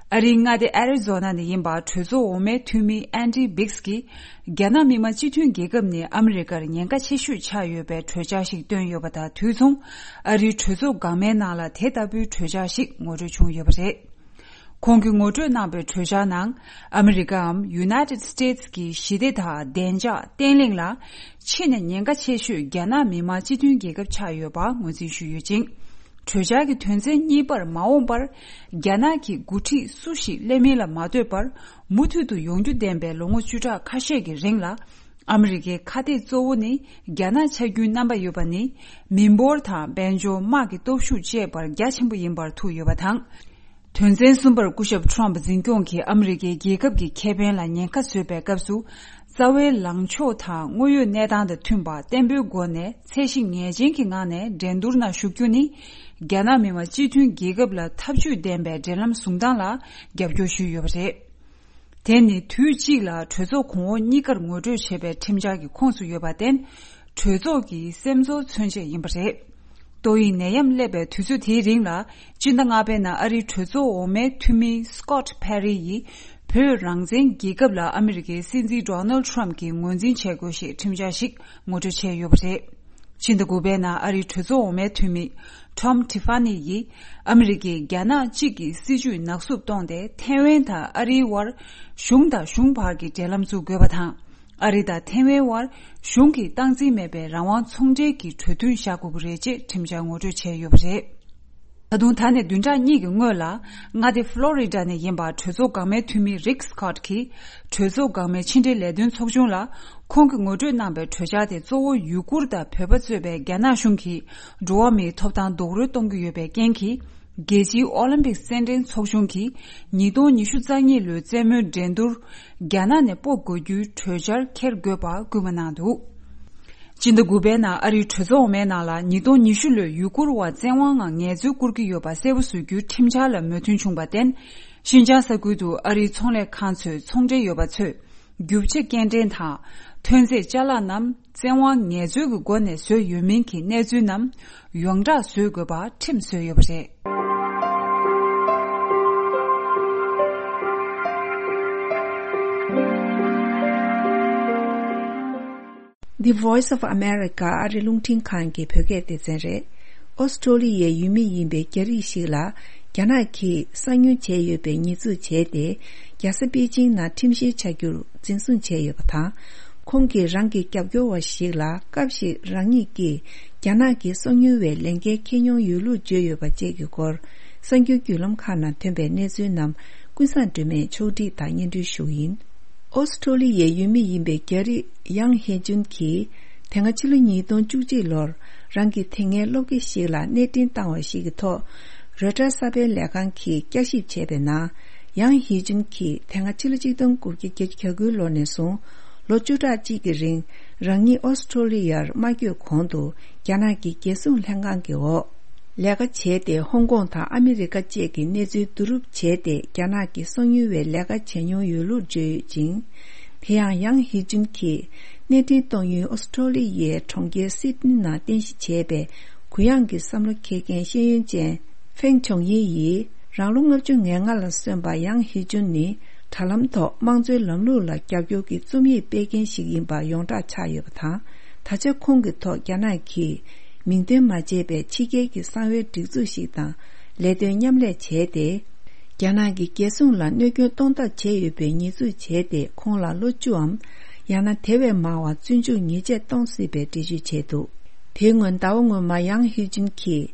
ཨ་རིའི་མངའ་སྡེ་ཨ་རི་ཛོ་ན་ནས་ཡིན་པ་གྲོས་ཚོགས་འོག་མའི་འཐུས་མི་ཨན་ཌི་བིགས་ཀྱིས། རྒྱ་ནག་མི་དམངས་སྤྱི་མཐུན་རྒྱལ་ཁབ་ནི་ཨ་མི་རི་ཀར་ཉེན་ཁ་ཆེ་ཤོས་ཆགས་ཡོད་པའི་གྲོས་འཆར་ཞིག་བཏོན་ཡོད་པ་དང་། དུས་མཚུངས་ཨ་རིའི་གྲོས་ཚོགས་སྒང་མའི་ནང་ལ་དེ་ལྟ་བུའི་གྲོས་འཆར་ཞིག་ངོ་སྤྲོད་བྱུང་ཡོད་པ་རེད། ཁོང་གིས་ངོ་སྤྲོད་གནང་བའི་གྲོས་འཆར་ནང་། ཨ་མི་རི་ཀའམ་United States གྱི་ཞི་བདེ་དང་བདེ་འཇགས་བརྟན་ལྷིང་ལ་ཕྱི་ནས་ཉེན་ཁ་ཆེ་ཤོས་རྒྱ་ནག་མི་དམངས་སྤྱི་མཐུན་རྒྱལ་ཁབ་ཆགས་ཡོད་པ་ངོས་འཛིན་ཞུས་ཡོད་ཅིང་། གྲོས་འཆར་གྱི་དོན་ཚན་གཉིས་པར་མ་འོངས་པར་རྒྱ་ནག་གི་འགོ་ཁྲིད་སུ་ཞིག་སླེབས་མིན་ལ་མ་ལྟོས་པར་མུ་མཐུད་དུ་ཡོང་རྒྱུ་བདེན་པའི་ལོ་ངོ་བཅུ་ཕྲག་ཁ་ཤས་ཀྱི་རིང་ལ། ཨ་མི་རི་ཀའི་ཁ་གཏད་གཙོ་བོ་ནི་རྒྱ་ནག་ཆགས་རྒྱུའི་རྣམ་པ་ཡོད་པ་ནི། མི་འབོར་དང་དཔལ་འབྱོར་དམག་གི་སྟོབས་ཤུགས་བཅས་པར་རྒྱ་ཆེན་པོ་ཡིན་པར་ཐུག་ཡོད་པ་དང་། དོན་ཚན་གསུམ་པར་སྐུ་ཞབས་ཁྲོམ་འཛིན་སྐྱོང་གིས་ཨ་མི་རི་ཀའི་རྒྱལ་ཁབ་ཀྱི་ཁེ་ཕན་ལ་ཉེན་ཁ་བཟོས་པའི་སྐབས་སུ། རྩ་བའི་ལངས་ཕྱོགས་དང་དངོས་ཡོད་གནས་སྟངས་དང་མཐུན་པ་བརྟན་པོའི་སྒོ་ནས་ཚད་གཞི་ངེས་ཅན་གྱི་ངང་ནས་འགྲན་བསྡུར་ནང་ཞུགས་རྒྱུ་ནི། རྒྱ་ནག་མི་དམངས་སྤྱི་མཐུན་རྒྱལ་ཁབ་ལ་འཐབ་ཇུས་ལྡན་པའི་འབྲེལ་ལམ་བཟུང་སྟངས་ལ་རྒྱབ་སྐྱོར་ཞུས་ཡོད་པ་རེད། དེ་ནི་དུས་གཅིག་ལ་གྲོས་ཚོགས་གོང་འོག་གཉིས་ཀར་ངོ་སྤྲོད་བྱས་པའི་ཁྲིམས་འཆར་གྱི་ཁོངས་སུ་ཡོད་པར་བརྟེན། གྲོས་ཚོགས་ཀྱི་སེམས་ཚོར་མཚོན་ཆེད་ཡིན་པ་རེད། ཏོག་དབྱིབས་ནད་ཡམས་སླེབས་པའི་དུས་ཚོད་དེའི་རིང་ལ། སྤྱི་ཟླ་ལྔ་པའི་ནང་ཨ་རིའི་གྲོས་ཚོགས་འོག་མའི་འཐུས་མི་Scott Perry ཡིས། བོད་རང་བཙན་རྒྱལ་ཁབ་ལ་ཨ་མི་རི་ཀའི་སྲིད་འཛིན་Donald Trump གྱིས་ངོས་འཛིན་བྱེད་དགོས་ཞེས་ཁྲིམས་འཆར་ཞིག་ངོ་སྤྲོད་བྱས་ཡོད་པ་རེད། ཕྱི་ཟླ་དགུ་པའི་ནང་ཨ་རིའི་གྲོས་ཚོགས་འོག་མའི་འཐུས་མི་Tom Tiffany ཡིས། ཨ་མི་རི་ཀས་རྒྱ་ནག་གཅིག་གི་སྲིད་ཇུས་ནག་བསུབ་བཏང་སྟེ། ཐའེ་ཝན་དང་ཨ་རིའི་དབར། གཞུང་དང་གཞུང་བར་གྱི་འབྲེལ་ལམ་འཛུགས་དགོས་པ་དང་། ཨ་རི་དང་ཐའེ་ཝན་དབར་གཞུང་གི་སྟངས་འཛིན་མེད་པའི་རང་དབང་ཚོང་འབྲེལ་གྱི་གྲོས་མཐུན་བཞག་དགོས་ཀྱི་རེད་ཅེས་ཁྲིམས་འཆར་ངོ་སྤྲོད་བྱས་ཡོད་པ་རེད། ད་དུང་ད་ནས་བདུན་ཕྲག་གཉིས་ཀྱི་སྔོན་ལ། མངའ་སྡེ་ཕློ་རི་ཌ་ནས་ཡིན་པ་གྲོས་ཚོགས་འགག་མའི་འཐུས་མི་Rick Scott གྱིས། གྲོས་ཚོགས་འགག་མའི་ཕྱི་འབྲེལ་ལས་དོན་ཚོགས་ཆུང་ལ། ཁོང་གིས་ངོ་སྤྲོད་གནང་པའི་གྲོས་འཆར་དེ་གཙོ་བོ་ཡུ་གུར་དང་བོད་པ་གཙོས་པའི་རྒྱ་ནག་གཞུང་གིས། འགྲོ་བ་མིའི་ཐོབ་ཐང་རྡོག་རོལ་གཏོང་གི་ཡོད་པའི་རྐྱེན་གྱིས། རྒྱལ་སྤྱིའི་ཨོ་ལིམ་པིག་རྩེད་འགྲན་ཚོགས་ཆུང་གིས། ཉིས་སྟོང་ཉི་ཤུ་རྩ་གཉིས་ལོའི་རྩེད་མོའི་འགྲན་བསྡུར། རྒྱ་ནག་ནས་སྤོ་དགོས་རྒྱུའི་གྲོས་འཆར་འཁྱེར་དགོས་པ་སྐུལ་མ་གནང་འདུག་སྤྱི་ཟླ་དགུ་པའི་ནང་ཨ་རིའི་གྲོས་ཚོགས་འོག་མའི་ནང་ལ། ཉིས་སྟོང་ཉི་ཤུ་ལོའི་ཡུ་གུར་བ་བཙན་དབང་ངང་ངལ་རྩོལ་བསྐུར་གྱི་ཡོད་པ་གསལ་པོ་བཟོ་རྒྱུའི་ཁྲིམས་འཆར་ལ་མོས་མཐུན་བྱུང་བར་བརྟེན། ཤིན་ཅང་ས་ཁུལ་དུ་ཨ་རིའི་ཚོང་ལས་ཁང་ཚོས་ཚོང་འབྲེལ་ཡོད་པ་ཚོས། རྒྱུ་ཆ་སྐྱེལ་འདྲེན་དང་། ཐོན་རྫས་ཅ་ལག་རྣམས་བཙན་དབང་ངལ་རྩོལ་གྱི་སྒོ་ནས་བཟོས་ཡོད་མིན་གྱི་གནས་ཚུལ་རྣམས་ཡོངས་བསྒྲགས་བཟོ་དགོས་པ་ཁྲིམས་བཟོས་ཡོད་པ་རེད། The Voice of America ཨ་རི་རླུང་འཕྲིན་ཁང་གི་བོད་སྐད་སྡེ་ཚན་རེད། ཨོ་སི་ཀྲོ་ལི་ཡའི་ཡུལ་མི་ཡིན་པའི་རྒྱ་རིགས་ཤིག་ལ། རྒྱ་ནག་གིས་གསང་ཉུལ་བྱས་ཡོད་པའི་ཉེས་འཛུགས་བྱས་ཏེ། རྒྱལ་ས་པེ་ཅིང་ནང་ཁྲིམས་བཤེར་བྱ་རྒྱུར་འཛིན་བཟུང་བྱས་ཡོད་པ་དང་། ཁོང་གིས་རང་གི་རྒྱབ་སྐྱོར་བ་ཞིག་ལ་སྐབས་ཤིག་རང་ཉིད་ཀྱིས་རྒྱ་ནག་གི་གསང་ཉུལ་བའི་ལས་འགན་འཁྱེར་མྱོང་ཡོད་ལུགས་བརྗོད་ཡོད་པ་བཅས་ཀྱི་སྐོར། གསར་འགྱུར་བརྒྱུད་ལམ་ཁག་ནང་ཐོན་པའི་གནས་ཚུལ་རྣམས་ཀུན་བཟང་སྒྲོལ་མས་ཕྱོགས་སྒྲིག་དང་སྙན་སྒྲོན་ཞུ་གི་ཡིན། ཨོ་སི་ཀྲོ་ལི་ཡའི་ཡུལ་མི་ཡིན་པའི་རྒྱ་རིགས་ཡང་ཧེ་ཅུན་གྱིས། དེ་སྔ་ཕྱི་ལོ་ཉིས་སྟོང་བཅུ་གཅིག་ལོར་རང་གི་དེ་སྔའི་སློབ་དགེ་ཞིག་ལ་གནས་འདྲེན་བཏང་བ་ཞིག་གི་ཐོག་རོའི་ཊར་གསར་སྤེལ་ལས་ཁང་གིས་བསྐྱར་ཞིབ་བྱས་པའི་ནང་། ཡང་ཧེ་ཅུན་གྱིས་དེ་སྔ་ཕྱི་ལོ་ཆིག་སྟོང་དགུ་བརྒྱ་བརྒྱད་ཅུ་གྱ་དགུའི་ལོ་ནས་བཟུང་། ལོ་བཅུ་ཕྲག་གཅིག་གི་རིང་རང་ཉིད་ཨོ་སི་ཀྲོ་ལི་ཡར་མ་བསྐྱོད་གོང་དུ། རྒྱ་ནག་གི་རྒྱལ་སྲུང་ལྷན་ཁང་གི་འོག་ལས་ཀ་བྱས་ཏེ། ཧོང་ཀོང་དང་ཨ་མི་རི་ཀ་བཅས་ཀྱི་གནས་ཚུལ་བསྡུ་རུབ་བྱས་ཏེ། རྒྱ་ནག་གི་གསང་ཉུལ་བའི་ལས་ཀ་བྱས་མྱོང་ཡོད་ལུགས་བརྗོད་ཡོད་ཅིང་། དེ་ཡང་ཡང་ཧི་ཅུན་གྱིས་གནས་འདྲེན་གཏོང་ཡུལ་ཨོ་སི་ཀྲོ་ལི་ཡའི་གྲོང་ཁྱེར་སིད་ནི་ནང་རྟེན་གཞི་བྱས་པའི་གུ་ཡངས་ཀྱི་བསམ་བློ་འཁྱེར་མཁན་ཤེས་ཡོན་ཅན་ཧྥེང་ཆོང་ཡེ་ཡིས། རང་ལོ་ལྔ་བཅུ་ང་ལྔ་ལ་སོན་པ་ཡང་ཧི་ཅུན་ནི། དྲ་ལམ་ཐོག་དམངས་གཙོའི་ལམ་ལུགས་ལ་རྒྱབ་སྐྱོར་གྱི་རྩོམ་ཡིག་སྤེལ་མཁན་ཞིག་ཡིན་པ་ཡོངས་གྲགས་ཆགས་ཡོད་པ་དང་། ད་ཆ་ཁོང་གི་ཐོག་རྒྱ་ནག་གིས་མིང་འདོན་མ་བྱས་པའི་ཕྱི་རྒྱལ་གྱི་གསང་བའི་སྒྲིག་འཛུགས་ཤིག་དང་ལས་དོན་མཉམ་ལས་བྱས་ཏེ། རྒྱ་ནག་གི་རྒྱལ་སྲུང་ལ་གནོད་སྐྱོན་གཏོང་ཐབས་བྱས་ཡོད་པའི་ཉེས་འཛུགས་བྱས་ཏེ། ཁོང་ལ་ལོ་བཅུའམ་ཡང་ན་དེ་བས་མང་བ་བཙོན་འཇུག་ཉེས་ཆད་གཏོང་སྲིད་པའི་འགྲེལ་བརྗོད་བྱས་འདུག་དེའི་སྔོན་ཟླ་བ་སྔོན་མ་ཡང་ཧི་ཅུན་གྱིས།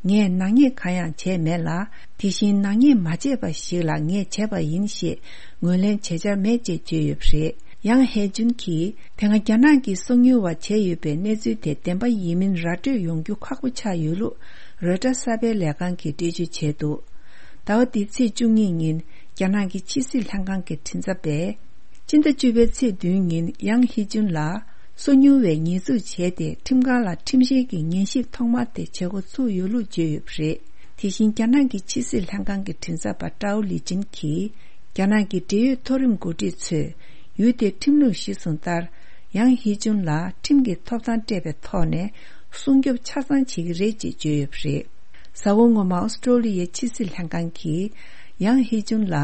ངས་ནག་ཉེས་གང་ཡང་བྱས་མེད་ལ། དེ་བཞིན་ནག་ཉེས་མ་བྱས་པ་ཞིག་ལ་ངས་བྱས་པ་ཡིན་ཞེས་ངོས་ལེན་བྱེད་འཆར་མེད་ཅེས་བརྗོད་ཡོད་པ་རེད། ཡང་ཧེ་ཅུན་གྱིས། དེ་སྔ་རྒྱ་ནག་གིས་གསང་ཉུལ་བ་བྱས་ཡོད་པའི་གནས་ཚུལ་དེ་བདེན་པ་ཡིན་མིན་ར་སྤྲོད་ཡོང་རྒྱུ་ཁག་པོ་ཆགས་ཡོད་ལུགས་རོའི་ཊར་གསར་སྤེལ་ལས་ཁང་གིས་འགྲེལ་བརྗོད་བྱས་འདུག་ཟླ་བ་འདིའི་ཚེས་བཅུ་གཉིས་ཉིན་རྒྱ་ནག་གི་ཕྱི་སྲིད་ལྷན་ཁང་གི་མགྲིན་ཚབ་པས། སྤྱི་ཟླ་བཅུ་པའི་ཚེས་བདུན་ཉིན་ཡང་ཧི་ཅུན་ལ། གསང་ཉུལ་བའི་ཉེས་འཛུགས་བྱས་ཏེ། ཁྲིམས་ཁང་ལ་ཁྲིམས་བཤེར་གྱི་ཉན་ཞིབ་ཐོག་མ་དེ་བྱེད་འགོ་ཚུགས་ཡོད་ལུགས་བརྗོད་ཡོད་པ་རེད། དེ་བཞིན་རྒྱ་ནག་གི་ཕྱི་སྲིད་ལྷན་ཁང་གི་མགྲིན་ཚབ་པ་ཀྲའོ་ལི་ཅིན་གྱིས། རྒྱ་ནག་གི་འབྲེལ་ཡོད་མཐོ་རིམ་འགོ་ཁྲིད་ཚོས། ཡུལ་དེའི་ཁྲིམས་ལུགས་གཞིར་བཟུང་ལྟར། ཡང་ཧི་ཅུན་ལ་ཁྲིམས་ཀྱི་ཐོབ་ཐང་སྤྲད་པའི་ཐོག་ནས། སྲུང་སྐྱོབ་ཆ་ཚང་བྱེད་ཀྱི་རེད་ཅེས་བརྗོད་ཡོད་པ་རེད། གཟའ་འཁོར་སྔོན་མ་ཨོ་སི་ཀྲོ་ལི་ཡའི་ཕྱི་སྲིད་ལྷན་ཁང་གིས། ཡང་ཧི་ཅུན་ལ།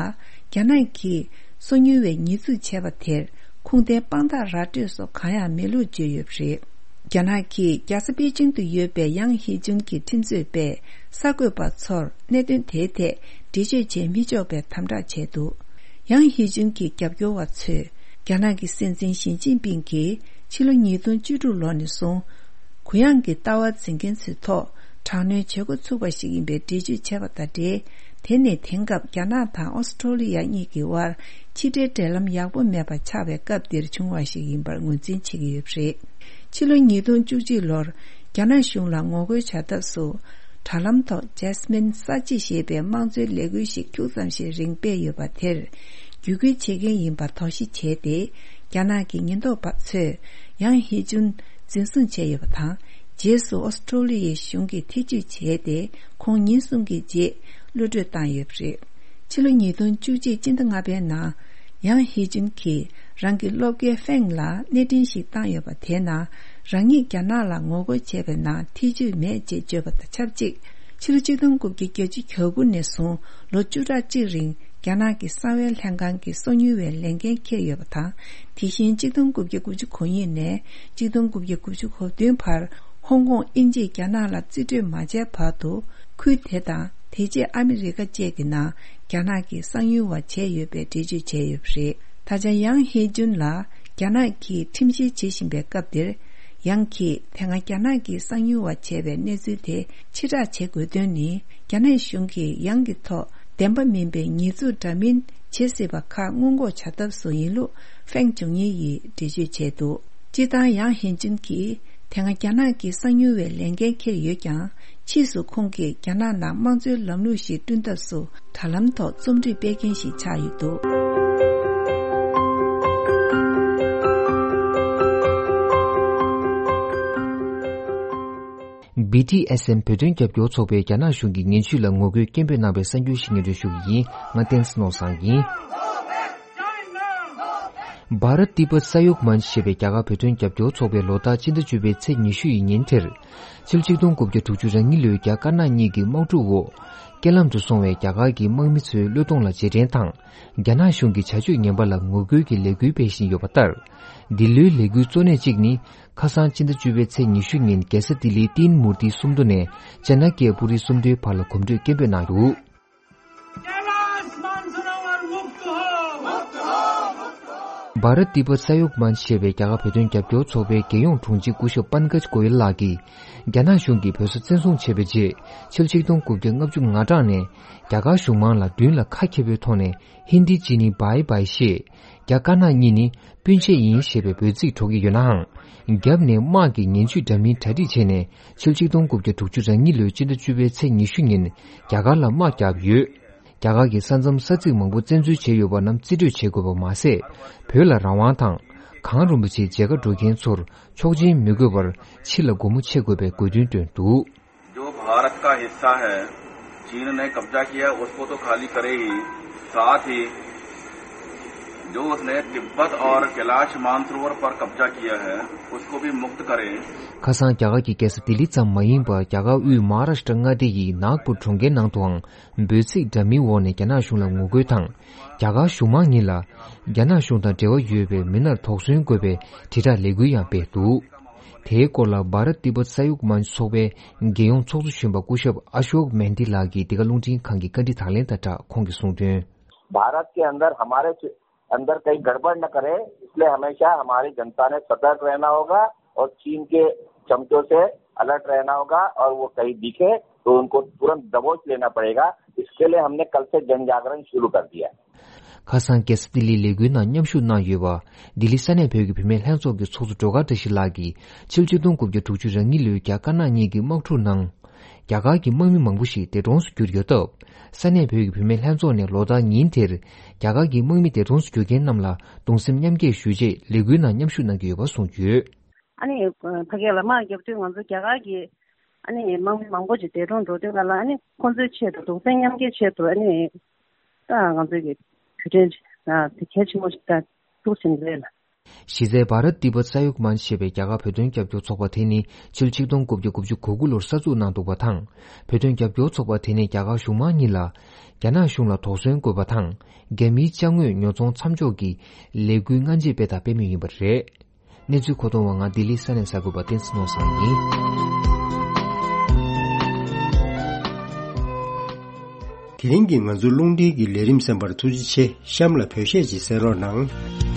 རྒྱ་ནག་གིས་གསང་ཉུལ་བའི་ཉེས་འཛུགས་བྱས་པ་དེར། ཁུངས་ལྡན་དཔང་རྟགས་ར་སྤྲོད་སོགས་གང་ཡང་མེད་ལུགས་བརྗོད་ཡོད་པ་རེད། རྒྱ་ནག་གིས་རྒྱལ་ས་པེ་ཅིང་དུ་ཡོད་པའི་ཡང་ཧི་ཅུན་གྱི་ཁྲིམས་རྩོད་པས། གསར་འགོད་པ་ཚོར་གནད་དོན་དེའི་ཐད་འགྲེལ་བརྗོད་བྱེད་མི་ཆོག་པའི་དམ་དྲག་བྱས་འདུག་ཡང་ཧི་ཅུན་གྱི་རྒྱབ་སྐྱོར་བ་ཚོས། རྒྱ་ནག་གི་སྲིད་འཛིན་ཞི་ཅིན་ཕིང་གིས། ཕྱི་ལོ་ཉིས་སྟོང་བཅུ་དྲུག་ལོ་ནས་བཟུང་། གུ་ཡངས་ཀྱི་ལྟ་བ་འཛིན་མཁན་ཚོའི་ཐོག་དྲག་གནོན་བྱེད་འགོ་ཚུགས་པ་ཞིག་ཡིན་པའི་འགྲེལ་བརྗོད་བྱས་པ་དང་འབྲེལ། དེ་ནི་དེང་སྐབས་རྒྱ་ནག་དང་ཨོ་སི་ཀྲོ་ལི་ཡ་གཉིས་ཀྱི་དབར་ཕྱི་འབྲེལ་འབྲེལ་ལམ་ཡག་པོ་མེད་པ་ཆགས་པའི་སྐབས་འདིར་བྱུང་བ་ཞིག་ཡིན་པར་ངོས་འཛིན་བྱེད་ཀྱི་ཡོད་པ་རེད། ཕྱི་ལོ་ཉིས་སྟོང་བཅུ་གཅིག་ལོར་རྒྱ་ནག་གཞུང་ལ་ངོ་རྒོལ་བྱ་ཐབས་སུ། དྲ་ལམ་ཐོག་Jasmine Saji ཞེས་པའི་དམངས་གཙོའི་ལས་འགུལ་ཞིག་ཁྱུག་ཙམ་ཞིག་རིང་སྤེལ་ཡོད་པ་དེར། བརྒྱུད་སྐུལ་བྱེད་མཁན་ཡིན་པར་དོགས་གཞི་བྱས་ཏེ། རྒྱ་ནག་གི་ཉེན་རྟོག་པ་ཚོས་ཡང་ཧི་ཅུན་འཛིན་བཟུང་བྱས་ཡོད་པ་དང་། རྗེས་སུ་ཨོ་སི་ཀྲོ་ལི་ཡའི་གཞུང་གིས་ཐེ་ཇུས་བྱས་ཏེ། ཁོང་ཉིན་གསུམ་གྱི་རྗེས་གློད་གྲོལ་བཏང་ཡོད་པ་རེད། ཕྱི་ལོ་ཉིས་སྟོང་བཅུ་གཅིག་སྤྱི་ཟླ་ལྔ་པའི་ནང་། ཡང་ཧི་ཅུན་གྱིས་རང་གི་སློབ་དགེ་ཧྥེང་ལ་གནས་འཕྲིན་ཞིག་བཏང་ཡོད་པ་དེའི་ནང་། རང་ཉིད་རྒྱ་ནག་ལ་ངོ་རྒོལ་བྱས་པའི་ནང་ཐེ་ཇུས་མེད་ཅེས་བརྗོད་པ་དང་ཆབས་ཅིག་ཕྱི་ལོ་ཆིག་སྟོང་དགུ་བརྒྱ་བརྒྱད་ཅུ་གྱ་དགུ་ནས་བཟུང་ལོ་བཅུ་ཕྲག་གཅིག་རིང་རྒྱ་ནག་གི་གསང་བའི་ལྷན་ཁང་གི་གསང་ཉུལ་བའི་ལས་འགན་འཁྱེར་ཡོད་པ་དང་། དེ་བཞིན་ཆིག་སྟོང་དགུ་བརྒྱ་དགུ་བཅུ་གོ་གཉིས་ནས་ཆིག་སྟོང་དགུ་བརྒྱ་དགུ་བཅུ་གོ་བདུན་བར་ཧོང་ཀོང་དབྱིན་ཇིས་རྒྱ་ནག་ལ་རྩིས་སྤྲོད་མ་བྱས་བར་དུ། ཁུལ་དེ་དང་དེ་རྗེས་ཨ་མི་རི་ཀ་བཅས་ཀྱི་ནང་རྒྱ་ནག་གི་གསང་ཉུལ་བ་བྱས་ཡོད་པའི་འགྲེལ་བརྗོད་བྱས་ཡོད་པ་རེད། ད་ཆ་ཡང་ཧི་ཅུན་ལ་རྒྱ་ནག་གིས་ཁྲིམས་བཤེར་བྱེད་བཞིན་པའི་སྐབས་འདིར། ཡང་གིས་དེ་སྔ་རྒྱ་ནག་གིས་གསང་ཉུལ་བ་བྱས་པའི་གནས་ཚུལ་དེ་ཕྱིར་བསྒྲགས་བྱེད་དགོས་དོན་ནི། རྒྱ་ནག་གཞུང་གིས་ཡང་གི་ཐོག་བདེན་པ་མིན་པའི་ཉེས་འཛུགས་འདྲ་མིན་བྱེད་སྲིད་པ་ཁག་སྔོན་འགོག་བྱ་ཐབས་སུ་ཡིན་ལུགས་ཧྥེང་ཅུང་ཡི་ཡིས་འགྲེལ་བརྗོད་བྱས་འདུག་སྤྱིར་བཏང་ཡང་ཧི་ཅུན་གྱིས་དེ་སྔ་རྒྱ་ནག་གིས་གསང་ཉུལ་བའི་ལས་འགན་འཁྱེར་ཡོད་ཀྱང་། ཕྱིས་སུ་ཁོང་གིས་རྒྱ་ནག་ནང་དམངས་གཙོའི་ལམ་ལུགས་ཤིག་བསྐྲུན་ཐབས་སུ་དྲ་ལམ་ཐོག་རྩོམ་སྒྲིག་སྤེལ་མཁན་ཞིག་ཆགས་ཡོད་འདུག་བྷི་ཊི་ཨེསི་ཨེམ་བོད་དོན་རྒྱབ་སྐྱོར་ཚོགས་པས་རྒྱ་ནག་གཞུང་གི་ངན་ཇུས་ལ་ངོ་རྒོལ་སྐད་འབོད་གནང་བའི་གསར་འགྱུར་ཞིག་སྙན་སྒྲོན་ཞུ་གི་ཡིན། ང་བསྟན་འཛིན་ནོར་བཟང་ཡིན། བྷ་ར་ཏི་པ་ས་ཡུག་མན་ཞེས་པའི་རྒྱ་གར་བོད་དོན་རྒྱབ་སྐྱོར་ཚོགས་པས་ལོ་ལྟར་སྤྱི་ཟླ་བཅུ་པའི་ཚེས་ཉི་ཤུ་ཡི་ཉིན་དེར། ཕྱི་ལོ་ཆིག་སྟོང་དགུ་བརྒྱ་དྲུག་ཅུ་རེ་གཉིས་ལོའི་རྒྱ་དཀར་ནག་གཉིས་ཀྱི་དམག་འཁྲུག་འོག་རྐྱེན་ལམ་དུ་སོང་བའི་རྒྱ་གར་གྱི་དམག་མི་ཚོའི་བློས་གཏོང་ལ་རྗེས་དྲན་དང་། རྒྱ་ནག་གཞུང་གི་བྱ་སྤྱོད་ངན་པ་ལ་ངོ་རྒོལ་གྱི་ལས་འགུལ་སྤེལ་བཞིན་ཡོད་པ་ལྟར། འདི་ལོའི་ལས་འགུལ་གཙོ་གནད་གཅིག་ནི། ཁ་སང་སྤྱི་ཟླ་བཅུ་པའི་ཚེས་ཉི་ཤུ་ཉིན་རྒྱལ་ས་ལྡི་ལིའི་ཏིན་མུར་ཏི་སུམ་མདོ་ནས་ཅ་ན་ཀྱ་པུ་རི་སུམ་མདོའི་བར་ལ་གོམ་བགྲོད་སྐད་འབོད་གནང་འདུག་བྷ་ར་ཏི་པ་ས་ཡུག་མན་ཞེས་པའི་རྒྱ་གར་བོད་དོན་རྒྱབ་སྐྱོར་ཚོགས་པའི་རྒྱལ་ཡོངས་དྲུང་ཆེ་སྐུ་ཞབས་པན་ཀཇ་གོ་ཡལ་ལགས་ཀྱིས། རྒྱ་ནག་གཞུང་གིས་བོད་ས་བཙན་བཟུང་བྱས་པའི་རྗེས། ཕྱི་ལོ་ཆིག་སྟོང་དགུ་བརྒྱ་ལྔ་བཅུ་ང་གྲངས་ནས། རྒྱ་གར་གཞུང་མང་ལ་མདུན་ལ་ཁ་འཁྱེར་བའི་ཐོག་ནས། ཧིན་དི་ཇི་ནི་བྷའི་བྷའི་ཞེས། རྒྱ་དཀར་ནག་གཉིས་ནི་སྤུན་མཆེད་ཡིན་ཞེས་པའི་འབོད་ཚིག་སྒྲོག་གི་ཡོད་ནའང་། རྒྱབ་ནས་དམག་གི་ངན་ཇུས་འདྲ་མིན་གྲ་སྒྲིག་བྱས་ནས། ཕྱི་ལོ་ཆིག་སྟོང་དགུ་བརྒྱ་དྲུག་ཅུ་རེ་གཉིས་ལོའི་སྤྱི་ཟླ་བཅུ་པའི་ཚེས་ཉི་ཤུ་ཉིན། རྒྱ་གར་ལ་དམག་བརྒྱབ་ཡོད། རྒྱ་གར་གྱི་ས་མཚམས་ས་ཚིགས་མང་པོ་བཙན་འཛུལ་བྱས་ཡོད་པ་རྣམས་རྩིས་སྤྲོད་བྱེད་དགོས་པ་མ་ཟད། བོད་ལ་རང་དབང་དང་། གངས་རིན་པོ་ཆེའི་མཇལ་ཁ་འགྲོ་མཁན་ཚོར་ཆོག་མཆན་མི་དགོས་པར་ཕྱི་ལ་སྒོ་མོ་ཕྱེ་དགོས་པའི་དགོས་འདུན་བཏོན་འདུག जो भारत का हिस्सा है, चीन ने कब्जा किया, उसको तो खाली करे ही, साथ ही जो उसने तिब्बत और कैलाश मानसरोवर पर कब्जा किया है, उसको भी मुक्त करे। ཁ་སང་རྒྱ་གར་གྱི་རྒྱལ་ས་ལྡི་ལི་ཙམ་མ་ཡིན་པར། རྒྱ་གར་དབུས་མ་ཧཱ་རཱ་ཤི་ཏྲ་མངའ་སྡེ་ཡི་ནཱག་པུར་གྲོང་ཁྱེར་ནང་དུའང་། འབོད་ཚིག་འདྲ་མིན་འོག་ནས་རྒྱ་ནག་གཞུང་ལ་ངོ་རྒོལ་དང་། རྒྱ་གར་གཞུང་མང་གཉིས་ལ། རྒྱ་ནག་གཞུང་དང་འབྲེལ་བ་ཡོད་པའི་མི་སྣར་དོགས་ཟོན་དགོས་པའི་དྲིལ་བསྒྲགས་ལས་འགུལ་ཡང་སྤེལ་འདུག་དེའི་སྐོར་ལ་བྷ་ར་ཏི་པ་ས་ཡུག་མན་ཚོགས་པའི་རྒྱལ་ཡོངས་ཚོགས་གཙོ་གཞོན་པ་སྐུ་ཞབས་ཨ་ཤོག་མན་ཏི་ལགས་ཀྱིས་འདི་ག་རླུང་འཕྲིན་ཁང་གི་བཀའ་འདྲི་དང་ལེན་དང་སྦྲགས་ཁོང་གིས་གསུངས་དོན། भारत के अंदर हमारे अंदर कहीं गड़बड़ न करे, इसलिए हमेशा हमारी जनता ने सतर्क रहना होगा और चीन के चमचों से अलर्ट रहना होगा और वो कहीं दिखे तो उनको तुरंत दबोच लेना पड़ेगा। इसके लिए हमने कल से जन जागरण शुरू कर दिया है। ཁ་སང་རྒྱལ་ས་ལྡི་ལིའི་ལས་འགུལ་ནང་མཉམ་ཞུགས་གནང་ཡོད་པ། ལྡི་ལི་ས་གནས་བོད་ཀྱི་བུད་མེད་ལྷན་ཚོགས་ཀྱི་ཚོགས་གཙོ་སྒྲོལ་དཀར་བཀྲ་ཤིས་ལགས་ཀྱིས། ཕྱི་ལོ་ཆིག་སྟོང་དགུ་བརྒྱ་དྲུག་ཅུ་རེ་གཉིས་ལོའི་རྒྱ་དཀར་ནག་གཉིས་ཀྱི་དམག་འཁྲུག་ནང་། རྒྱ་གར་གྱི་དམག་མི་མང་པོ་ཞིག་འདས་གྲོངས་སུ་གྱུར་ཡོད་སྟབས། ས་གནས་བོད་ཀྱི་བུད་མེད་ལྷན་ཚོགས་ནས་ལོ་ལྟར་ཉིན་དེར། རྒྱ་གར་གྱི་དམག་མི་འདས་གྲོངས་སུ་གྱུར་མཁན་རྣམས་ལ་གདུང་སེམས་མཉམ་སྐྱེད་ཞུ་ཆེད་ལས་འགུལ་ནང་མཉམ་ཞུགས་གནང་གི་ཡོད་པ་གསུངས་ཡོད། ཨ་ནི་ཕ་གི་ལ་དམག་རྒྱབ་དུས་ང་ཚོ་རྒྱ་གར་གྱི་ཨ་ནི་དམག་མི་མང་པོ་ཅིག་འདས་གྲོངས་འགྲོ་དུས་སྒང་ལ། ཨ་ནི་ཁོང་ཚོའི་ཆེད་དུ་གདུང་སེམས་མཉམ་སྐྱེད་ཆེད་དུ། ཨ་ནི་ད་ང་ཚོའི་གི་དུས་དྲན་དེ་གལ་ཆེན་པོ་ཞིག་ད་ཐུག་ཟིན་རེད་ལ། གཞི་རྩའི་བྷ་ར་ཏི་པ་ས་ཡུག་མན་ཞེས་པའི་རྒྱ་གར་བོད་དོན་རྒྱབ་སྐྱོར་ཚོགས་པ་དེ་ནི་ཕྱི་ལོ་ཆིག་སྟོང་དགུ་བརྒྱ་དགུ་བཅུ་གོ་དགུ་ལོར་གསར་འཛུགས་གནང་འདུག་པ་དང་། བོད་དོན་རྒྱབ་སྐྱོར་ཚོགས་པ་དེ་ནི་རྒྱ་གར་གཞུང་མང་གཉིས་ལ། རྒྱ་ནག་གཞུང་ལ་དོགས་ཟོན་དགོས་པ་དང་། རྒྱ་མིའི་ཅ་དངོས་ཉོ་ཚོང་མཚམས་འཇོག་གི་ལས་འགུལ་སྔ་རྗེས་སྤེལ་དང་སྤེལ་མུས་ཡིན་པ་རེད། གནས་ཚུལ་མཁོ་གཏོང་བ་ང་ལྡི་ལི་ས་གནས་གསར་འགོད་པ་བསྟན་འཛིན་ནོར་བཟང་ཡིན། དེ་རིང་གི་ང་ཚོའི་རླུང་འཕྲིན་གྱི་ལས་རིམ་གསན་པར་ཐུགས་རྗེ་ཆེ། གཤམ་ལ་བོད་གཞས་ཅིག་གསན་རོགས་གནང་།